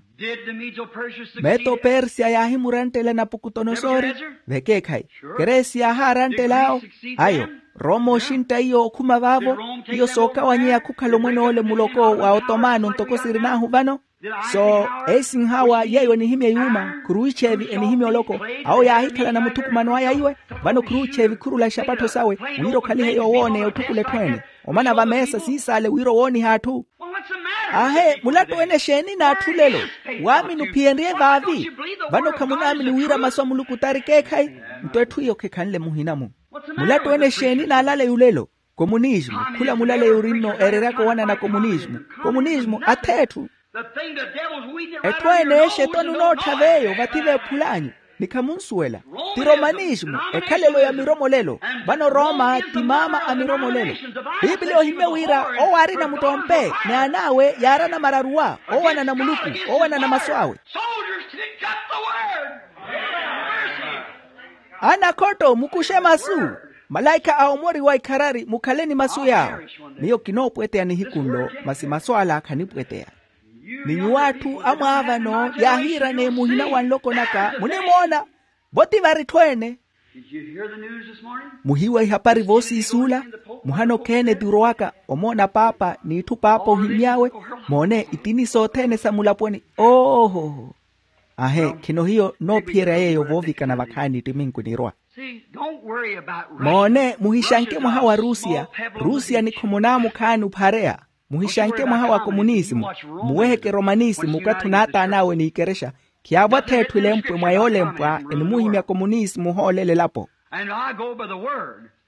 Meto persiya yaahimurantela napukutonosori. Vekeekhayi. Keresi yaahaarantela awo. Ayo. Roma oxintta iyo okhuma vaavo. Iyo sookawanyeya khukhala omwene ole muloko wa otomano ntoko sirin'ahu vano. So esinhawa yeeyo enihimya yuuma khuruwicheevi enihimya oloko. Awo yaahikhalana muthukumano aya iwe. Vano khuruwicheevi khurula ixapattho sawe wira okhalihe yoowooneya otthukula etthu ene. Omana vameesa siisaale wira owooniha atthu. Ahe mulattu wene exeeni n'atthu lelo? Waamini ophiyenrye vaavi. Vano khamunaamini wira masu a muluku t'arikeekhayi. Nto etthu iyo khekhanle muhina-mu. Mulattu wene exeeni n'alaleyu lelo? Komunismu. Khula mulaleyu orinno eereryaka owanana komunismu. Komunismu ath'etthu. Etthu ene exeto nunoottha v'eyo vathi veephul'anyu. Ni khamunsuwela. Ti romanismu ekhalelo ya miromolelo. Vano roma ti maama a miromolelo. Piipiliya ohimye wira owo aarina muttompe ni an'awe yaarana mararuwa owanana muluku owanana masu awe. Anakhotto mukuxe masu. Malaikha a omoriwa ikharari mukhale ni masu yaawo. Miyo kinoopweteya nihiku nlo masi masu ala khanipweteya. Ni nyuwo atthu amwaavano yaahiiraneya muhina wa nloko naka munimoona. Vo ti vari etthu ene? Muhiiwa ihapari voosiisuula. Muhana okheene ti orowaka omoona paapa n'itthu paapa ohimy'awe. Moone itini sothene sa mulaponi. Ooho. Ahe khino hiyo noophiyerya yeeyo voovikana vakhaani ttiminku nirwa. Moone muhixanke mwaha wa rusiya. Rusiya ni khumunaamu khaani ophareya. Muhixanke mwaha wa komunisimu. Muweheke romanisimu okathi onaataan'awe n'ikerexa. Khiyaavwa th'etthu elempwe mwa yoolempwa enimuhimya komunisimu ohoolele elapo.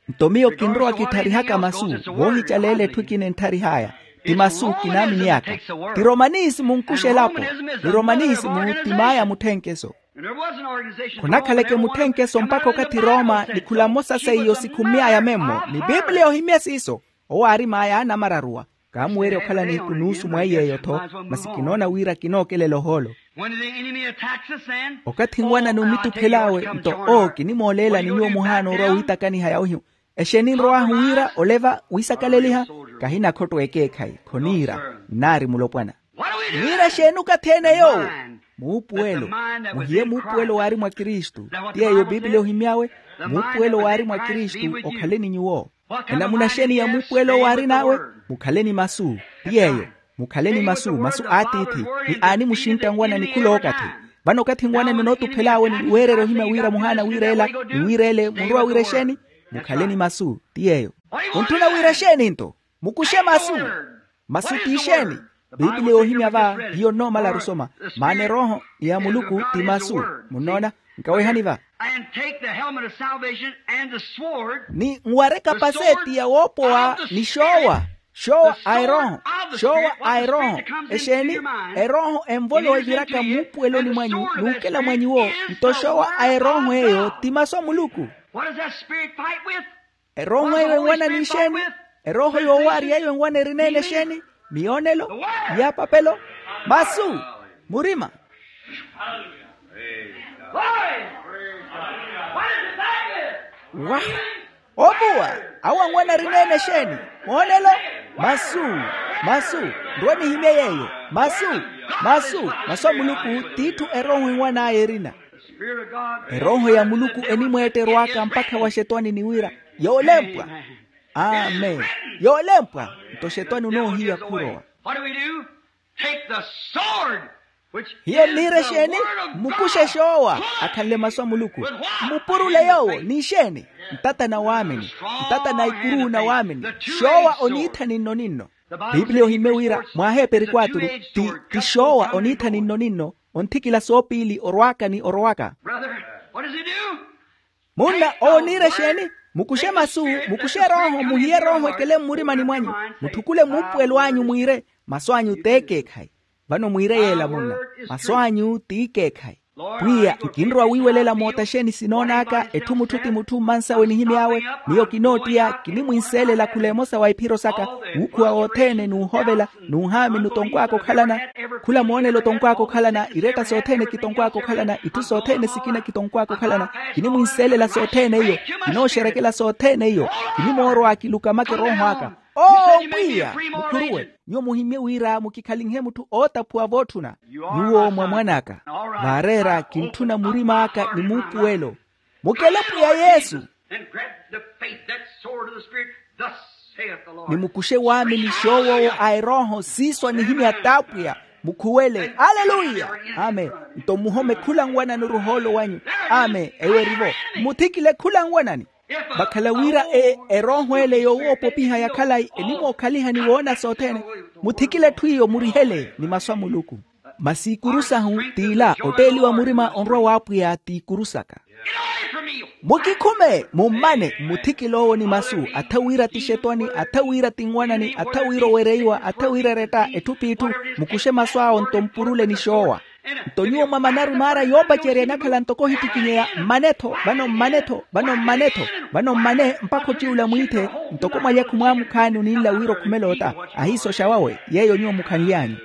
Nto miyo kinrowa kittharihaka masu. Voohicaleela etthu ekina entharih'aya. Ti masu kinaaminiyaka. Ti romanisimu onkuxa elapo. Ni romanisimu ti maaya mutthenkeso. Khunakhaleke mutthenkeso mpakha okathi roma ni khula mmosa seiyo sikhummy'aya memmo ni piipiliya ohimye siiso. Owo aari maaya anamararuwa. Kaamuweerya okhala nihiku nuusu mwa iy'eyo-tho. Masi kinoona wira kinookelela ohoolo. Okathi nwanani onituphel'awe nto oo kinimooleela ni nyuwo muhaana orwa wiitakaniha yawihiwa. Exeeni nrow'ahu wira oleva wiisakaleliha? Kahina khotto ekeekhayi khoniira. Nnaari mulopwana. Niira exeeni okathi ene yoowo? Muupuwelo. Muhiye muupuwelo waari mwa kristu. Ti yeeyo piipiliya ohimy'awe. Muupuwelo waari mwa kristu okhale ni nyuwo. Enamuna xeeni ya muupuwelo waarin'awe? Mukhale ni masu. Ti yeeyo. Mukhale ni masu masu a atiithi. Ni aanimuxintta nwanani khulookathi. Vano okathi nwanani onootuphel'awe ni weererya ohimya wira muhaana wiireela ni wiireele munrowa wira exeeni? Mukhale ni masu. Ti yeeyo. Muntthuna wira exeeni nto? Mukuxe masu. Masu ti ixeeni? Piipiliya yoohimya va hiyo nnoomala rusoma. Maana erooho ya muluku ti masu. Munnoona? Nkawehani va. And take the helmet of salvation and the sword. Ni nwareka paseeti ya woopowa ni xoowa. Xoowa a erooho. Xoowa a erooho. Exeeni? Erooho envolowa eviraka muupuweloni mwanyu n'ukela mwanyu-wo. Nto xoowa a erooho eyo ti masu a muluku. What does that spirit fight with? Erooho eyo enwana n'ixeeni? Erooho yoowaari yeyo enwana erina ene exeeni? Miyoonelo, miyaapapelo, masu, murima. Wa, ovuwa. Awo anwana arina ene exeeni? Moonelo, masu, masu. Nrowe nihimye yeeyo. Masu, masu. Masu a muluku t'itthu erooho enwan'aya erina. Erooho ya muluku enimweetterwaka mpakha waxetwani ni wira, yoolempwa. Amen. Yoolempwa. Nto xetwani onoohiya khurowa. What do we do? Take the sword, which hiyo nniire exeeni? Mmukuxe xoowa akhanle masu a muluku. Mmupurule yoowo n'ixeeni? Ntata na waamini. Ntata na ikuru na waamini. Xoowa oniitha ninno ninno. Pipiliya ohimye wira mwaaheeperi kwaturu ti xoowa oniitha ninno ninno. Onthikila soopiili orwaaka ni orowaka. Munna owo oniira exeeni? Mukuxe masu. Mukuxe erooho muhiye erooho ekele mmurimani mwanyu. Mutthukule muupuwelo anyu mwiire, masu anyu t'ekeekhayi. Vano mwiire yeela munna, masu anyu t'ikeekhayi. Pwiya nkinrowa wiiwelela moota exeeni sinoon'aka etthu mutthu ti mutthu mmansawe nihimy'awe. Miyo kinoottiya kinimwinseelela khula emosa wa iphiro saka, wuukhuwa wothene n'uhovela, n'uhaami nutonkw'aka okhalana. Khula moonelo otonkw'aka okhalana, iretta sothene kitonkw'aka okhalana, itthu sothene sikina kitonkw'aka okhalana. Kinimwinseelela sothene iyo. Kinooxerekela sothene iyo. Kinimoorowa kiluka make erooho aka. Oo pwiya, mukhuruwe. Nyuwo muhimmye wira mukikhalinhe mutthu ootaphuwa vootthuna. Nyuwo mwa mwan'aka. Vaareera kintthuna murim'aka ni muupuwelo. Mukele pwiya yesu. And grab the faith, that sword of the Spirit. Thus saith the Lord. Ni mukuxe waamini xoowoowo a erooho siiso anihimya t'apwiya. Mukhuwele. Aleluya. Amen. Nto muhome khula nwanani oruhoolo wanyu. Amen. Eyo erivo. Muthikile khula nwanani. Vakhala wira e erooho ele yowoopopiha ya khalayi enimookhaliha ni woona sothene. Muthikile etthu iyo murihele ni masu a muluku. Masi ikuru sahu t'ila otteeliwa murima onrwa w'apwiya t'ikuru saka. Mukikhume mummane mmuthikil'owo ni masu atha wira ti xetwani atha wira ti nwanani atha wira owereiwa atha wira eretta etthu p'itthu. Mukuxe masu awo nto mpurule ni xoowa. Nto nyuwo mwamana arumaara yoopacerya enakhala ntoko ohittikinyeya mmane-tho vano mmane-tho vano mmane-tho vano mmane mpakha ociwula mwiithe. Ntoko mwalya khumwaamukhaani oninla wira okhumela ota ahiisoxa wawe yeeyo nyuwo mukhanly'anyu.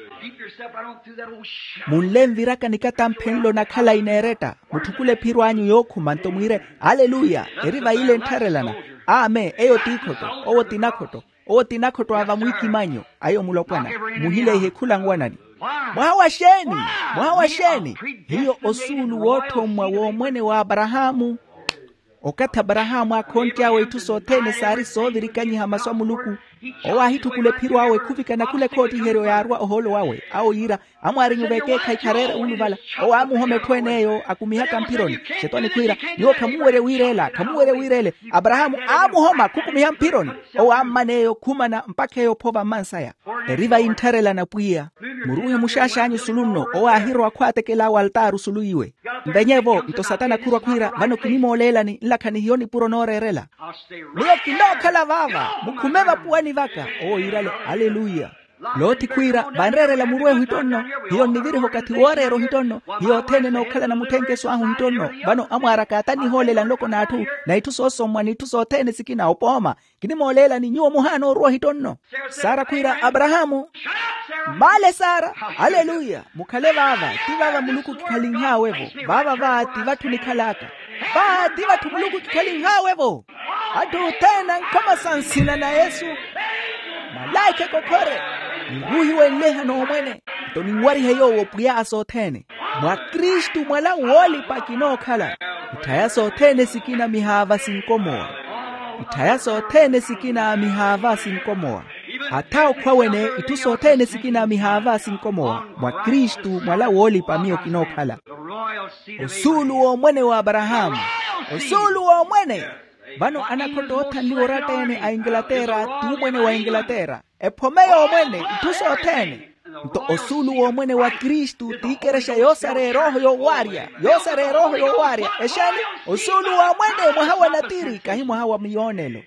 Munle nviraka nikatamphenlo na khalayi n'eretta mutthukule ephiro anyu yookhuma nto mwiire aleluya. Eri vayile nttharelana. Amen eyo t'ikhoto. Owo ti nakhotto. Owo ti nakhotto a vamwiikimanyo ayo mulopwana. Muhileihe khula nwanani. Mwaha wa xeeni? Mwaha wa xeeni? Hiyo osuulu wootthommwa w'omwene wa aparahaamu. Okathi aparahaamu aakhontt'awe itthu sothene saari soovirikanyiha masu a muluku. Owo aahitthukula ephiro awe khuvikana khula ekhoottiheryo yaarwa ohoolo wawe awo yiira amwaarinya ovekeekhayi khareera wuuluvala. Owo aamuhoma etthu en'eyo akumihaka mphironi. Xetwani khwiira nyuwo khamuwerya wiireela khamuwerya wiireele. Aparahaamu aamuhoma khukumiha mphironi. Owo ammana eyo khumana mpakha eyo ophova mmansaya. Eri vayi nttharelana pwiya. Muruuhe muxaax'anyu sulu nno owo aahirowa khwaatekel'awe altaari osulu iwe. Mvenye-vo nto satana khurwa khwiira vano kinimooleelani nlakhani hiyo nipuro nooreerela. Miyo kinookhala vaava mukhume vapuwani vaka. Owo yiirale aleluya. Loti khwiira vanreerela muru ehu hittonno. Hiyo nniviriha okathi wooreera ohittonno. Hiyo othene nookhalana mutthenkeso ahu hittonno. Vano amwaaraka ata nihoolela nloko n'atthu na itthu soosommwa n'itthu sothene sikina opooma. Kinimooleelani nyuwo muhaana oruwa ohittonno. Sara khwiira aparahaamu. Mmaale sara. Aleluya. Mukhale vaava ti vaava muluku kikhalinhaawe-vo. Vaava va ti vatthu nikhal'aka. Va ti vatthu muluku kikhalinhaawe-vo. Atthu othene ankhoma sa nsina na yesu. Malaikha ekokhore. Niruuhiwenleha n'omwene. Nto ninwarihe yoowo pwiya a sothene. Mwa kristu mwala woolipa kinookhala. Itthaya sothene sikina mihaava sinkomowa. Itthaya sothene sikina mihaava sinkomowa. Atha okhwa wene itthu sothene sikina mihaava sinkomowa mwa kristu mwala woolipa miyo kinookhala. Osuulu w'omwene wa aparahaamu. Osuulu w'omwene. Vano anakhotta oothanliwa oratta-ene a inglaterra t'umwene wa inglaterra. Ephome y'omwene itthu sothene. Nto osuulu w'omwene wa kristu tiikerexa yoosareya erooho yoowaarya. Yoosareya erooho yoowaarya exeeni? Osuulu w'omwene mwaha wa natiri kahi mwaha wa miyoonelo.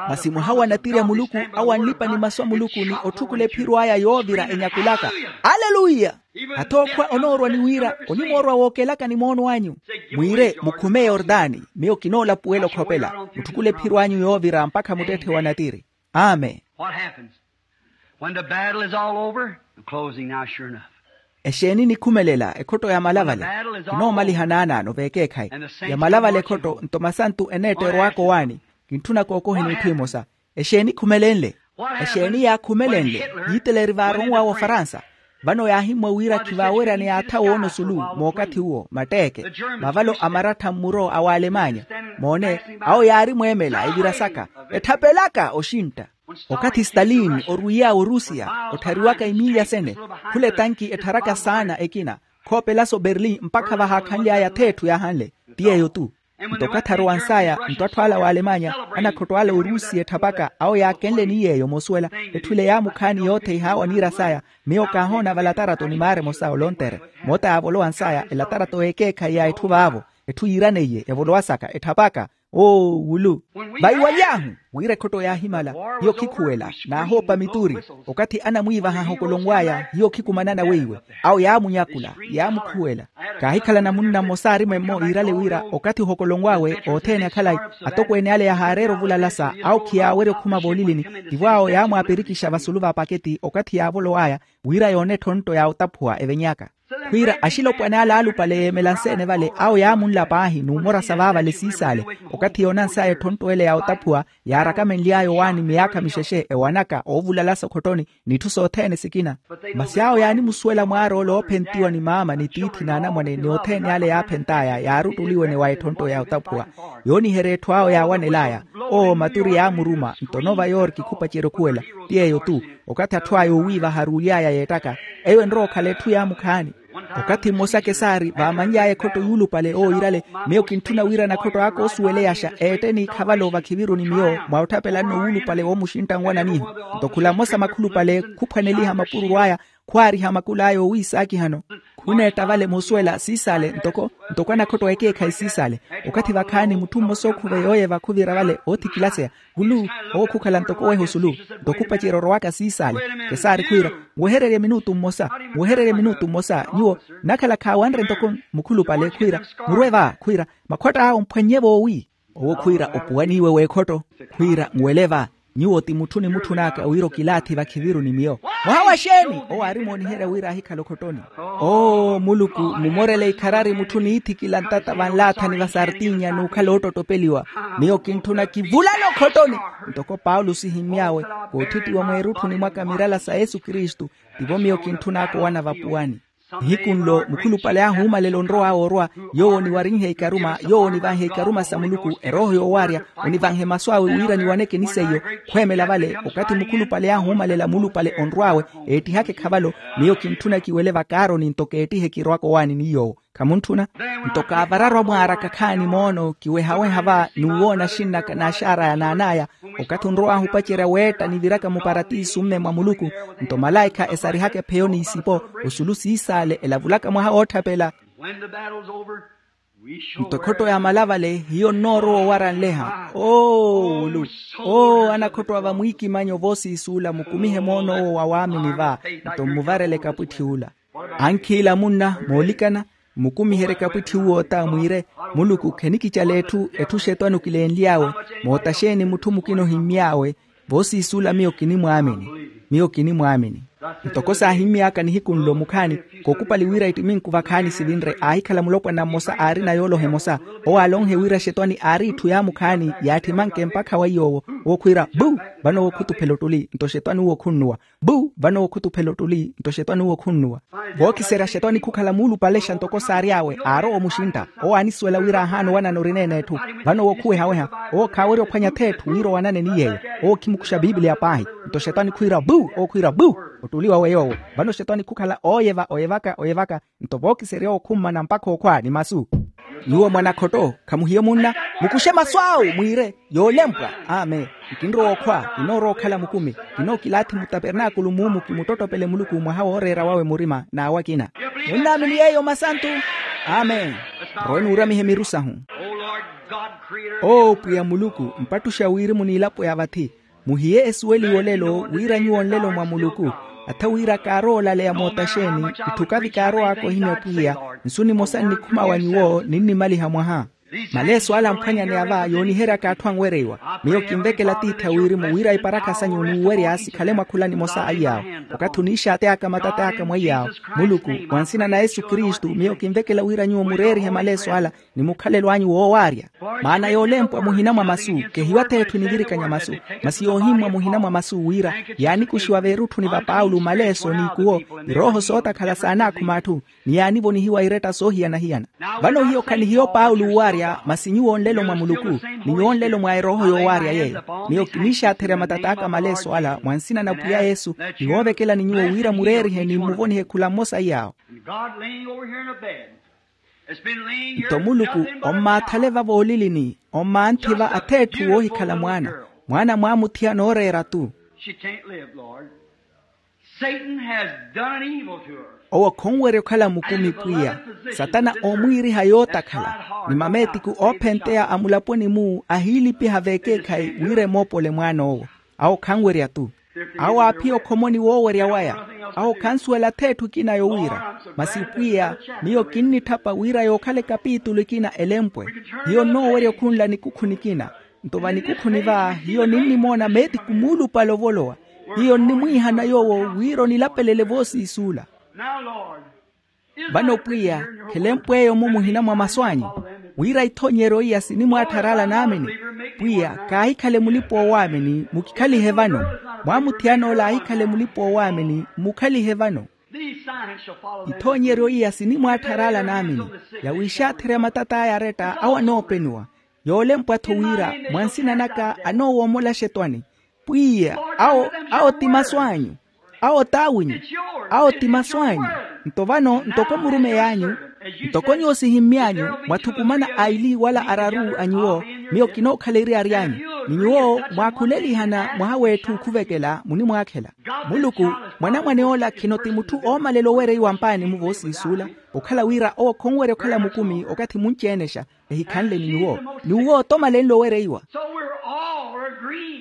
Masi mwaha wa natiri a muluku awo anlipa ni masu a muluku ni otthukula ephiro aya yoovira enyakulaka. Aleluya. Ata okhwa onoorwa ni wira onimoorwa wookelaka ni moono anyu. Mwiire mukhume eyordani miyo kinoolapuwela okhopela. Mutthukule ephiro anyu yoovira mpakha muttetthe wa natiri. Amen. What happens when the battle is all over? I'm closing now, sure enough. Exeeni nikhumelela ekhotto ya malavale? Kinoomaliha naanaano veekeekhayi. Ya malavale ekhotto nto masantu eneetteerwaka owaani. Kintthuna kookoheni etthu emosa. Exeeni khumelenle? Exeeni yaakhumelenle? Yiteleri vaaronw'awe ofaransa. Vano yaahimmwa wira khivaaweryane yaatha woona osulu mookathi uwo matteeke. Mavalo amarattha mmuro a waalemanya. Moone, awo yaari mweemela evirasaka etthapelaka oxintta. Okathi stalin orwiiy'awe orusiya otthariwaka imiiya sene, khula etanki ettharaka saana ekina, khoopelaso berlin mpakha vahaakhanly'aya atheetthu yaahanle. Ti yeeyo-tu. Nto okathi arowa nsaya nto atthu ala a waalemanya, anakhotto ala a orusiya etthapaka awo yaakenle ni yeeyo moosuwela. Etthu ile yaamukhaani yoothe ihaawa niira saya. Miyo kaahoona valatarato ni maara emosa olontere. Moota yaavolowa nsaya elatarato ekeekhayi ya etthu vaavo. Etthu yiiraneiye evolowasaka etthapaka. Oo wulu. Vaiwaly'ahu wira ekhotto yaahimala, hiyo khikhuwela naahoopa mituri. Okathi anamwiivaha ohokolonw'aya hiyo khikumanana weiwe. Awo yaamunyakula, yaamukhuwela. Kaahikhalana munna mmosa aari mwemmo iirale wira okathi ohokolonw'awe othene akhalayi, atokweene ale yahaareera ovulalasa awo khiyaawerya okhuma voolilini. Tivo awo yaamwaapirikixa vasulu va paketi okathi yaavolow'aya wira yoone etthonto ya otaphuwa evenyaka. Khwiira axilopwana ale aalupale yeemela nseene vale awo yaamunla paahi numorasa vaavale siisale. Okathi yoona nsaya etthonto ele ya otaphuwa yaarakamenly'aya owaani miyaakha mixexe ewanaka oovulalasa okhottoni n'itthu sothene sikina. Masi awo yaanimusuwela mwaar'ole oophentiwa ni maama ni tiithi n'anamwane ni othene ale yaaphent'aya yaari ottuli wene wa etthonto ya otaphuwa. Yooniherya etthu awo yaawanel'aya. Oo maturi yaamuruma nto nova yorki khupacerya okhuwela. Ti yeeyo-tu. Okathi atthu aya oowiivaha aruuly'aya yeettaka, eyo enrowa okhala etthu yaamukhaani. Okathi mmosa kesaari vaamanly'aya ekhotto yuulupale oowiirale. Miyo kintthuna wira anakhotto aka oosuweleyaxa eette ni khavalo vakhiviru ni miyo mwa otthapelanno wuulupale woomuxintta nwananiho. Nto khula mmosa makhulupale khuphwaneliha mapururu aya, khwaariha makulu aya oowiisaakihano. Khuneetta vale moosuwela siisale ntoko ntoko anakhotto ekeekhayi siisale. Okathi vakhaani mutthu mmosa ookhuve yooyeva khuvira vale oothikilaseya. Kulu, owo khukhala ntoko oweha osulu. Nto khupacerya orowaka siisale. Kesaari khwiira, nwehererye minutu mmosa. Nwehererye minutu mmosa nyuwo. Nakhala khaawanre ntoko mukhulupale khwiira, murwe va khwiira, makhwatta awo mphwannye voowi. Owo khwiira opuwaniiwe w'ekhotto. Khwiira nwele va, nyuwo ti mutthu nimutthun'aka wira okilaathi vakhiviru ni miyo. Mwaha wa xeeni? Owo aari mooniherya wira ahikhala okhottoni. Oo muluku, mumorele ikharari mutthu niithikila ntata vanlaathani va sartinya n'ukhala oottottopeliwa. Miyo kintthuna kivulale okhottoni. Ntoko paulo sihimmy'awe, koothittiwa mweerutthuni mwaka mirala sa yesu kristu, tivo miyo kintthun'aka owana vapuwani. Nihiku nlo mukhulupale ahuumalela onrow'awe orwa, yoowo oniwarinhe ikaruma yoowo onivanhe ikaruma sa muluku erooho yoowaarya, onivanhe masu awe wira niwaneke ni seiyo. Khweemela vale okathi mukhulupale ahuumalela muulupale onrw'awe, eettihaka ekhavalo. Miyo kintthuna kiwele vakaaroni nto keettihe kirowaka owaani ni yoowo. Khamuntthuna? Nto kaavararwa mwaaraka khaani moono kiwehaweha va n'uwoona axinn'aka n'axaar'aya n'an'aya. Okathi onrow'ahu opacerya weetta niviraka muparatisu mme mwa muluku, nto malaikha esarihaka epheyo n'isipo, osulu siisale elavulaka mwaha wootthaphela. Nto ekhotto ya malavale hiyo nnoorowa owaranleha. Oo wulu. Oo anakhotto a vamwiikimanyo voosiisuula mukumihe moon'owo wa waamini va, nto mmuvarele kapwitthi ula. Ankhiila munna moolikana, mmukumiherye kapwitthi uwo ota mwiire, muluku khenikicala etthu etthu xetwani okilenly'awe. Moota xeeni mutthu mukina ohimmy'awe? Voosiisula miyo kinimwaamini. Miyo kinimwaamini. Ntoko saahimmy'aka nihiku nlo mukhaani, kookupali wira ittiminku vakhaani sivinre aahikhala mulopwana mmosa aarina yooloha emosa. Owo aalonhe wira xetwani aari itthu yaamukhaani yaattimanke mpakha wa iy'owo. Owo khwiira buu, vano owo khutuphela ottuli nto xetwani uwo khunnuwa. Buu, vano owo khutuphela ottuli nto xetwani uwo khunnuwa. Vookiserya xetwani khukhala muulupalexa ntoko saary'awe aarowa omuxintta. Owo aanisuwela wira ahaana owanana orina eneetthu. Vano owo khuwehaweha. Owo khaawerya ophwanya atheetthu wira owanane ni yeeyo. Owo khimukuxa pipiliya paahi. Nto xetwani khwiira buu, owo khwiira buu. Ottuli wawe yoowo. Vano xetwani khukhala ooyeva oyevaka oyevaka. Nto vookiserya owo khummana mpakha okhwa ni masu. Nyuwo mwanakhotto, khamuhiye munna, mukuxe masu awu mwiire, yoolempwa. Amen. Nkinrowa okhwa, kinoorowa okhala mukumi. Kinookilaathi mutapernaakulu muumu kimuttottopele muluku mwaha wooreera wawe murima n'awo akina. Munnaamini yeeyo masantu? Amen. Rowe nuuramihe miru sahu. Oo pwiya muluku, mpattuxa wirimu n'ilapo ya vathi. Muhiye esuweliwe olelo wira nyuwo nlelo mwa muluku. Atha wira kaarowa olaleya mootaxeeni, itthu kavi kaarowaaka ohimya pwiya. Nsu nimosa nnikhuma wa nyuwo ninnimaliha mwaha. Maleeso ala amphwanyaneya va yooniheryaka atthu anwereiwa. Miyo kinvekela tiithi a wirimu wira iparakha sanyu n'uwerya sikhale mwa khula nimosa a iyaawo. Okathi oniixaateyaka matat'aka mwa iyaawo, muluku, mwa nsina na yesu kristu miyo kinvekela wira nyuwo mureerihe maleeso ala, ni mukhalelo anyu woowaarya. Maana yoolempwa muhina mwa masu, kehiwa-tho etthu enivirikanya masu, masi yoohimmwa muhina mwa masu wira yaanikuxiwa veerutthuni va paulo maleeso n'ikuwo, irooho sootakhala saanaakhuma atthu, ni yaanivonihiwa iretta soohiyana-hiyana. Vano hiyo khanihiyo paulo owaarya masi nyuwo nlelo mwa muluku, ni nyuwo nlelo mwa erooho yoowaarya yeeyo. Miyo kiniixaatherya matat'aka maleeso ala mwa nsina na pwiya yesu, ni woovekelani nyuwo wira mureerihe ni mmuvonihe khula mmosa iyaawo. Nto muluku ommaathale va voolilini, ommaanthi va atheetthu woohikhala mwaana, mwaana mwaamuthiyana ooreera-tu. Owo khonwerya okhala mukumi pwiya. Satana oomwiiriha yootakhala, ni mameetiku oophenteya a mulaponi-mu ahiilipiha v'ekeekhayi wira emoopole mwaan'owo. Awo khanwerya-tu. Awo aaphiya okhomoni woowerya waya. Awo khansuwela atheetthu ekina yowira, masi pwiya, miyo kinnitthapa wira yookhala ekapitulu ekina elempwe. Hiyo nnoowerya okhunla nikukhu nikina. Nto va nikukhuni va hiyo ninnimoona meetiku muulupale ovolowa. Hiyo nnimwiihana yoowo wira onilapelele voosiisuula. Vano pwiya, khelempw'eyo-mu muhina mwa masu anyu, wira ithoonyeryo iya sinimwaattharala naamini. Pwiya, kaahikhale mulipa-oowaamini mukikhalihe vano. Mwaamuthiyana ola aahikhale mulipa-oowaamini mukhalihe vano. Ithoonyeryo iya sinimwaattharala naamini, ya wiixaatherya matat'aya aretta awo anoopeniwa. Yoolempwa-tho wira mwa nsina naka anoowoomola axetwani. Pwiya, awo, awo ti masu anyu. Awo t'awinyu. Awo ti masu anyu. Nto vano ntoko murumeyi anyu, ntoko nyuwo sihimmy'anyu, mwathukumana aili wala araru a nyuwo, miyo kinookhala eriyari anyu. Ni nyuwo mwaakhulelihana mwaha w'etthu khuvekela munimwaakhela. Muluku, mwanamwane ola khino ti mutthu oomalela owereiwa mpaani-mu voosiisuula, okhala wira owo khonwerya okhala mukumi okathi munci-enexa, ehikhanle ni nyuwo. Ni uwo otomalenle owereiwa.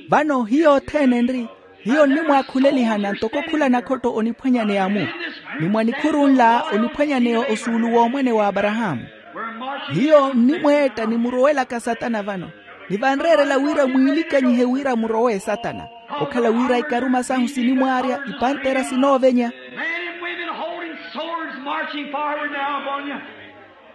Vano hiyo othene enri, hiyo nnimwaakhulelihana ntoko khula nakhotto oniphwanyaneya-mu, ni mwa nikhuru nla oniphwanyaneya osuulu w'omwene w'aparahaamu. Hiyo nnimweetta nimurowelaka satana vano, ni vanreerela wira mwiilikanyihe wira murowe satana, okhala wira ikaruma sahu sinimwaarya ipanteera sinoovenya.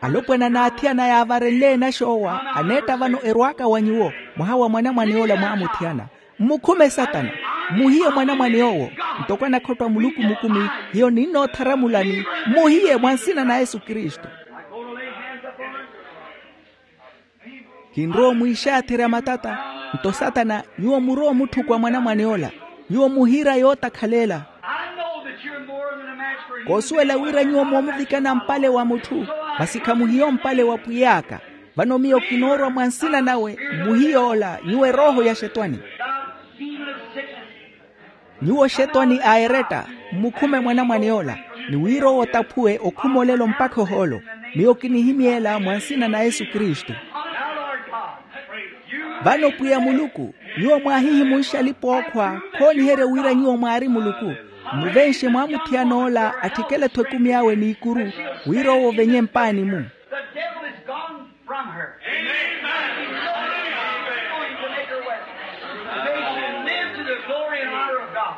Alopwana n'athiyana yaavarenle enaxoowa aneetta vano erwaaka wa nyuwo, mwaha wa mwanamwane ola mwaamuthiyana. Mmukhume satana. Mmuhiye mwanamwane owo. Ntoko anakhottwa muluku mukumi, hiyo ninnoottharamulani. Mmuhiye mwa nsina na yesu kristu. Kinrowa omwiixaatherya matata. Nto satana, nyuwo murowa omutthukwa mwanamwane ola. Nyuwo muhiira yootakhalela. Koosuwela wira nyuwo moomuvikana mpale wa mutthu, masi khamuhiya ompale wa pwiy'aka. Vano miyo kinoorwa mwa nsina nawe, mmuhiye ola nyuwo erooho ya xetwani. Nyuwo xetwani a eretta, mmukhume mwanamwane ola, ni wira owo otaphuwe okhuma olelo mpakha ohoolo. Miyo kinihimyeela mwa nsina na yesu kristu. Vano pwiya muluku, nyuwo mwaahihimunxa alipa ookhwa, khooniherya wira nyuwo mwaari muluku. Mmuvenxe mwaamuthiyana ola atthikele-tho ekumi awe n'ikuru, wira owo ovenye mpaani-mu. From her. Amen. Going to make her well. May she live to the glory and honor of God.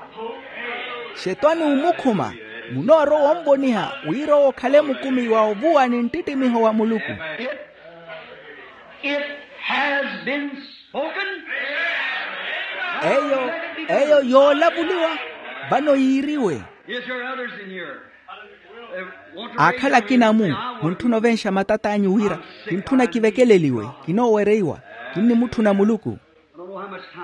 Xetwani omukhuma, munoorowa onvoniha wira owo okhale mukumi wa ovuwa ni nttittimiho wa muluku. It, it has been spoken. Eyo, eyo yoolavuliwa. Vano yiiriwe. Is there others in here? Aakhala akina-mu, muntthuna ovenxa matat'anyu wira, kintthuna kivekeleliwe, kinoowereiwa. Kinnimutthuna muluku.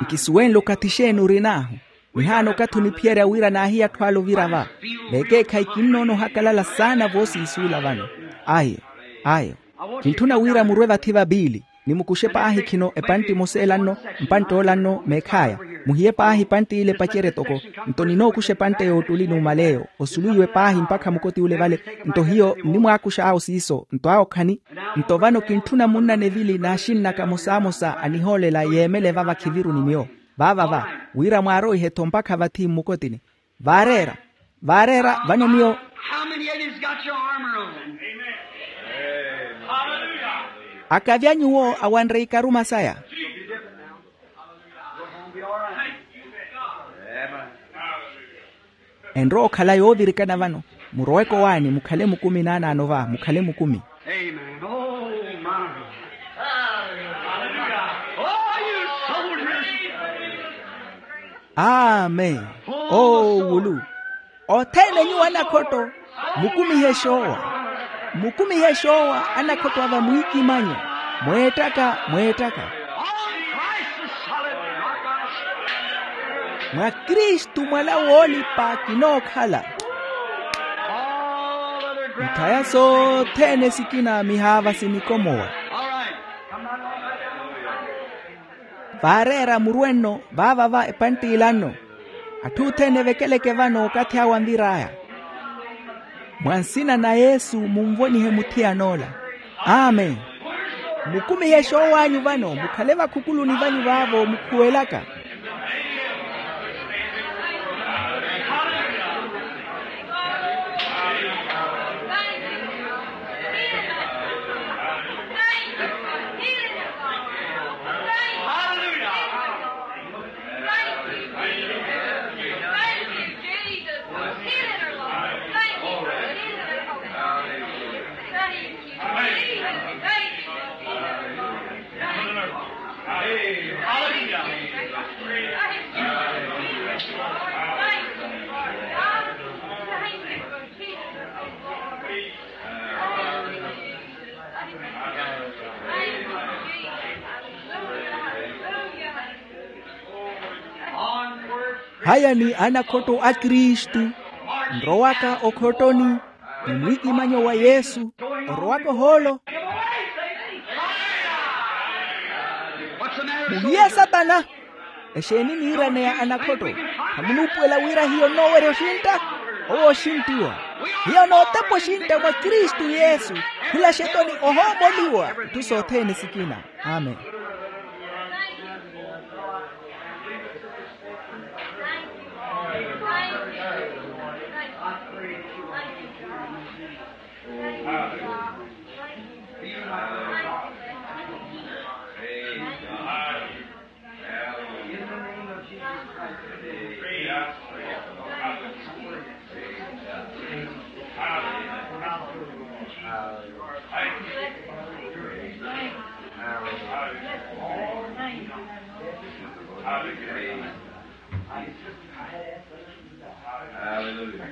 Nkisuwenle okathi xeeni orin'ahu. Nihaana okathi oniphiyerya wira naahiya atthu ale ovira va. Vekeekhayi kinnoona ohakalala saana voosiisuula vano. Ayo, ayo. Kintthuna wira murwe vathi va piili, nimukuxe paahi khino epantti emosa ela nno, mpantte ola nno meekhaya. Muhiye paahi epantti ile epacerye toko. Nto ninookuxa epantte yoottuli numaleyo osuluwiwe paahi mpakha mukoti ule vale. Nto hiyo nnimwaakuxa awo siiso nto awo khani. Nto vano kintthuna munna nevili n'axinn'aka mosamosa anihoolela yeemele vava khiviruni miyo vaavava, wira mwaaroihe-tho mpakha vathi mmukotini. Vaareera, vaareera vano miyo. How many of you's got your armor on? Akavi a nyuwo awanre ikaruma saya. Enrowa okhala yoovirikana vano. Muroweke owaani mukhale mukumi naanaano va mukhale mukumi. Amen. Oh, my. Oh, you soldiers. Amen. Oowulu. Othene nyuwo anakhotto, mukumihe xoowa. Mukumihe xoowa anakhotto a vamwiikimanyo. Mweettaka mweettaka. Mwa kristu mwala woolipa kinookhala. Mitthaya sothene sikina mihaava sinikomowa. Vaareera murwe nno vaavava epanttila nno. Atthu othene evekeleke vano okathi awo anvir'aya. Mwa nsina na yesu munvonihe muthiyan'ola. Amen. Mukumihe xoow'anyu vano mukhale vakhukuluni vanyu vaavo mukhuwelaka. Haya ni anakhotto a kristu. Nrowaka okhottoni ni mwiikimanyo wa yesu. Orowaka ohoolo. Muhiye satana. Exeeni niiraneya anakhotto? Khamunuupuwela wira hiyo nnoowerya oxintta? Owo oxinttiwa. Hiyo nootepa oxintta mwa kristu yesu. Khula xetoni ohoomoliwa itthu sothene sikina. Amen. Hallelujah.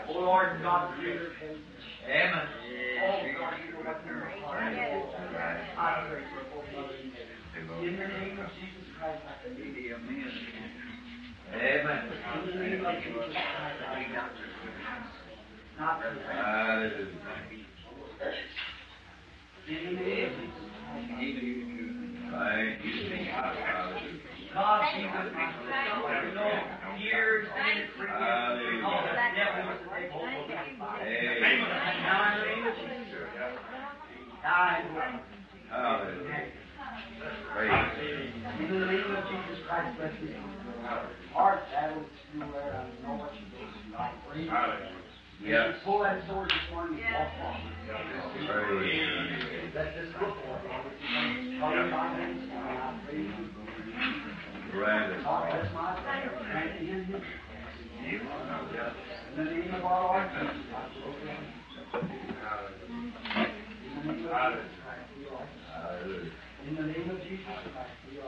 Oh Lord God, creator of heaven. Amen. Oh God, you know what's in our heart. I pray for both mothers and sisters. In the name of Jesus Christ, I pray. Amen. In the name of Jesus Christ, I pray. Not to. Hallelujah. Hallelujah. Yes. Pull that sword this morning and walk on. Praise. Let this look on. Father God, I praise you. Granted. God, that's my prayer. Grant it in me. In the name of our Lord Jesus Christ. In the name of Jesus Christ. Hallelujah. In the name of Jesus Christ. In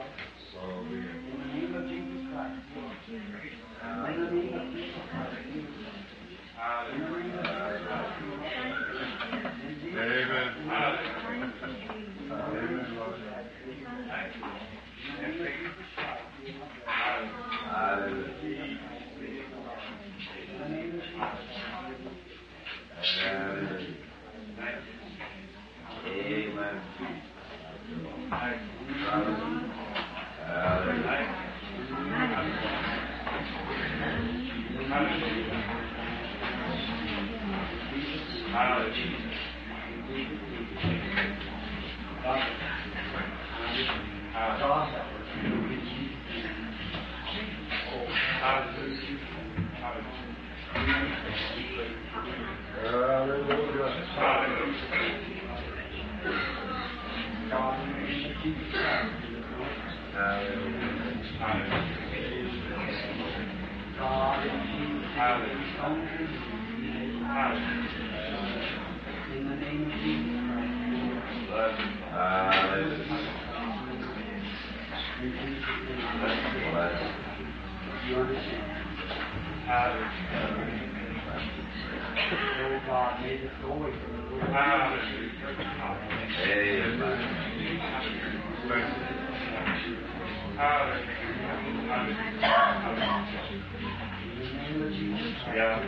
the name of Jesus Christ. In the name of Jesus Christ. Amen. Hallelujah. In the name of Jesus Christ. Hallelujah. You understand? Hallelujah. Oh God, may this go away from the Lord. Hallelujah. Amen. Hallelujah. In the name of Jesus Christ. Yeah.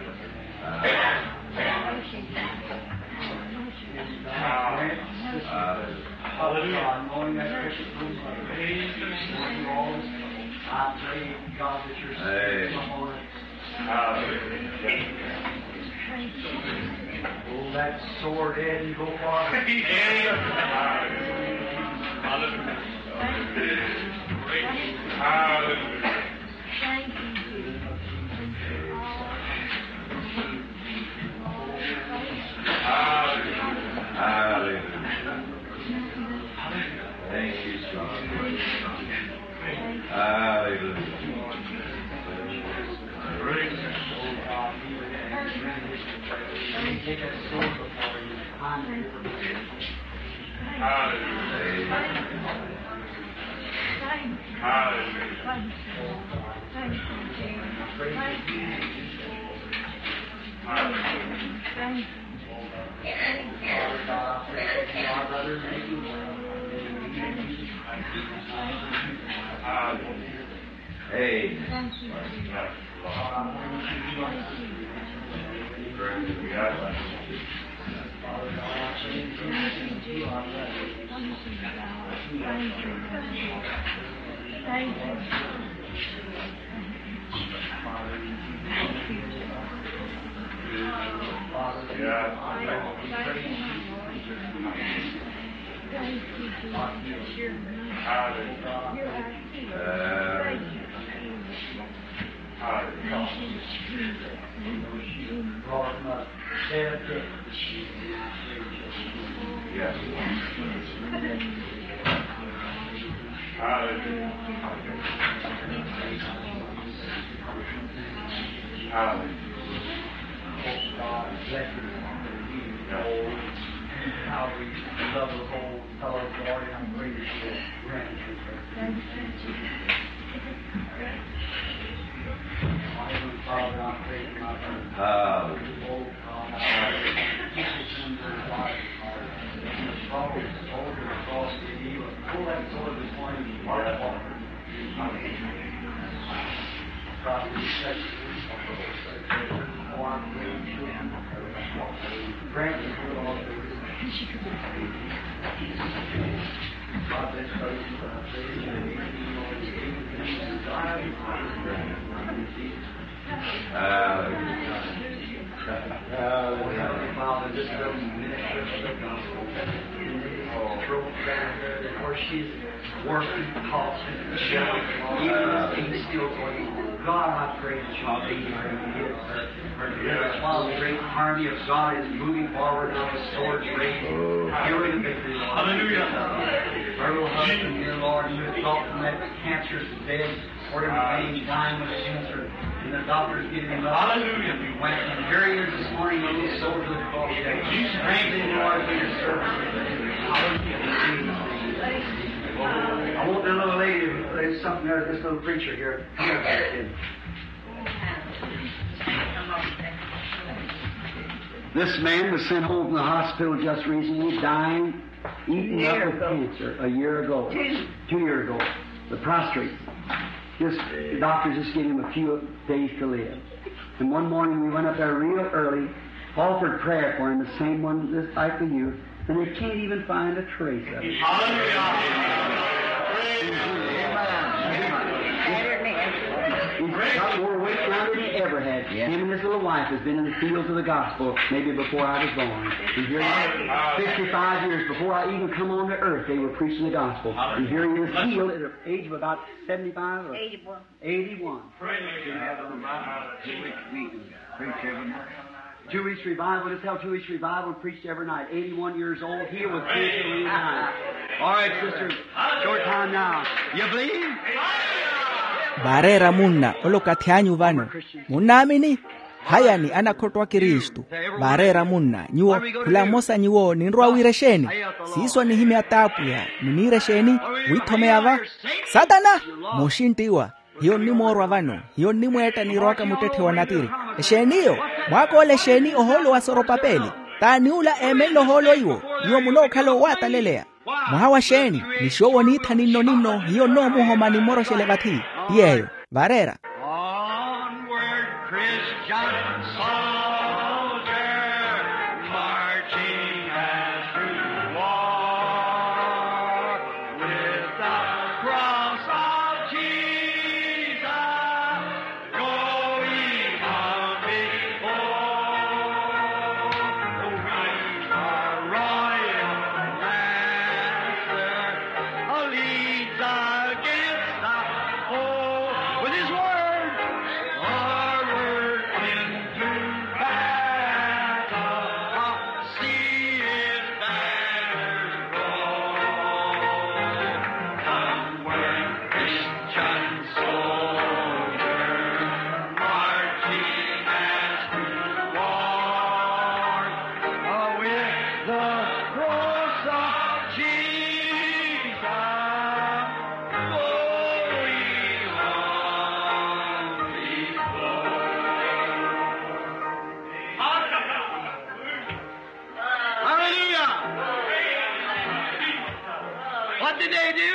Hallelujah. Knowing that precious room, I pray, God, that your spirit come on us. Hallelujah. Pull that sword in and go far. Hallelujah. Hallelujah. Thank you, Jesus. Hallelujah. Thank you, Jesus. Hallelujah. Praise God. Hallelujah. Hallelujah. Hallelujah. Amen. Thank you, Jesus. You're, you're our healer. Thank you, Jesus. Thank you, Jesus. Yes. Hallelujah. Hallelujah. Oh, God, bless you. Yes. How we love the Lord. Tell us, Lord, how great is your gratitude. Thank you, Jesus. Father, I praise you, my God. Hallelujah. Oh, God, I praise you. Keep us in your life, Father. In the troubles, over the cross, in evil. Pull that sword this morning. Mark it off. Father, just minister to the gospel. Throw back there where she's working, talking, shouting, even this thing still going on. God, I pray that you'll be her, her deliverance. While the great army of God is moving forward on the swords raised, healing the victory. Hallelujah. Her little husband, dear Lord, who is brought from that cancerous bed, Lord, in the same time with cancer, and the doctors giving him up. Hallelujah. We went and here he is this morning, a little soldier of the cross. Strengthen him, Lord, for your service. Hallelujah. I want the little lady, there's something there, this little preacher here. Come here, kid. This man was sent home from the hospital just recently, dying, eaten up with cancer a year ago. Two years ago. The prostate. Just, the doctor just gave him a few days to live. And one morning we went up there real early, Offered prayer for him, the same one that's like the youth, and they can't even find a trace of it. Hallelujah. He's got more weight now than he ever had. Him and his little wife has been in the fields of the gospel maybe before I was born. You hear that? Sixty-five years before I even come on to earth, they were preaching the gospel. And here he is healed at the age of about seventy-five or eighty-one. Eighty-one. Praise God. Two weeks we preach every night. Two weeks revival, just held two weeks revival and preached every night. Eighty-one years old, here was preaching every night. All right, sisters, short time now. You believe? Vaareera munna olokathi anyu vano, munnaamini? Hayani anakhotto a kristu. Vaareera munna nyuwo, khula mmosa nyuwo ninrowa wira exeeni? Siiso anihimya t'apwiya. Niniira exeeni? Wiithomeya va satana. Mooxinttiwa. Hiyo nnimoorwa vano. Hiyo nnimweetta niirowaka muttetthe wa natiri. Exeeniyo? Mwaakoola exeeni ohoolo wa soropapeli? T'ani ula eemenle ohoolo iwo? Nyuwo munookhala owataleleya. Mwaha wa xeeni? Nixoowo niitha ninno ninno hiyo nnoomuhoma nimmoroxele vathi. Ti yeeyo. Vaareera. Onward, Christian soldier, marching as to war, with the cross of Jesus going on before. With our royal master, leads against the foe. With his word, forward into battle, see his banner roll. Onward, Christian soldier, marching as to war, with the cross of Jesus going on before. Hallelujah! What did they do?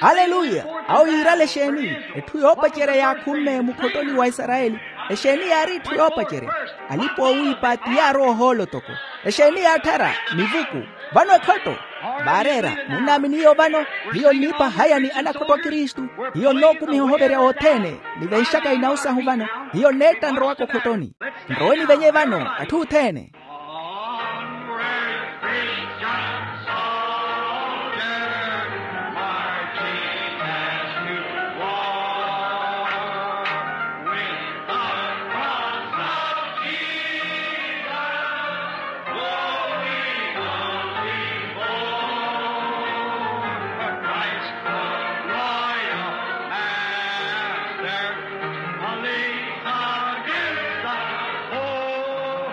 Haleluya. Awo yiirale exeeni? Etthu yoopacerya yaakhumme mukhottoni wa isarayeli. Exeeni yaari etthu yoopacerya? Alipa oowiipa ti yaarowa ohoolo toko. Exeeni yaatthara? Mivuku. Vano ekhotto. Vaareera munnaamini iyo vano? Hiyo nniipa hayani anakhotto a kristu. Hiyo nnookumiha ohoverya othene. Nivenxaka inawu sahu vano. Hiyo nneetta nrowaka okhottoni. Nrowe nivenye vano atthu othene. Onward, Christian soldier, marching as to war, with the cross of Jesus going on before. Christ the royal master leads against the foe.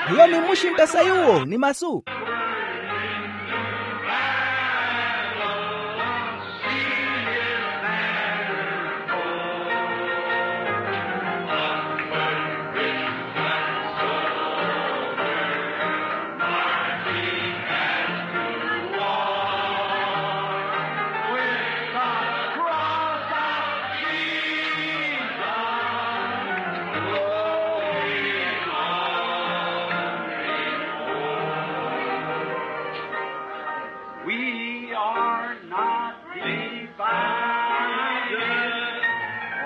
Hiyo nimmuxintta sayuwo ni masu. We are not divided,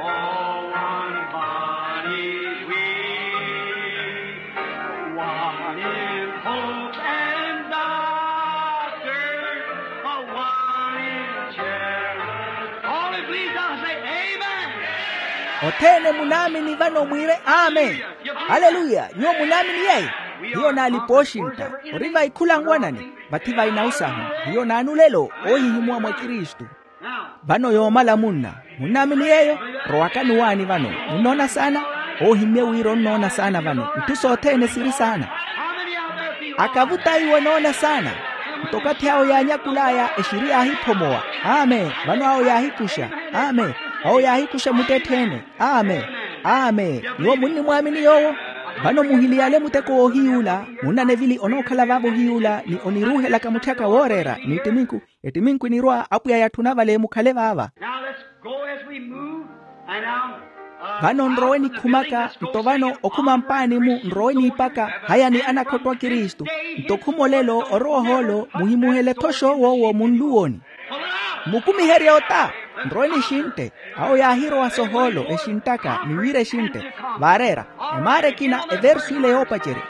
all one body we, one in hope and doctrine, one in charity. All who believe now say, Amen. Othene munaamini vano mwiire, Amen. Haleluya. Nyuwo munaamini yeeyo? Hiyo naalipa oxintta. Ori vai khula nwanani? Vathi vai nausahu. Hiyo naanulelo oohihimuwa mwa kristu. Vano yoomala munna, munnaamini yeeyo? Rowakani waani vano. Munnoona saana? Oohimmye wira onnoona saana vano. Itthu sothene siri saana. Akavuta iwo enoona saana. Nto okathi awo yaanyakul'aya exiri yaahiphomowa. Amen. Vano awo yaahikuxa. Amen. Awo yaahikuxa muttettheene. Amen. Amen. Nyuwo munnimwaamini yoowo? Vano muhiliyale muteko woohiyuula. Munnanevili onookhala vaavo ohiyuula ni oniruuhelaka mutthaka wooreera n'ittiminku. Ettiminku enirwa apwiya yatthuna vale mukhale vaava. Now let's go as we move, and now Vano nrowe nikhumaka nto vano okhuma mpaani-mu nrowe niipaka. Haya ni anakhotto a kristu. Nto khumolelo orowa ohoolo muhimuhele-tho xoowo owo munluwoni. Mukumiherye ota. Nrowe nixintte. Awo yaahirowa sohoolo exinttaka ni wiira exintte. Vaareera emaara ekina eversu ile yoopacerya.